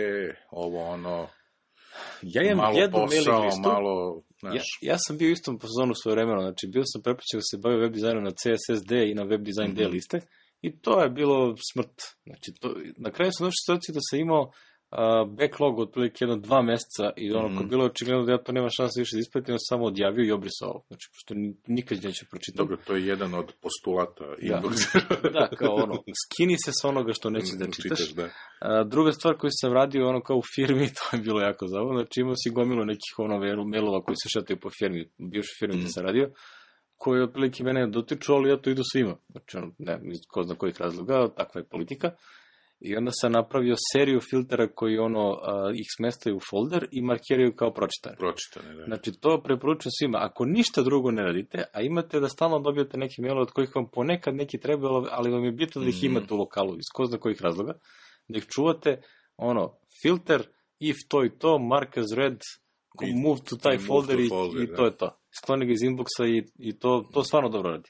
ja imam malo jednu posao, mailing listu. malo, znaš. Ja sam bio istom pozonu svoje vremena, znači bio sam prepočeo da se bavio web dizajnom na CSS D i na web design D liste i to je bilo smrt. Znači, na kraju sam došao situaciju da sam imao backlog otprilike 1-2 meseca i kad bilo očigledno da ja to nema šanse više da ispratim, ja sam samo odjavio i obrisao. Znači, pošto nikad neću pročitati. Dobro, to je jedan od postulata Inbox. Da, kao skini se sa onoga što nećeš da čitaš. Druga stvar koju sam radio, kao u firmi, to je bilo jako zabavno, znači imao si gomilu nekih mailova koji se šataju po firmi, bivšoj firmi gde sam radio, koji otprilike mene dotiču, ali ja to idu svima. Znači, ko zna kojih razloga, takva je politika. I onda sam napravio seriju filtera koji ih smestaju u folder i markiraju kao pročitane. Da. Znači, to preporučujem svima. Ako ništa drugo ne radite, a imate da stalno dobijete neke mailove od kojih vam ponekad neki treba, ali vam je bitno da ih imate u lokalu, iz ko zna kojih razloga, da ih čuvate, filter, if to i to, mark as read, move to taj folder i to je to. Skloni ga iz inboxa i to stvarno dobro radi.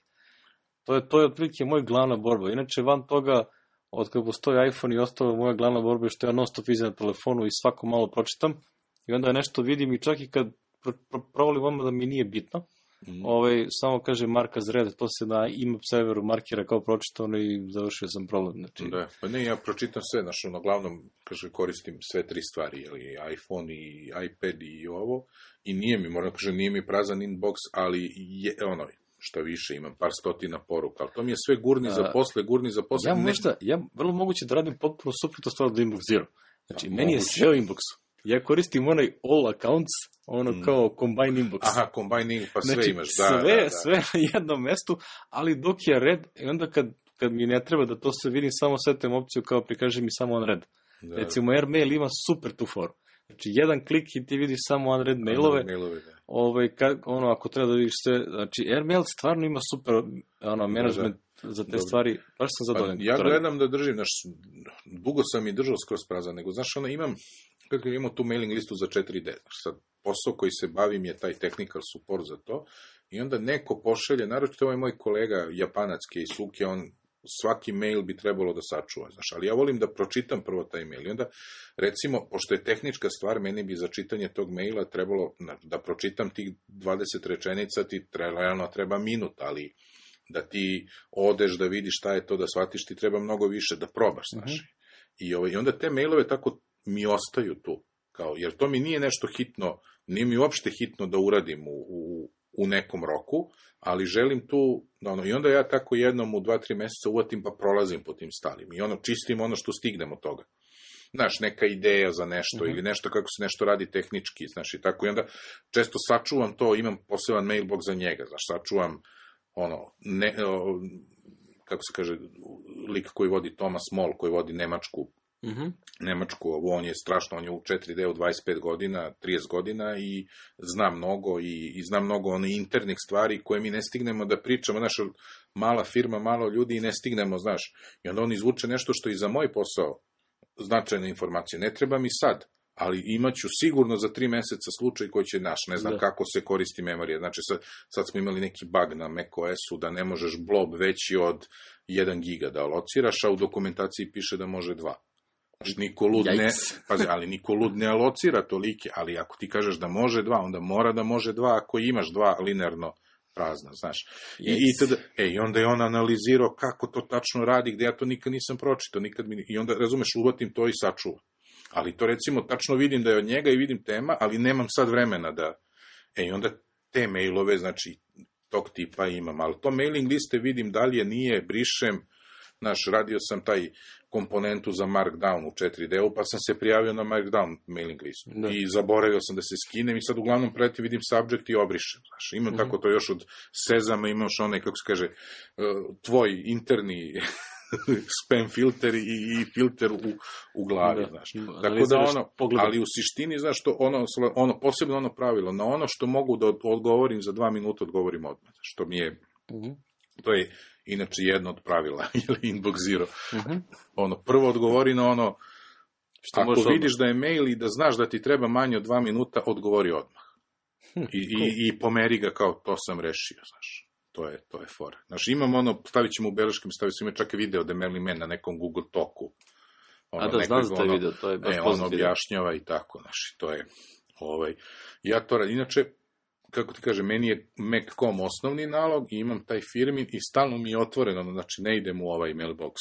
To je otprilike moj glavna borba. Inače, van toga, od kada postoji iPhone i ostalo, moja glavna borba je što ja non stop izem na telefonu i svako malo pročitam i onda nešto vidim i čak i kad provalim vama da mi nije bitno, samo kaže mark as read, to se na imap serveru markira kao pročitano i završio sam problem. Znači... Da, pa ne, ja pročitam sve, uglavnom, koristim sve 3 stvari, iPhone i iPad i ovo, i nije mi prazan inbox, ali je što više, imam par stotina poruka, ali to mi je sve gurni za posle. Ja vrlo moguće da radim potpuno suprotno stvar od Inbox Zero. Znači, meni je sve u Inboxu. Ja koristim onaj all accounts, kao combine inbox. Aha, combine inbox, pa sve znači, imaš, sve na jednom mestu, ali dok je red, i onda kad mi ne treba da to se vidim, samo setem opciju kao prikaže mi samo on red. Da. Recimo, Airmail ima super tu foru. Znači, jedan klik i ti vidiš samo unread mailove. Ako treba da vidiš sve, znači, Airmail stvarno ima super management za te stvari. Baš sam zadovoljan. Ja gledam da držim, dugo sam i držao skroz prazan, nego, imam tu mailing listu za 4D. Sad, posao koji se bavim je taj technical support za to, i onda neko pošalje, naročito ovaj moj kolega Japanac Keisuke, on svaki mail bi trebalo da sačuva, ali ja volim da pročitam prvo taj mail i onda, recimo, pošto je tehnička stvar, meni bi za čitanje tog maila trebalo da pročitam tih 20 rečenica, ti realno treba minut, ali da ti odeš da vidiš šta je to, da shvatiš, ti treba mnogo više da probaš, I onda te mailove tako mi ostaju tu, jer to mi nije nešto hitno, nije mi uopšte hitno da uradim u nekom roku, ali želim tu, i onda ja tako jednom u 2-3 meseca uvatim pa prolazim po tim starim i čistim što stignem od toga. znaš, neka ideja za nešto ili nešto kako se nešto radi tehnički, znaš, i tako. I onda često sačuvam to, imam poseban mailbox za njega, znaš, sačuvam kako se kaže, lik koji vodi Thomas Moll, koji vodi Nemačku, on je strašno, on je u 4D u 25 godina, 30 godina i zna mnogo i zna mnogo internih stvari koje mi ne stignemo da pričamo, znaš, mala firma, malo ljudi i ne stignemo, znaš, i onda on izvuče nešto što i za moj posao značajne informacije. Ne treba mi sad, ali imaću sigurno za 3 meseca slučaj koji će naš, ne znam kako se koristi memorija. Znači sad smo imali neki bug na macOS-u da ne možeš blob veći od 1 giga da alociraš, a u dokumentaciji piše da može 2. Znači, niko lud ne alocira tolike, ali ako ti kažeš da može 2, onda mora da može 2 ako imaš 2 linearno prazna, znaš. I onda je on analizirao kako to tačno radi, gde ja to nikad nisam pročitao, i onda, razumeš, uvatim to i sačuvam. Ali to, recimo, tačno vidim da je od njega i vidim tema, ali nemam sad vremena da... I onda te mailove, znači, tog tipa imam, ali to mailing liste vidim dalje, nije, brišem, znaš, radio sam taj komponentu za Markdown u 4D-u, pa sam se prijavio na Markdown mailing listu. I zaboravio sam da se skinem i sad uglavnom pretim vidim subject i obrišem. Znaš, imam tako to još od Sezama, imaš onaj, kako se kaže, tvoj interni spam filter i filter u glavi, znaš. Tako da ali u suštini, znaš, posebno ono pravilo, na ono što mogu da odgovorim za 2 minuta, odgovorim odmah. Što mi je, to je inače jedno od pravila, ili Inbox Zero. Prvo odgovori na ono, ako vidiš da je mail i da znaš da ti treba manje od 2 minuta, odgovori odmah. I pomeri ga kao, to sam rešio, znaš. To je fora. Znaš, imam stavit ćemo u beleškim, ima čak i video da Merlin Man na nekom Google Talku. Znam za taj video, to je baš pozitivno. On objašnjava i tako, znaš, to je, ja to radim. Inače, kako ti kaže, meni je Mac.com osnovni nalog i imam taj firmin i stalno mi je otvoreno, znači ne idem u ovaj mailbox.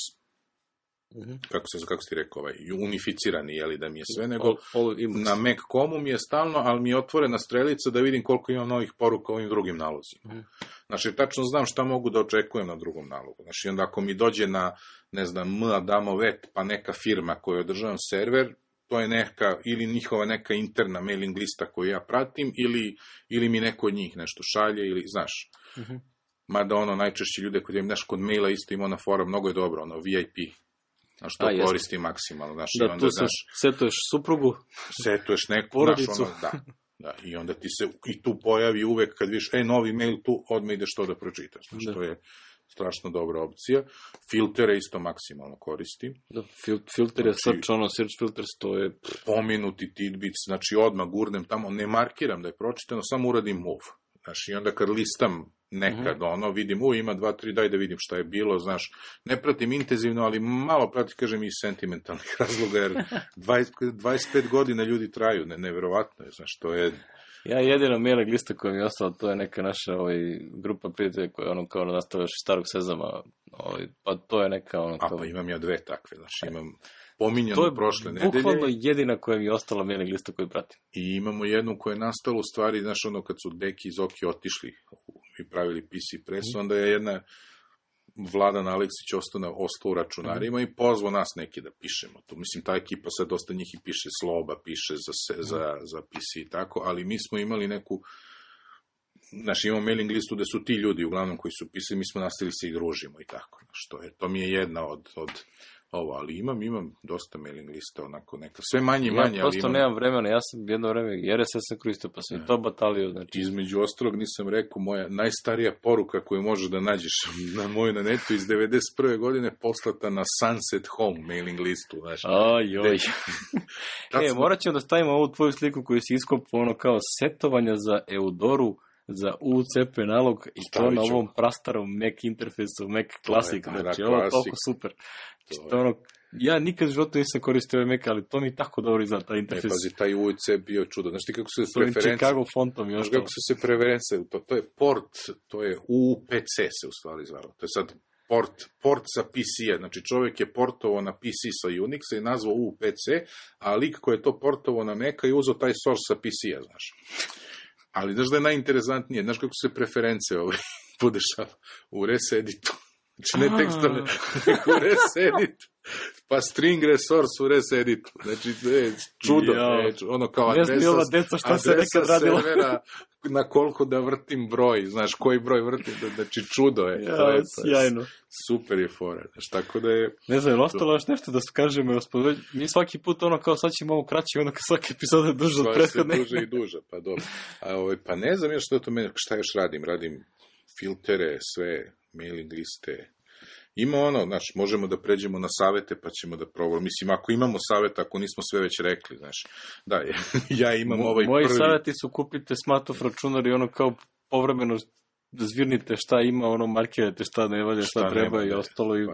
Kako si ti rekao, unificirani, jeli da mi je sve, nego na Mac.comu mi je stalno, ali mi je otvorena strelica da vidim koliko imam novih poruka ovim drugim nalozima. Znači, tačno znam šta mogu da očekujem na drugom nalogu. Znači, onda ako mi dođe na, ne znam, Adamovet, pa neka firma koju održavam server, to je neka, ili njihova neka interna mailing lista koju ja pratim, ili mi neko od njih nešto šalje, ili, znaš. Mada najčešće ljude kod im, kod maila isto ima ona fora, mnogo je dobro, VIP. Znaš, to koristi maksimalno. Znaš, da, onda, setuješ suprugu, setuješ neku, porodicu. Znaš, da, i onda ti se i tu pojavi uvek, kad vidiš, novi mail tu, odmah ideš to da pročitaš. Znaš, to je strašno dobra opcija. Filtere isto maksimalno koristim. Da, filter je search filters, to je... Pomenuti tidbits, znači odmah gurnem tamo, ne markiram da je pročitano, samo uradim move. Znaš, i onda kad listam nekad, vidim, ima 2-3, daj da vidim šta je bilo, znaš, ne pratim intenzivno, ali malo pratim, kažem, iz sentimentalnih razloga, jer 25 godina ljudi traju, neverovatno je, znaš, to je... Ja jedino mailing lista koja mi je ostala, to je neka naša grupa prijatelja koja je kao nastavljaš starog Sezama, pa to je neka pa imam ja 2 takve, znaš, imam pominjanu prošle nedelje. To je bukvalno jedina koja mi je ostala mailing lista koju pratim. I imamo jednu koja je nastala u stvari, znaš, kad su Deki iz Oki otišli i pravili PC presu, onda je jedna Vladan Aleksić ostao u računarima i pozvao nas neki da pišemo to. Mislim, ta ekipa sad dosta njih i piše Sloba, piše za PC i tako, ali mi smo imali neku, znaš, imamo mailing listu da su ti ljudi uglavnom koji su pisali, mi smo nastavili se i družimo i tako. Znaš, to mi je jedna od ali imam dosta mailing lista, onako neka, sve manje i manje. Ja prosto nemam vremena, ja sam jedno vreme RSS sam koristio, pa sam i to batalio. Znači. Između ostalog nisam rekao, moja najstarija poruka koju možeš da nađeš na netu iz 91. godine poslata na Sunset Home mailing listu. Znaš. Ojoj. Morat ćemo da stavimo ovu tvoju sliku koju si iskopao kao setovanja za Eudoru, za UCP nalog i to na ovom prastarom Mac interfejsu, Mac Classic, znači ovo je toliko super. Ja nikad u životu nisam koristio ovaj Mac, ali to mi tako dobro izgleda, taj interfejs. Pazi, taj UC bio čudo. Znaš ti kako su se preferencije... Chicago fontom i ostalo. Znaš kako su se preferencije, to je port, to je UPC se u stvari zvalo. To je sad port sa PC-a, znači čovjek je portovao na PC sa Unixa i nazvao UPC, a lik koji je to portovao na Maca i uzeo taj source sa PC-a, znaš. Ali znaš da je najinteresantnije, znaš kako se preferencije podešava u reseditu. Znači ne tekstovne, nego u reseditu. pa string resource u reseditu. Znači, čudo. Ono kao adresa servera na koliko da vrtim broj. Znaš, koji broj vrtim. Znači, čudo je. Sjajno. Super je fora. Znači, tako da je... Ne znam, ostalo još nešto da kažemo. Mi svaki put ono kao sad ćemo malo kraći, ono kao svaki epizod je duže od prethodne. Sve duže i duže, pa dobro. Pa ne znam još što to meni, šta još radim. Radim filtere, sve, mailing liste. Ima ono, znaš, možemo da pređemo na savete, pa ćemo da probamo. Mislim, ako imamo savete, ako nismo sve već rekli, znaš. Da, ja imam ovaj moji prvi... Moji saveti su kupite smatov računar i ono kao povremeno zvirnite šta ima, ono markirajte šta ne valja, šta treba i ostalo i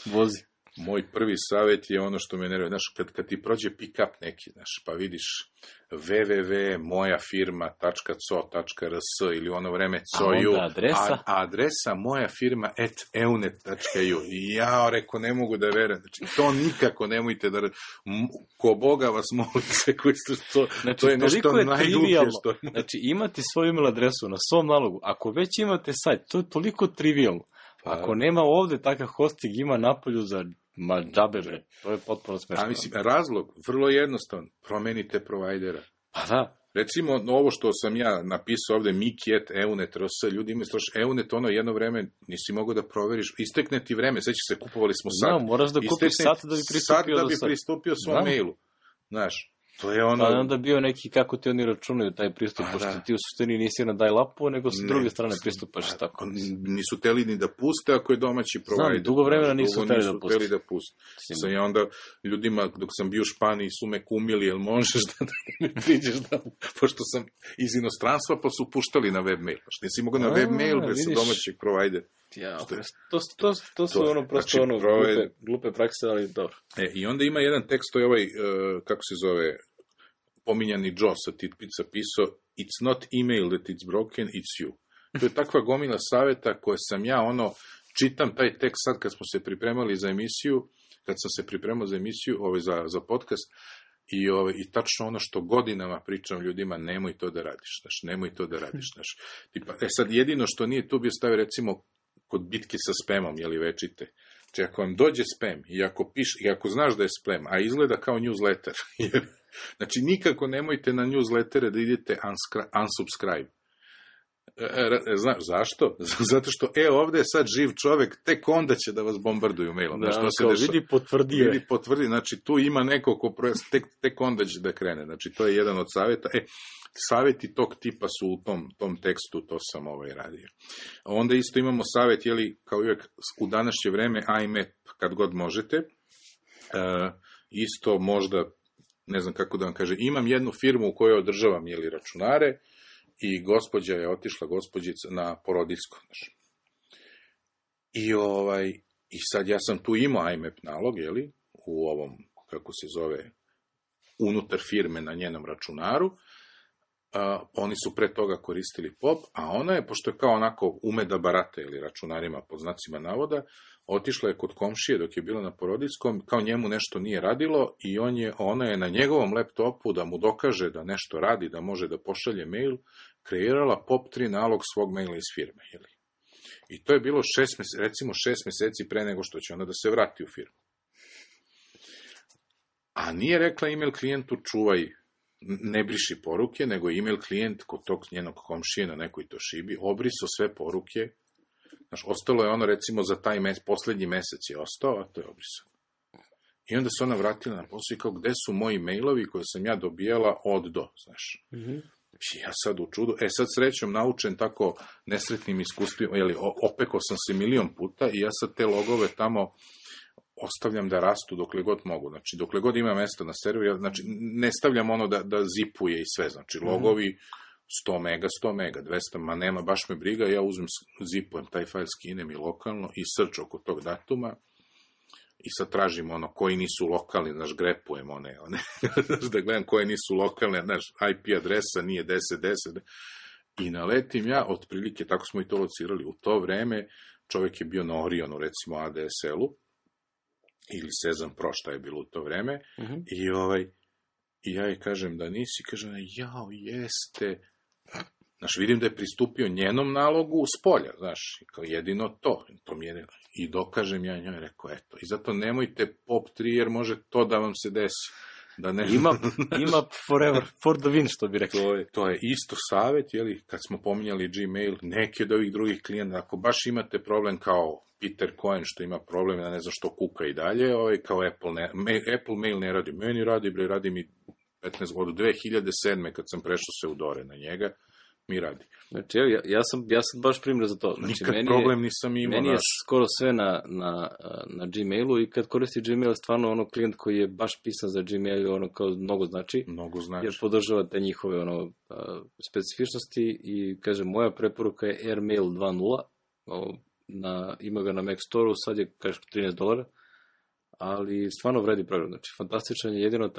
vozi. Moj prvi savjet je ono što me nervira. Znaš, kad ti prođe pick-up neki, znaš, pa vidiš www.mojafirma.co.rs ili ono vreme coju, a adresa mojafirma@eunet.ju. I ja rekao, ne mogu da verujem. Znači, to nikako nemojte da... Ko Boga vas molim se koji ste to... Znači, to je nešto najgluplje što... Znači, imati svoju email adresu na svom nalogu. Ako već imate sajt, to je toliko trivialno. Ako nema ovde takav hosting, ima napolju za džabe, bre. To je potpuno smešno. A mislim, razlog, vrlo jednostavan, promenite provajdera. Pa da. Recimo, ovo što sam ja napisao ovde, Miki@eunet.rs, ljudi imaju straš, Eunet, ono jedno vreme nisi mogao da proveriš, istekne ti vreme, sveći se, kupovali smo sat. Da, moraš da kupiš sat da bi pristupio svom mailu. Znaš, to je ono... Pa onda bio neki, kako ti oni računaju taj pristup, pošto ti u suštini nisi na dial-upu, nego sa druge strane pristupaš tako. Nisu teli ni da puste ako je domaći provider. Znam, dugo vremena nisu teli da puste. Sam ja onda ljudima, dok sam bio u Španiji, su me kumili, jel možeš da mi priđeš da... Pošto sam iz inostranstva, pa su puštali na webmail. Što nisi mogao na webmail bez domaćeg providera. Ja, to su ono prosto ono glupe prakse, ali dobro. I onda ima jedan tekst, to je ovaj, kako se zove, pominjani Joe sa Titpica pisao, it's not email that it's broken, it's you. To je takva gomila saveta koje sam ja, čitam taj tekst sad kad smo se pripremali za emisiju, kad sam se pripremao za emisiju, za podcast, i tačno ono što godinama pričam ljudima, nemoj to da radiš, znaš, nemoj to da radiš, znaš. Tipa, sad jedino što nije tu bio stavio, recimo, kod bitke sa spamom, jeli večite. Znači, ako vam dođe spam i ako znaš da je spam, a izgleda kao newsletter, znači, nikako nemojte na newslettere da idete unsubscribe. Znaš, zašto? Zato što, ovde je sad živ čovek, tek onda će da vas bombarduju mailom. Da, kao vidi potvrdi, znači, tu ima neko ko tek onda će da krene. Znači, to je jedan od savjeta. Savjeti tog tipa su u tom tekstu, to sam radio. Onda isto imamo savjet, jeli, kao uvijek, u današnje vreme, IMAP, kad god možete. Isto možda, ne znam kako da vam kaže, imam jednu firmu u kojoj održavam, jeli, računare, i gospođa je otišla, gospođica, na porodiljsko. I sad ja sam tu imao IMAP nalog, jeli, u ovom, kako se zove, unutar firme na njenom računaru. Oni su pre toga koristili POP, a ona je, pošto je kao onako ume da barata, ili računarima pod znacima navoda, otišla je kod komšije dok je bila na porodiljskom, kao njemu nešto nije radilo i ona je na njegovom laptopu da mu dokaže da nešto radi, da može da pošalje mail, kreirala POP3 nalog svog maila iz firme. Jeli? I to je bilo 6 meseci pre nego što će ona da se vrati u firmu. A nije rekla email klijentu čuvaj, ne briši poruke, nego email klijent kod tog njenog komšije na nekoj Toshibi obrisao sve poruke. Znaš, ostalo je ono, recimo, za taj poslednji mesec je ostao, a to je obrisao. I onda se ona vratila na posao i kao, gde su moji mailovi koje sam ja dobijala od do, znaš. Ja sad u čudu, sad srećom naučen tako nesretnim iskustvima, opekao sam se milion puta i ja sad te logove tamo ostavljam da rastu dokle god mogu. Znači, dokle god ima mesta na serveru, znači, ne stavljam ono da zipuje i sve. Znači, logovi 100 mega, 200, ma nema, baš me briga, ja uzmem, zipujem taj fajl, skinem i lokalno i search oko tog datuma i sad tražim koji nisu lokalni, znaš, grepujem one da gledam koje nisu lokalne, znaš, IP adresa nije 10, i naletim ja, otprilike, tako smo i to locirali, u to vreme čovjek je bio na Orionu, recimo ADSL-u, ili Sezam Pro, šta je bilo u to vreme, i ja je kažem da nisi, kažem, jeste. Znaš, vidim da je pristupio njenom nalogu s polja, znaš, kao jedino to mi je, i dokažem ja njoj, rekao, eto, i zato nemojte pop 3, jer može to da vam se desi. Da ne... ima forever, for the win, što bi rekao. To je isto savjet, jeli, kad smo pominjali Gmail, neki od ovih drugih klijenta, ako baš imate problem kao Peter Cohen, što ima problem, ja ne znam što kuka i dalje, kao Apple Mail ne radi, meni radi mi 15 godina, od 2007. kad sam prešao se u Dore na njega, mi radi. Znači, evo, ja sam baš primjer za to. Znači, nikad problem nisam imao. Meni je skoro sve na Gmailu i kad koristi Gmail, stvarno ono klijent koji je baš pisan za Gmail, ono kao mnogo znači. Jer podržava te njihove specifičnosti i, kažem, moja preporuka je Airmail 2.0, ima ga na Mac Store-u, sad je, kažem, $13, ali stvarno vredi program, znači fantastičan je, jedino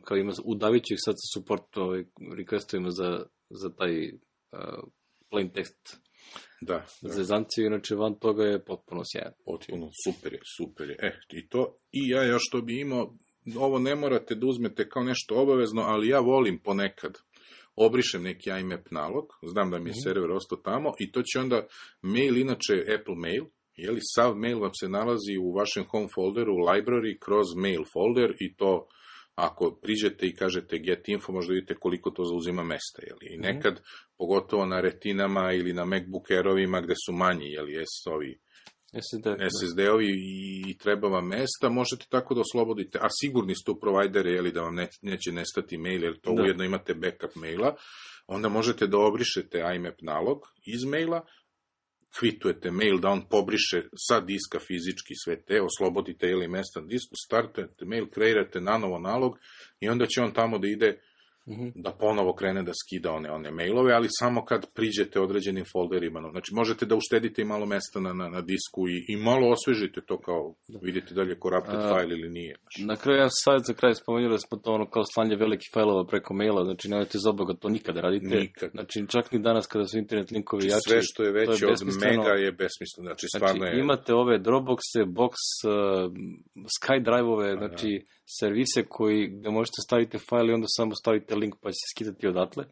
kao ima, udavit ću ih sad sa support requestovima za taj plain text zezancije, inače van toga je potpuno sjajan. Potpuno, super je. I ja još to bi imao, ovo ne morate da uzmete kao nešto obavezno, ali ja volim ponekad obrišem neki IMAP nalog, znam da mi je server ostao tamo i to će onda mail, inače Apple Mail, sav mail vam se nalazi u vašem home folderu, u library, kroz mail folder i to, ako priđete i kažete get info, možda vidite koliko to zauzima mesta. I nekad, pogotovo na retinama ili na MacBook Airovima gde su manji, SSD-ovi i treba vam mesta, možete tako da oslobodite, a sigurni ste u provajdere, da vam neće nestati mail, jer to ujedno imate backup maila, onda možete da obrišete IMAP nalog iz maila, kvitujete mail da on pobriše sa diska fizički sve te, oslobodite mesta na disku, startujete mail, kreirate nanovo nalog i onda će on tamo da ide da ponovo krene da skida one mailove, ali samo kad priđete određenim folderima. Znači, možete da uštedite i malo mesta na disku i malo osvežite to kao, vidite da li je corrupted file ili nije. Na kraju, ja savjet za kraj spomenuli smo to kao slanje velikih fajlova preko maila, znači nemojte za Boga to nikada radite. Nikad. Znači, čak ni danas kada su internet linkovi jači. Sve što je veće od mega je besmisleno. Znači, stvarno je... Imate ove Dropboxe, Box, SkyDrive-ove, znači servise gde možete staviti fajl i onda samo stavite link pa će se skidati odatle.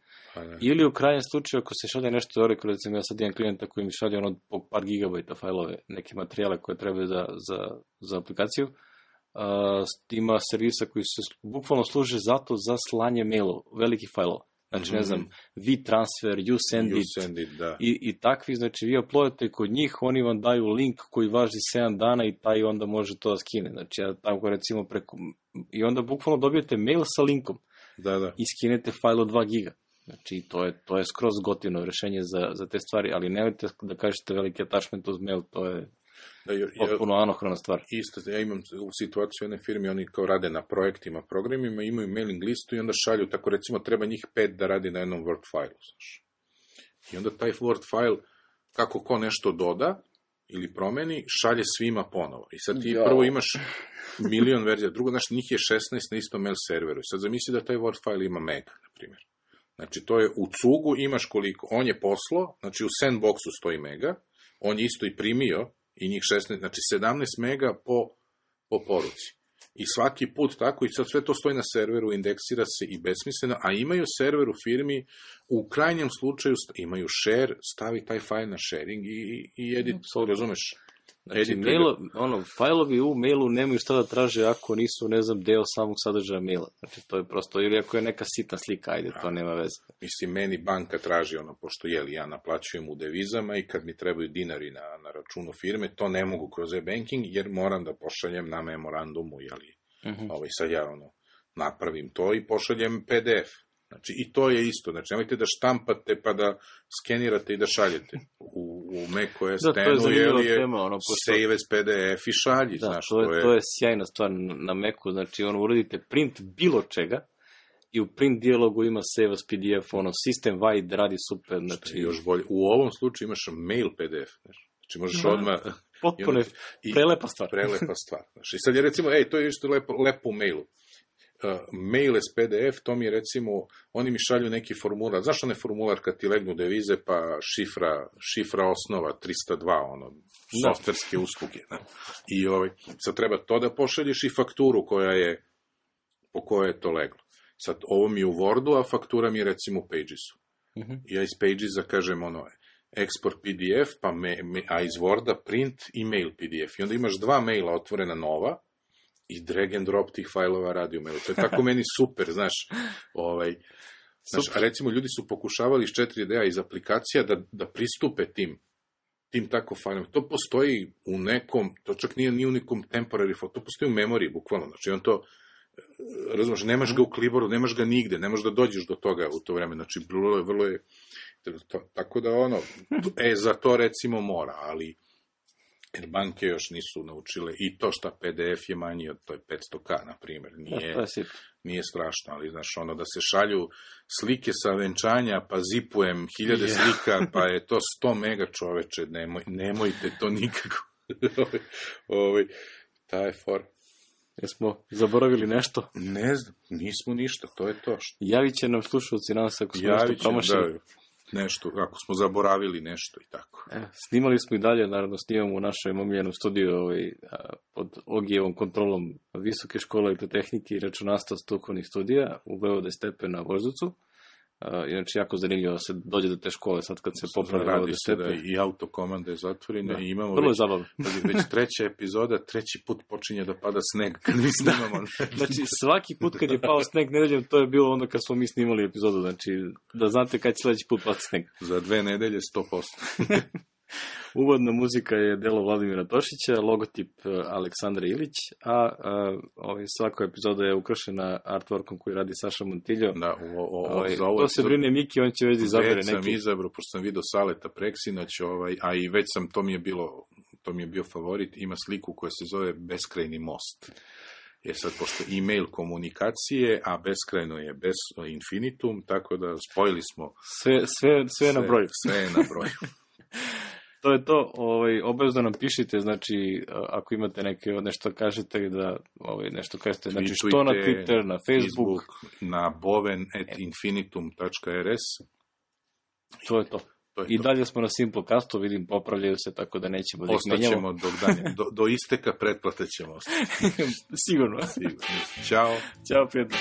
Ili u krajnjem slučaju, ako se šalje nešto recimo ja sad imam klijenta koji mi šalje po par gigabajta fajlove, neke materijale koje trebaju za aplikaciju, ima servisa koji se bukvalno služe zato za slanje mailova, velikih fajlova. Znači, ne znam, WeTransfer, YouSendIt i takvi, znači vi uploadate kod njih, oni vam daju link koji važi 7 dana i taj onda može to da skine. Znači, ja tako recimo i onda bukvalno dobijete mail sa linkom i skinete fajl od 2 giga. Znači, to je skroz gotivno rešenje za te stvari, ali nemojte da kažete veliki attachment uz mail, to je potpuno anohrona stvar. Isto, ja imam u situaciju jedne firme, oni kao rade na projektima, programima, imaju mailing listu i onda šalju, tako recimo treba njih 5 da radi na jednom Word failu. I onda taj Word file, kako ko nešto doda ili promeni, šalje svima ponovo. I sad ti prvo imaš milion verzija, drugo, znači njih je 16 na istom mail serveru. I sad zamisli da taj Word file ima mega, na primjer. Znači to je u cugu, imaš koliko, on je poslao, znači u sandboxu stoji mega, on je isto i primio, i njih 16, znači 17 mega po poruci. I svaki put tako, i sad sve to stoji na serveru, indeksira se i besmisleno, a imaju server u firmi, u krajnjem slučaju imaju share, stavi taj fajl na sharing i edit, razumeš? Znači, fajlovi u mailu nemaju šta da traže ako nisu, ne znam, deo samog sadržaja maila. Znači, to je prosto, ili ako je neka sitna slika, ajde, to nema veze. Mislim, meni banka traži pošto ja naplaćujem u devizama i kad mi trebaju dinari na računu firme, to ne mogu kroz e-banking, jer moram da pošaljem na memorandumu, sad ja napravim to i pošaljem PDF. Znači, i to je isto. Znači, nemojte da štampate pa da skenirate i da šaljete. U macOS 10 je save as PDF i šalji. To je sjajna stvar na Macu. Znači, uradite print bilo čega i u print dijalogu ima save as PDF, system wide radi super. Znači, još bolje. U ovom slučaju imaš mail PDF. Znači, možeš odmah... Potpuno prelepa stvar. Prelepa stvar. Znači, sad je recimo, to je isto lepo u mailu. Mail as PDF, to mi je recimo, oni mi šalju neki formular, znaš onaj formular kad ti legnu devize pa šifra osnova 302, softverske usluge. I sad treba to da pošalješ i fakturu po kojoj je to leglo. Sad, ovo mi je u Wordu, a faktura mi je recimo u Pagesu. Ja iz Pagesa kažem export PDF, a iz Worda print email PDF. I onda imaš 2 maila otvorena nova i drag and drop tih fajlova radi u mailu. To je tako meni super, znaš. A recimo ljudi su pokušavali iz 4D-a iz aplikacija da pristupe tim tako fajlom. To postoji u nekom, to čak nije u nekom temporary file, to postoji u memoriji, bukvalno. Znači, on to, razumiješ, nemaš ga u Clipboardu, nemaš ga nigde, ne možeš da dođeš do toga u to vreme. Znači, vrlo je, tako da za to recimo mora, ali jer banke još nisu naučile i to šta PDF je manji od to je 500K, na primjer, nije strašno, ali znaš, da se šalju slike sa venčanja, pa zipujem 1000 slika, pa je to 100 mega, čoveče, nemojte to nikako. Ta je for. Jesmo zaboravili nešto? Ne znam, nismo ništa, to je to. Javit će nam slušalci, nadam se, ako smo nešto promašili. Nešto, ako smo zaboravili nešto i tako. Snimali smo i dalje, naravno snimamo u našem omiljenom studiju pod Ogijevom kontrolom Visoke škole elektrotehnike i računarstva strukovnih studija u Vojvode Stepe na Voždovcu. Inače, jako zanimljivo se dođe do te škole sad kad se popravi Vojvode Stepe. Radi se da i autokomanda je zatvorena i imamo vrlo je zabavno. Već 3. epizoda, 3. put počinje da pada sneg kad mi snimamo. Znači, svaki put kad je pao sneg nedeljom, to je bilo onda kad smo mi snimali epizodu. Znači, da znate kad će sledeći put pati sneg. Za 2 nedelje 100%. Uvodna muzika je delo Vladimira Tošića, logotip Aleksandra Ilić, a svaka epizoda je ukrašena artworkom koji radi Saša Montiljo. Da, to se brine Miki, on će već izabere neki. Već sam izabrao, pošto sam vidio Saleta Preksinoć, a i već sam, to mi je bio favorit, ima sliku koja se zove Beskrajni most. Jer sad, pošto e-mail komunikacije, a beskrajno je bez infinitum, tako da spojili smo... Sve je na broju. Sve je na broju. To je to, obavezno nam pišite, znači, ako imate nešto kažete, da nešto kažete, znači, što na Twitter, na Facebook, na boven@infinitum.rs. To je to. I dalje smo na Simplecastu, vidim, popravljaju se, tako da nećemo da ih menjamo. Ostaćemo do isteka pretplate ćemo ostati. Sigurno. Ćao. Ćao, prijatno.